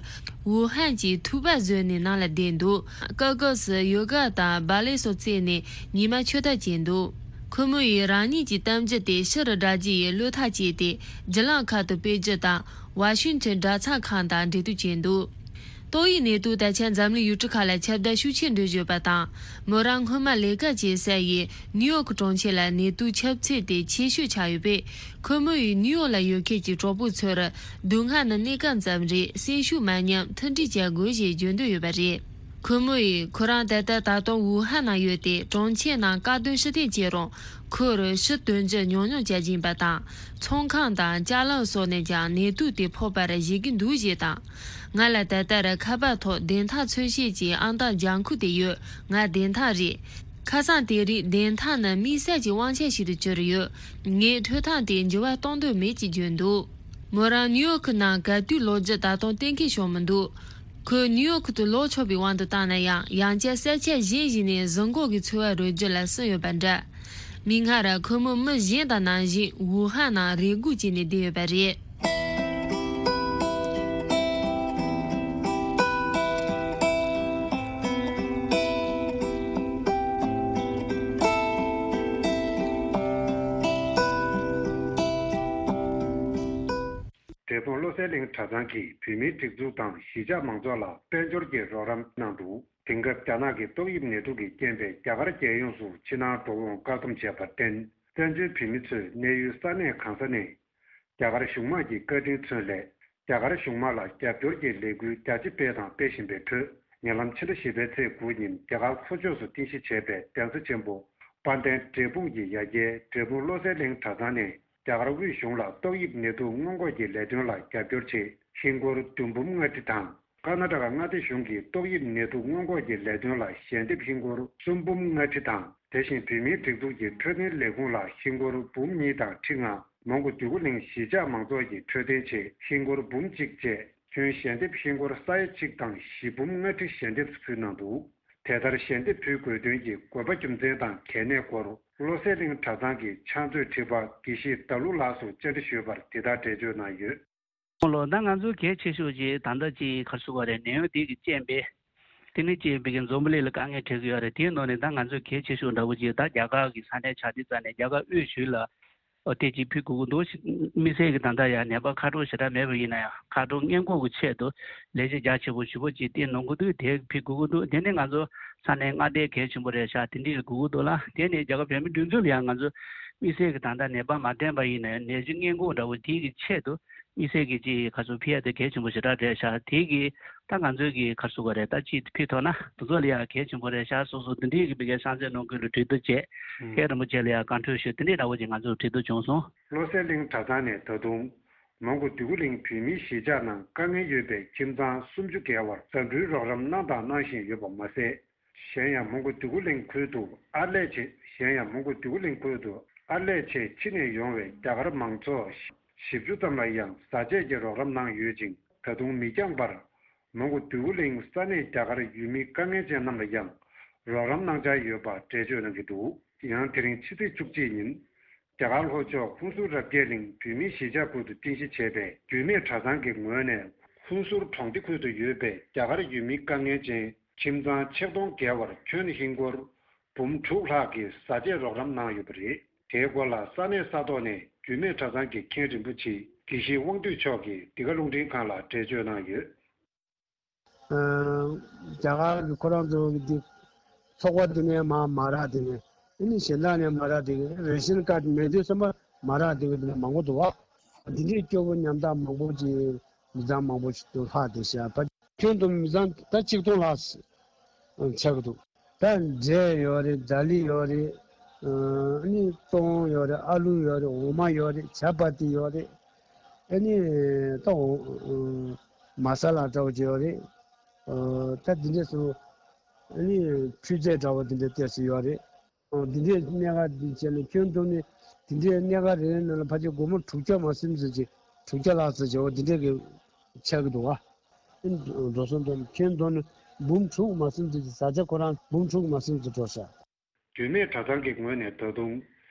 ཝུ་ཧན་གྱི་ཐུག་པ་བཟོས་ནས་ནང་ལ་བསྡད་འདུག་སྐབས་སྐབས་སུ་ཡོ་ག་དང་བྷ་ལེ་སོགས་རྩེས་ནས་ཉི་མ་འཁྱོལ་ཐབས་བྱས་འདུག་ཁོ་མོ་ཡིས་རང་ཉིད་ཀྱི་གཏམ་རྒྱུད་དེ་ཕྱི་རུ་བསྒྲགས་རྒྱུ་ཡི་བློ་ཐག་བཅད་དེ། བརྒྱུད་ལམ་ཁག་ཏུ་སྤེལ་རྒྱུ་དང་། ཝ་ཤིང་ཊོན་གྲྭ་ཚང་ཁང་དང་འབྲེལ་གཏུག་བྱས་འདུག་ཏོག་དབྱིབས་ནད་དུག་ད་ཆ་འཛམ་གླིང་ཡུལ་གྲུ་ཁག་ལ་ཁྱབ་གདལ་ཤུགས་ཆེ་འགྲོ་བཞིན་ཡོད་པ་དང་། མོ་རང་སྔོན་མ་ལས་ཀ་བྱེད་ས་ཡི་ནིའུ་ཡོག་གྲོང་ཁྱེར་ལ་ནད་དུག་ཁྱབ་ཚད་དེ་ཆེ་ཤོས་ཆགས་ཡོད་པས། ཁོ་མོ་ཡིས་ནིའུ་ཡོག་ལ་ཡོད་མཁན་གྱི་གྲོགས་པོ་ཚོར། སྡུག་བསྔལ་ནི་གནས་སྐབས་ཙམ་རེད། སེམས་ཤུགས་མ་ཉམས། མཐུན་སྒྲིལ་བྱ་དགོས་ཞེས་བརྗོད་འདོད་ཡོད་པ་རེད། ཁོ་མོ་ཡིས་ཁོ་རང་ད་ལྟ་ད་དུང་ཝུ་ཧན་ནང་ཡོད་དེ། གྲོང་ཁྱེར་ནང་བཀག་སྡོམ་ཕྱིར་འཐེན་བྱས་རུང་། ཁོར་ཕྱི་དོན་རྒྱུ་ཉུང་ཉུང་བྱ་བཞིན་པ་དང་། ཚོང་ཁང་དང་ཅ་ལག་སོགས་ནས་ཀྱང་ནད་དུག་དེ་ཕོག་པར་བཞེད་ཀྱི་འདུག་ཞེས་དང་། ང་ལ་ད་ལྟར་ཁ་པར་ཐོག་བདེན་མཐའ་མཚོན་བྱེད་ཀྱི་ཨང་རྟགས་ལྗང་ཁུ་དེ་ཡོད། ང་བདེན་མཐའ་རེད། ཁ་སང་དེ་རིང་བདེན་མཐའ་ནི་དམིགས་བསལ་གྱི་དབང་ཆ་ཞིག་ཏུ་གྱུར་ཡོད། ངས་འཕྲོད་བཏང་དེ་འགྱུར་བ་གཏོང་འདོད་མེད་ཅེས་བརྗོད་འདུག་མོ་རང་ནིའུ་ཡོག་གི་ནང་ག་དུས་ལོག་རྒྱུ་ད་དུང་གཏན་འཁེལ་བྱུང་མི་འདུག་ཁོས་ནིའུ་ཡོག་ཏུ་ལོག་ཆོག་པའི་དབང་དུ་བཏང་ན་ཡང་། ཡང་བསྐྱར་ས་ཆ་གཞན་ཞིག་ནས་གཟིགས་འགོག་གི་འཚོ་བ་རོལ་རྒྱུ་ལ་བསུན་ཡོད་པ་འདྲ། མིག་སྔར་ཁོ་མོ་མི་གཞན་དང་ནང་བཞིན་ཝུ་ཧན་ནང་རེ་སྒུག་བྱས་ནས་བསྡད་ཡོད་པ་རེད། འབྲས་སྤུངས་བློ་གསལ་གླིང་གྲྭ་ཚང་གིས་བོད་མིའི་སྒྲིག་འཛུགས་དང་གཞིས་ཆགས་མང་ཚོགས་ལ་དཔལ་འབྱོར་གྱི་རོགས་རམ་གནང་འདུག་དེང་སྐབས་རྒྱ་ནག་གི་ཏོག་དབྱིབས་ནད་དུག་གི་རྐྱེན་པས་རྒྱ་གར་རྒྱལ་ཡོངས་སུ་ཕྱི་ནང་འགྲོ་འོང་བཀག་སྡོམ་བྱས་པར་བརྟེན། བཙན་བྱོལ་བོད་མི་ཚོས་གནས་ཡུལ་ས་གནས་གང་ས་ནས། རྒྱ་གར་གཞུང་དམངས་ཀྱི་བཀའ་དྲིན་མཚོན་སླད། རྒྱ་གར་གཞུང་དམངས་ལ་རྒྱབ་སྐྱོར་གྱི་ལས་འགུལ་རྒྱ་ཆེ་སྤེལ་དང་སྤེལ་བཞིན་པའི་ཁྲོད། ཉེ་ལམ་ཕྱི་ཟླ་བཞི་པའི་ཚེས་དགུ་ཉིན་རྒྱ་གར་ལྷོ་ཕྱོགས་སུ་རྟེན་གཞི་བྱས་པའི་གདན་ས་ཆེན་པོ་དཔལ་ལྡན་འབྲས་སྤུངས་ཀྱི་ཡ་གྱལ་འབྲས་སྤུངས་བློ་གསལ་གླིང་གྲྭ་ཚང་ནས། རྒྱ་གར་དབུས་གཞུང་ལ་ཏོག་དབྱིབས་ནད་དུག་སྔོན་འགོག་གི་ལས་དོན་ལ་རྒྱབ་སྐྱོར་ཆེད་ཧིན་སྒོར་བདུན་འབུམ་ལྔ་ཁྲི་དང་། ཀར་ན་ཊ་ཀ་མངའ་སྡེ་གཞུང་གིས་ཏོག་དབྱིབས་ནད་དུག་སྔོན་འགོག་གི་ལས་དོན་ལ་ཞལ་འདེབས་ཧིན་སྒོར་གསུམ་འབུམ་ལྔ་ཁྲི་དང་། དེ་བཞིན་བོད་མིའི་སྒྲིག་འཛུགས་ཀྱི་འཕྲོད་བསྟེན་ལས་ཁུངས་ལ་ཧིན་སྒོར་འབུམ་གཉིས་དང་ཁྲི་ལྔ། མོན་གྷོ་འདོད་རྒུ་གླིང་གཞིས་ཆགས་མང་ཚོགས་ཀྱི་འཕྲོད་བསྟེན་ཆེད་ཧིན་སྒོར་འབུམ་གཅིག་བཅས། ཁྱོན་ཞལ་འདེབས་ཧིན་སྒོར་ས་ཡ་གཅིག་དང་བཞི་འབུམ་ལྔ་ཁྲི་ཞལ་འདེབས་སུ་ཕུལ་གནང་འདུག་དེ་ལྟར་ཞལ་འདེབས་ཕུལ་དགོས་དོན་གྱི་དགོས་པ་རྒྱུ་མཚན་དང་གལ་གནད་སྐོར། བློ་གསལ་གླིང་གྲྭ་ཚང་གི་ཕྱག་མཛོད་ཁྲི་པ་དགེ་བཤེས་ཟླ་ཀླུ་ལགས་སུ་བཅར་འདྲི་ཞུས་པར་དེ་ལྟར་འགྲེལ་བརྗོད་གནང་ཡོད། ཨོ་ལོ། ད་ང་ཚོ་གལ་ཆེ་ཤོས་ཅིག་ད་ལྟ་ཅིག་ག་རེ་ཟེར་དགོས་རེད། ནད་ཡམས་འདི་གི་རྐྱེན་པས། དེ་ནི་ཅིག་བོད་ཀྱི་འཛམ་བུ་གླིང་ལ་དཀའ་ངལ་འཕྲད་ཀྱི་ཡོད་རེད། དེའི་ནང་ནས་ད་ང་ཚོ་གལ་ཆེ་ཤོས་འདྲ་བོ་ཅིག་ད་རྒྱ་གར་གྱི་ས་གནས་ཆགས་དེ་རྩ་ནས་རྒྱ་གར་དབུས་གཞུང་ལ། ཨོ་དེ་ཅིག་ཕུལ་དགོས་ཀྱི་འདུག་དམིགས་བསལ་གྱི་ད་ལྟ་ཡང་ནད་པ་ཁ་གྲངས་ཞེ་དྲག་མེད་པ་ཡིན་ན་ཡང་། ཁ་གྲངས་སྔོན་འགོག་གི་ཆེད་དུ་ལས་གཞི་རྒྱ་ཆེ་པོ་ཞེ་པོ་ཅིག་བཏིང་གནང་གི་འདུག་དེ་ཕུལ་དགོས་ཀྱི་འདུག་དེ་ནི་ང་ཚོ་ས་གནས་མངའ་སྡེ་གལ་ཆེན་པོ་རེད་ཤག་དེ་འདྲའི་དགོས་ཀྱི་འདུག་ལ། དེ་ནི་རྒྱ་གར་བོད་མིའི་སྒྲིག་འཛུགས་ལ་ཡང་ང་ཚོ་དམིགས་བསལ་གྱི་ད་ལྟ་ནད་པ་མ་བསྟེན་པ་ཡིན་ན་ཡང་ནད་གཞི་སྔོན་འགོག་འདྲ་བོ་དེ་གི་ཆེད་དུ་དམིགས་བསལ་གྱི་ཅིག་ཁ་གསོ་ཕུལ་ཡ་དེ་གལ་ཆེན་པོ་ཞེ་དྲག་རེད་ཤག་དེ་གི་ད་ང་ཚོའི་གི་ཁ་གསོ་ག་རེད། ད་ཅིག་ཕུལ་ཐུབ་ན་དེ་ཚོ་ལ་ཡང་གལ་ཆེན་པོ་རེད་ཤག་སོ་སོ་དེ་འདྲའི་གི་བི་གའི་ཤང་ཚན་ནང་ཁུལ་ལ་གྲོས་བསྡུར་བྱས། ཨུམ། ཧེ་རིན་པོ་ཆེ་ལ་ཡང་བཀའ་འཁྲོལ་ཞུས། དེ་འདྲའི་འདྲ་བོ་ཅིག་ང་ཚོ་གྲོས་བསྡུར་བྱུང་སོང་། བློ་གསལ་གླིང་གྲྭ་ཚང་ནས་ད་དུང་། མོན་གྷོ་འདོད་རྒུ་གླིང་བོད་མིའི་གཞིས་ཆགས་ནང་དཀའ་ངལ་ཡོད་པའི་ཁྱིམ་ཚང་སུམ་ཅུ་བརྒལ་བར་འཛིན་གྲྭའི་རོགས་རམ་གནང་དང་གནང་བཞིན་ཡོད་པ་མ་ཟད། གཞན་ཡང་མོན་གྷོ་འདོད་རྒུ་གླིང་ཁུལ་དུ་ཨར་ལས་བྱེད། གཞན་ཡང་མོན་གྷོ་འདོད་རྒུ་གླིང་ཁུལ་དུ་ཨར་ལས་ཆེད་ཕྱི་ནས་ཡོང་བའི་རྒྱ་གར་མང་ཚོགས་བཞི་བཅུ་ཙམ་ལ་ཡང་བཟའ་ཆས་ཀྱི་རོགས་རམ་གནང་ཡོད་ཅིང་། ད་དུང་མི་འགྱངས་པར་མོན་གྷོ་འདོད་རྒུ་གླིང་ས་གནས་རྒྱ་གར་ཡུལ་མི་དཀའ་ངལ་ཅན་རྣམས་ལ་ཡང་རོགས་རམ་གནང་འཆར་ཡོད་པ་འགྲེལ་བརྗོད་གནང་གི་འདུག་ཡང་དེ་རིང་ཕྱི་ཚེས་བཅུ་གཅིག་ཉིན། རྒྱ་གར་ལྷོ་ཕྱོགས་ཧུན་སུར་རབ་རྒྱས་གླིང་བོད་མིའི་གཞིས་ཆགས་ཁུལ་དུ་རྟེན་གཞི་བྱས་པའི་རྒྱུད་སྨད་གྲྭ་ཚང་གི་ངོས་ནས་ཧུན་སུར་གྲོང་སྡེ་ཁུལ་དུ་ཡོད་པའི་རྒྱ་གར་ཡུལ་མི་དཀའ་ངལ་ཅན་ཁྱིམ་ཚང་ཆིག་སྟོང་བརྒལ་བར་ཁྱོན་ཧིན་སྒོར་འབུམ་དྲུག་ལྷག་གི་བཟའ་ཆས་རོགས་རམ་གནང་ཡོད་པ་རེད། དེའི་སྐོར་ལ་ས་གནས་ས་ཐོག་ནས་རྒྱུད་སྨད་གྲྭ་ཚང་གི་མཁན་རིན་པོ་ཆེ་དགེ་བཤེས་དབང་འདུས་མཆོག་གིས་འདི་ག་རླུང་འཕྲིན་ཁང་ལ་འགྲེལ་བརྗོད་གནང་ཡོད། རྒྱ་གར་གྱི་ཁོ་རང་ཚོ་གི་འདི་ཚོགས་པ་དེ་ནས་མ་མ་རག་དེ་ནས་ཨ་ནི་གཞན་དག་ནས་མ་རག་དེ་གི་རེ་ཤན་ཀར་མེད་དུས་ཙམ་པ་མ་རག་དེ་གི་དེ་ནས་མང་པོ་འདུག་བ། འདི་འདྲའི་སྐྱོ་པོ་ཉམ་ཐག་མང་པོ་ཅིག་མི་ཚང་མང་པོ་ཞིག་ཏུ་ལྷག་བསྡད་ཤག་ད་ཁྱོན་བསྡོམས་མི་ཚང་ད་ཆིག་སྟོང་ལྷག་ཆགས་ཀྱི་འདུག་ད་འབྲས་ཡོད་རེད། ཛ་ལི་ཡོད་རེད། ཨ་ནི་སྟོང་ཡོད་རེད། ཨ་ལུ་ཡོད་རེད། འོ་མ་ཡོད་རེད། ཇ་པ་ཏི་ཡོད་རེད། ཨ་ནི་ད་འོ་མ་ས་ལ་འདྲ་བོ་ཅིག་ཡོད་རེད། ཨ་ད་འདི་འདྲས་སུ་ཨ་ནི་འཕྲུལ་རྫས་འདྲ་བོ་འདི་འདྲས་བལྟས་སུ་ཡོད་རེད། ཨ་འདི་འདྲས་གནས་ཀ་འདི་བྱས་ནས་ཁྱོན་བསྡོམས་ནས་འདི་འདྲས་གནས་ཀ་རེ་རེ་ནང་ལ་ཕལ་ཆེར་སྒོར་མོ་དྲུག་བརྒྱ་མ་ཟིན་ཙམ་ཅིག་དྲུག་བརྒྱ་ལྷག་ཙམ་ཅིག་འོ་འདི་འདྲས་ཀྱི་ཆགས་ཀྱི་འདུག་བ། འགྲོ་སོང་བསྡོམས་ཁྱོན་བསྡོམས་ནས་འབུམ་དྲུག་མ་ཟིན་ཙམ་ཅིག་བཟའ་ཆས་ཁོ་རང་འབུམ་དྲུག་མ་ཟིན་ཙམ་འགྲོ་ཤག་རྒྱུད་སྨད་གྲྭ་ཚང་གི་ངོས་ནས་ད་དུང་།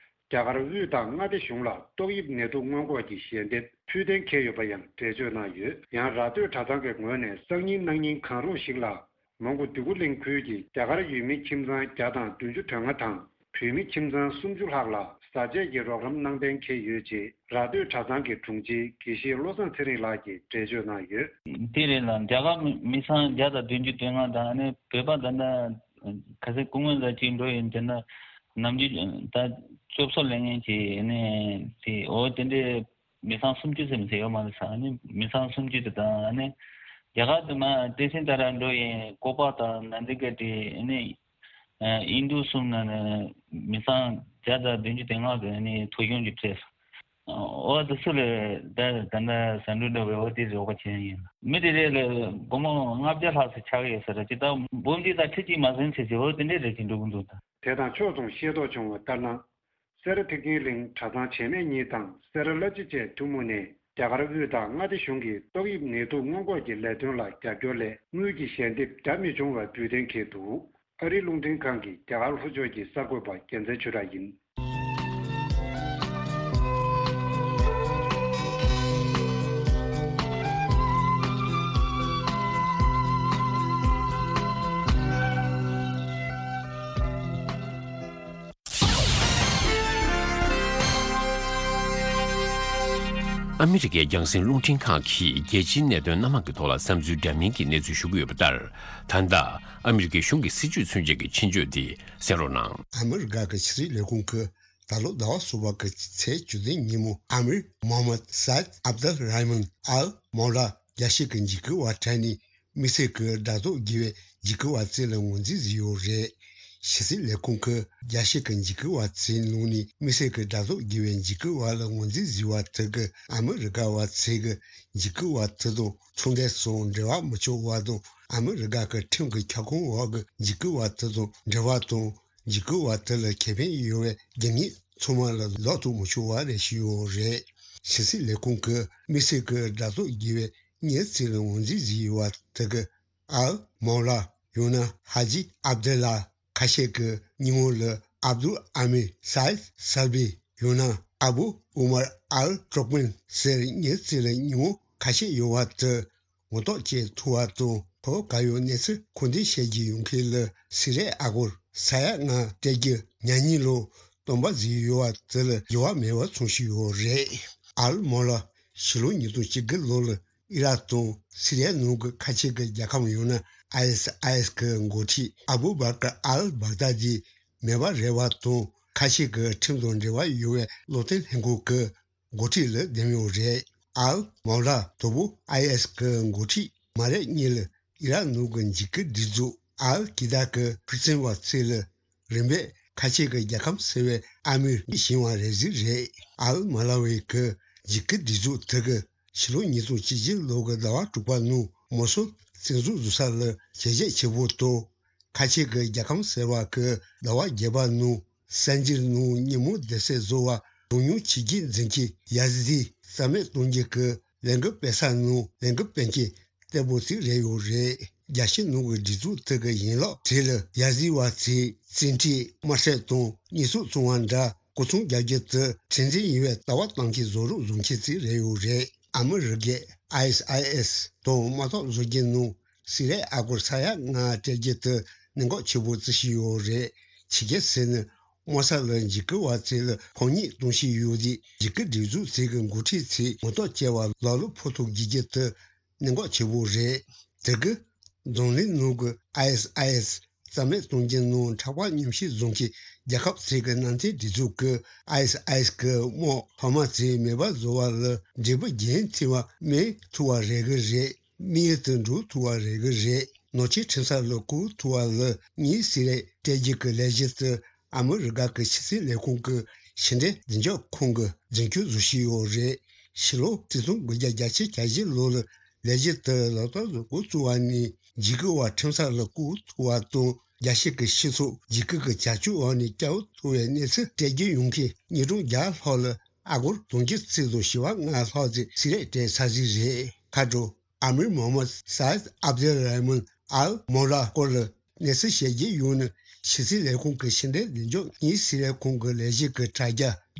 རྒྱ་གར་དབུས་དང་མངའ་སྡེ་གཞུང་ལ་ཏོག་དབྱིབས་ནད་དུག་སྔོན་འགོག་གི་ཞལ་འདེབས་ཕུལ་གཏན་འཁེལ་ཡོད་པ་ཡང་འགྲེལ་བརྗོད་གནང་ཡོད། ཡང་ར་སྟོད་གྲྭ་ཚང་གི་ངོས་ནས་སང་ཉིན་གནངས་ཉིན་གང་རུང་ཞིག་ལ། མོན་གྷོ་འདོད་རྒུ་གླིང་ཁུལ་གྱི་རྒྱ་གར་ཡུལ་མི་ཁྱིམ་ཚང་བརྒྱ་དང་བདུན་ཅུ་དོན་ལྔ་དང་། བོད་མི་ཁྱིམ་ཚང་སུམ་ཅུ་ལྷག་ལ་བཟའ་ཆས་ཀྱི་རོགས་རམ་གནང་གཏན་འཁེལ་ཡོད་ཅེས་ར་སྟོད་གྲྭ་ཚང་གི་དྲུང་ཆེ་དགེ་བཤེས་བློ་བཟང་ཚེ་རིང་ལགས་ཀྱིས་འགྲེལ་བརྗོད་གནང་ཡོད། དེ་རེད་ལ། རྒྱ་གར་མི་མི་ཚང་བརྒྱ་དང་བདུན་ཅུ་དོན་ལྔ་དང་ནི་བོད་པ་ད་ལྟ་ག་ཚོད་སྐུ་ངོ་ཟེར་གཅིག་འགྲོ་ཡིན་དེ་ན་ནམ་རྒྱུན་ད་སྐྱོབ་གསོ་ལེན་མཁན་གྱི་ནི་དེ་འོ་དེ་འདྲའི་མི་ཚང་སུམ་ཅུ་ཙམ་ཟེར་ཡོད་མ་རེད་ས། ནི་མི་ཚང་སུམ་ཅུ་དེ་དང་ནི་རྒྱ་གར་དུ་མ་ཏེ་སིན་ཏ་ར་འགྲོ་ཡིན་ཀོ་པ་དང་ནན་དི་ག་དེ་ནི། ཨིན་རྡུ་གསུམ་ནང་ནས་མི་ཚང་བརྒྱ་དང་བདུན་ཅུ་དོན་ལྔ་གི་ནི་ཐོ་གཞུང་གི་སྤྲད་སོང་། ཨོ་དེ་ཚོ་ལས་ད་ད་ལྟ་ཟ་འབྲུ་འདྲ་བའི་འོ་དེ་རོགས་པ་བྱས་ཡིན། མི་དེ་རེ་ལ་སྒོར་མོ་ལྔ་བརྒྱ་ལྷག་ཙམ་ཆགས་ཡོད་ས་རེད། ཅི་ལྟར་འབུམ་གཅིག་དང་ཁྲི་གཅིག་མ་ཟིན་ཚེ་ཚེ་འོ་དེ་འདྲའི་རེ་ཅིག་འགྲོ་གི་འདུག་ད། དེ་དང་ཕྱོགས་མཚུངས་ཤེས་རྟོགས་བྱུང་བ་ལྟར་ན། སེ་ར་ཐེག་ཆེན་གླིང་གྲྭ་ཚང་བྱེས་སྨད་གཉིས་དང་སེ་ར་བླ་སྤྱི་བཅས་ཐུན་མོང་ནས་རྒྱ་གར་དབུས་དང་མངའ་སྡེ་གཞུང་གིས་ཏོག་དབྱིབས་ནད་དུག་སྔོན་འགོག་གི་ལས་དོན་ལ་རྒྱབ་སྐྱོར་སླད་དངུལ་གྱི་ཞལ་འདེབས་རྒྱ་མི་ཆུང་བ་འབུལ་གཏན་འཁེལ་འདུག་ཨ་རིའི་རླུང་འཕྲིན་ཁང་གི་རྒྱ་གར་ལྷོ་ཕྱོགས་ཀྱི་གསར་འགོད་པ་རྒྱལ་མཚན་ཆོས་གྲགས་ཡིན། ཨ་མི་རི་ཀའི་རྒྱང་སྲིང་རླུང་འཕྲིན་ཁང་གིས་རྒྱལ་སྤྱིའི་གནད་དོན་སྣ་མང་གི་ཐོག་ལ་བསམ་ཚུལ་འདྲ་མིན་གྱི་གནས་ཚུལ་ཞུ་གི་ཡོད་པ་ལྟར། ད་ལྟ་ཨ་མི་རི་ཀའི་གཞུང་གི་སྲིད་བྱུས་མཚོན་ཆེད་ཀྱི་ཆེད་བརྗོད་དེ་གསན་རོགས་གནང་། ཨ་མི་རི་ཀ་གི་ཕྱི་སྲིད་ལས་ཁུངས་ཀྱིས་ད་ལོ་ཟླ་བ་གསུམ་པ་གི་ཚེས་བཅུ་བདུན་ཉིན་མོ་ཨ་མིར་མོ་ཧམ་མད་སཱ་ཨིད་ཨབ་དུལ་ར་ཧི་མན་ཨལ་མོ་ལ་རྒྱལ་སྤྱི་གི་འཇིགས་སྐུལ་བ་དྲན་ནས་དམིགས་བསལ་གྱི་དགྲ་ཐོག་དགེ་བའི་འཇིགས་སྐུལ་བ་བཙལ་ལ་ངོས་འཛིན་བཟོས་ཡོད་རེད། ཕྱི་སྲིད་ལས་ཁུངས་ཀྱིས་རྒྱལ་སྤྱི་གི་འཇིགས་སྐུལ་བ་བཙལ་ནང་ནས་དམིགས་བསལ་གྱི་དགྲ་ཐོག་དགེ་བའི་འཇིགས་སྐུལ་བ་ལ་ངོས་འཛིན་བཟོས་པ་དེ་གིས་ཨ་མི་རི་ཀ་བ་ཚོས་ཀྱི་འཇིགས་སྐུལ་བ་དེ་དང་ཚོང་འབྲེལ་སོགས་འབྲེལ་བ་མི་ཆོག་པ་དང་། ཨ་མི་རི་ཀ་གི་ཁྲིམས་ཀྱི་ཁྱབ་ཁོངས་འོག་གི་འཇིགས་སྐུལ་བ་དེ་དང་འབྲེལ་བ་དང་། འཇིགས་སྐུལ་བ་དེ་ལ་ཁེ་ཕན་ཡོད་པའི་རྒྱུ་དངོས་ཚང་མ་ལ་ལོག་ཐུག་མི་ཆོག་པ་རེ་ཞུས་ཡོད་རེད། ཕྱི་སྲིད་ལས་ཁུངས་ཀྱིས་དམིགས་བསལ་གྱི་དགྲ་ཐོག་དགེ་བའི་མིའི་རྩིས་ལ་ངོས་འཛིན་བཟོས་ཡོད་པ་དེ་གིས་ཨལ་མོ་ལ། ཡང་ན་ཧ་ཇི་ཨབ་དེ་ལ། ཁ་ཤས་ཀྱིས་སྙན་ངག་ལ་ཨབ་དུལ་ཨ་མིར་སཱ་ཨིད་སལ་བི། ཡང་ན་ཨ་བུ་ཨུ་མར་ཨལ་ཏུར་ཀྨན་ཟེར་མིའི་རྩིས་ལ་སྙན་ངག་ཁ་ཤས་ཡོད་པ་དེ་ངོ་ཐོག་བཅད་ཐུབ་པ་དང་། ཁོ་ག་ཡོད་གནས་ཚུལ་ཁུངས་ལྡན་བཤད་རྒྱུ་ཡོད་མཁན་ལ་སི་རེད་ཨ་སྒོར་ས་ཡ་ལྔ་སྤྲད་རྒྱུ་ཉག་ཉིས་ལོ་སྟོན་པ་བཟོས་ཡོད་པ་དེ་ལ་འགྱུར་བ་མེད་པ་མཚོན་བཞིན་ཡོད་རེད། ཨལ་མོ་ལ་ཕྱི་ལོ་ཉིས་སྟོང་བཅུ་དགུ་ལོ་ལ་ཨི་རག་དང་སི་རི་ཡའི་ནང་གི་ཁ་ཆེ་གི་རྒྱལ་ཁམས་ཡང་ན་ཨའི་ཨེས་ཨའི་ཨེས་གི་འགོ་ཁྲིད་ཨ་བུ་བྷ་ཀར་ཨལ་བྷག་དཱ་དི་མེད་པ་རེད་པ་དང་། ཁ་ཆེ་གི་ཁྲིམས་དང་འབྲེལ་བ་ཡོད་པའི་བློ་བསྟེན་ལྷན་ཁང་གི་འགོ་ཁྲིད་ལ་འདེམས་ཡོད་རེད། ཨལ་མོ་ལ་དོ་བོ་ཨའི་ཨེས་གི་འགོ་ཁྲིད་མ་རེད་གཉིས་ལ་ཨི་རག་ནང་གི་འཇིགས་སྐུལ་སྒྲིག་འཛུགས་ཨལ་ཀི་ད་གི་ཕུལ་ཚན་བ་ཚོ་ལ་རིམ་པས་ཁ་ཆེ་གི་རྒྱལ་ཁམས་ཟེར་བའི་ཨ་མིར་བཞེངས་པ་རེད་ཟེར་རེད། ཨལ་མོ་ལ་བའི་གི་འཇིགས་སྐུལ་སྒྲིག་འཛུགས་དེ་གི་ཕྱི་ལོ་ཉིས་སྟོང་བཅུ་བཞི་ལོ་གི་ཟླ་བ་དྲུག་པ་ནང་མོ་སུལ་བཙན་འཛུལ་བཟོ་ས་ལ་བྱས་རྗེས་ཆེ་པོ་དང་། ཁ་ཆེ་གི་རྒྱལ་ཁམས་ཟེར་བ་གི་ཟླ་བ་བརྒྱད་པ་ནང་གསར་འགྱུར་ནང་ཉིན་མོ་སྡེ་ཚན་བཟོ་བ་གྲངས་ཉུང་ཆོས་བརྒྱུད་འཛིན་སྐྱོང་ཡ་ཟི་དི་རྩ་མེད་གཏོང་རྒྱུ་གི་ལས་འགུལ་སྤེལ་ས་ནང་ལས་འགུལ་སྤེལ་མཁན་བརྟན་པོ་ཞིག་རེད་ཡོད་རེད། རྒྱལ་སྤྱི་ནང་གི་སྒྲིག་འཛུགས་དེ་གི་ཡན་ལག་དེ་ལ་ཡ་ཟི་དི་བ་ཚོས་བཙན་ཁྲིད་དམར་གསོད་དང་ཉེས་གསོག་བཙོང་བ་འདྲ་སྐུ་ཚོང་རྒྱག་རྒྱུ་དེ་མཁྲེགས་འཛིན་ཡིན་པའི་ལྟ་བ་བཏང་མཁན་བཟོ་རོགས་བཟོ་མཁན་ཞིག་རེད་ཡོད་རེད། ཨ་མི་རི་ཀའི་ཨའི་ཨེས་ཨའི་ཨེས་དང་དམག་ཐོག་བཟོ་རྒྱུ་ནང་སི་རེད་ཨ་སྒོར་ས་ཡ་ལྔ་སྤྲད་རྒྱུ་དེ་གནད་འགག་ཆེ་པོ་བརྩི་བཞིན་ཡོད་རེད། ཕྱི་རྒྱལ་ཟེར་ནས་དམག་ས་ལ་འཇིགས་སྐུལ་བ་ཚོ་ལ་ཕོ་ཉ་གཏོང་བཞིན་ཡོད་དུས་འཇིགས་སྐུལ་སྒྲིག་འཛུགས་ཚོ་གི་འགོ་ཁྲིད་ཚོས་ངོ་ཐོག་བཅད་པ་ལག་ལུ་ཕོག་ཐུག་བགྱིད་རྒྱུ་དེ་གནད་འགག་ཆེ་པོ་རེད། དེ་གི་འཛམ་གླིང་ནང་གི་ཨའི་ཨེས་ཨའི་ཨེས་རྩ་མེད་གཏོང་རྒྱུ་ནང་ཕྲག་པ་ཉམས་ཞིབ་བཟོ་མཁན་རྒྱལ་ཁབ་ཚོ་གི་ནང་བསྟན་སྒྲིག་འཛུགས་ཀྱི་ཨའི་ཨེས་ཨའི་ཨེས་གི་དམག་ལྷག་མ་ཚོ་མེད་པ་བཟོ་བ་ལ་འབྲས་བུ་རྒྱུན་མཐུད་པ་སྨིན་ཐུབ་པ་རེད་གི་རེད། དམིགས་ཡུལ་དུ་འགྲོ་ཐུབ་པ་རེད་གི་རེད། ནོར་འཁྲུལ་ཁྲིམས་ས་ལ་བཀོད་ཐུབ་པ་ལ་དམིགས་བསལ་སྤྲད་རྒྱུ་གི་ལས་གཞི་དེ་ཨ་མི་རི་ཀ་གི་ཕྱི་སྲིད་ལས་ཁུངས་ཀྱི་ཕྱི་འབྲེལ་བདེ་འཇགས་ཁང་གིས་རྒྱུན་སྐྱོང་བཟོ་བཞིན་ཡོད་རེད། ཕྱི་ལོ་ཆིག་སྟོང་དགུ་བརྒྱ་གྱ་བཞི་ལོ་ལ་ལས་གཞི་དེ་ལག་བསྟར་དུ་འགོ་བཙུགས་པ་ནས་འཇིགས་སྐུལ་བ་ཁྲིམས་ས་ལ་བཀོད་ཐུབ་པ་དང་། རྒྱལ་སྤྱི་གི་སྤྱི་ཚོགས་འཇིགས་སྐུལ་གྱི་བྱ་སྤྱོད་འོག་ནས་བསྐྱབས་ཐུབ་པའི་གནས་ཚུལ་སྤྲད་རྒྱུ་ཡོང་མཁན་ཉིས་སྟོང་བརྒྱ་ལྷག་ལ་ཨ་སྒོར་དུང་ཕྱུར་གཅིག་དང་བཞི་བ་ལྔ་ལྷག་ཙམ་སི་རེད་སྤྲད་ཚར་ཟིག་རེད། ཁ་དྲོ། ཨ་མིར་མོ་ཧམ་མད་སཱ་ཨིད་ཨབ་དེལ་ར་ཧི་མན་ཨལ་མོ་ལ་སྐོར་ལ་གནས་ཚུལ་བཤད་རྒྱུ་ཡོད་ན། ཕྱི་སྲིད་ལས་ཁུངས་ཀྱི་ཕྱི་འབྲེལ་བདེ་འཇགས་དངུལ་སི་རེད་ཁང་གི་ལས་གཞི་གི་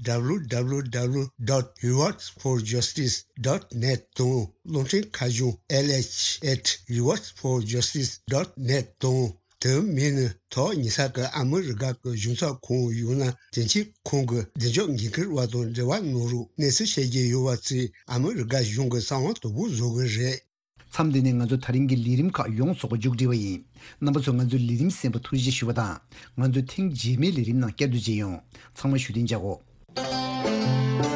དྲ་རྒྱ་W W W dot rewards for justice dot net དང་། རླུང་འཕྲིན་ཁ་བྱང་L H at rewards for justice dot net དང་། དེ་མིན་ན་ཐོག་ཉེ་ས་གི་ཨ་མི་རི་ཀ་གི་གཞུང་ཚབ་ཁང་ཡང་ན་དོན་གཅོད་ཁང་གི་བདེ་འཇགས་འགན་འཁུར་བ་དང་འབྲེལ་བ་གནང་རོགས། གནས་ཚུལ་བཤད་རྒྱུ་ཡོད་པ་ཚོས་ཨ་མི་རི་ཀ་གཞུང་གི་གསང་བ་དོད་པོ་བཟོ་གི་རེད། མཚམས་འདི་ནས་ང་ཚོ་ད་རིང་གི་ལས་རིམ་ཁག་ཡོངས་སུ་མཇུག་སྒྲིལ་བ་ཡིན། རྣམ་པ་ཚོས་ང་ཚོའི་ལས་རིམ་གསན་པར་ཐུགས་རྗེ་ཆེ་ཞུ་བ་དང་། ང་ཚོ་ཐེངས་རྗེས་མའི་ལས་རིམ་ནང་བསྐྱར་དུ་མཇལ་ཡོང་། ཚང་མ་བཞུགས་གདན་འཇགས་གོ།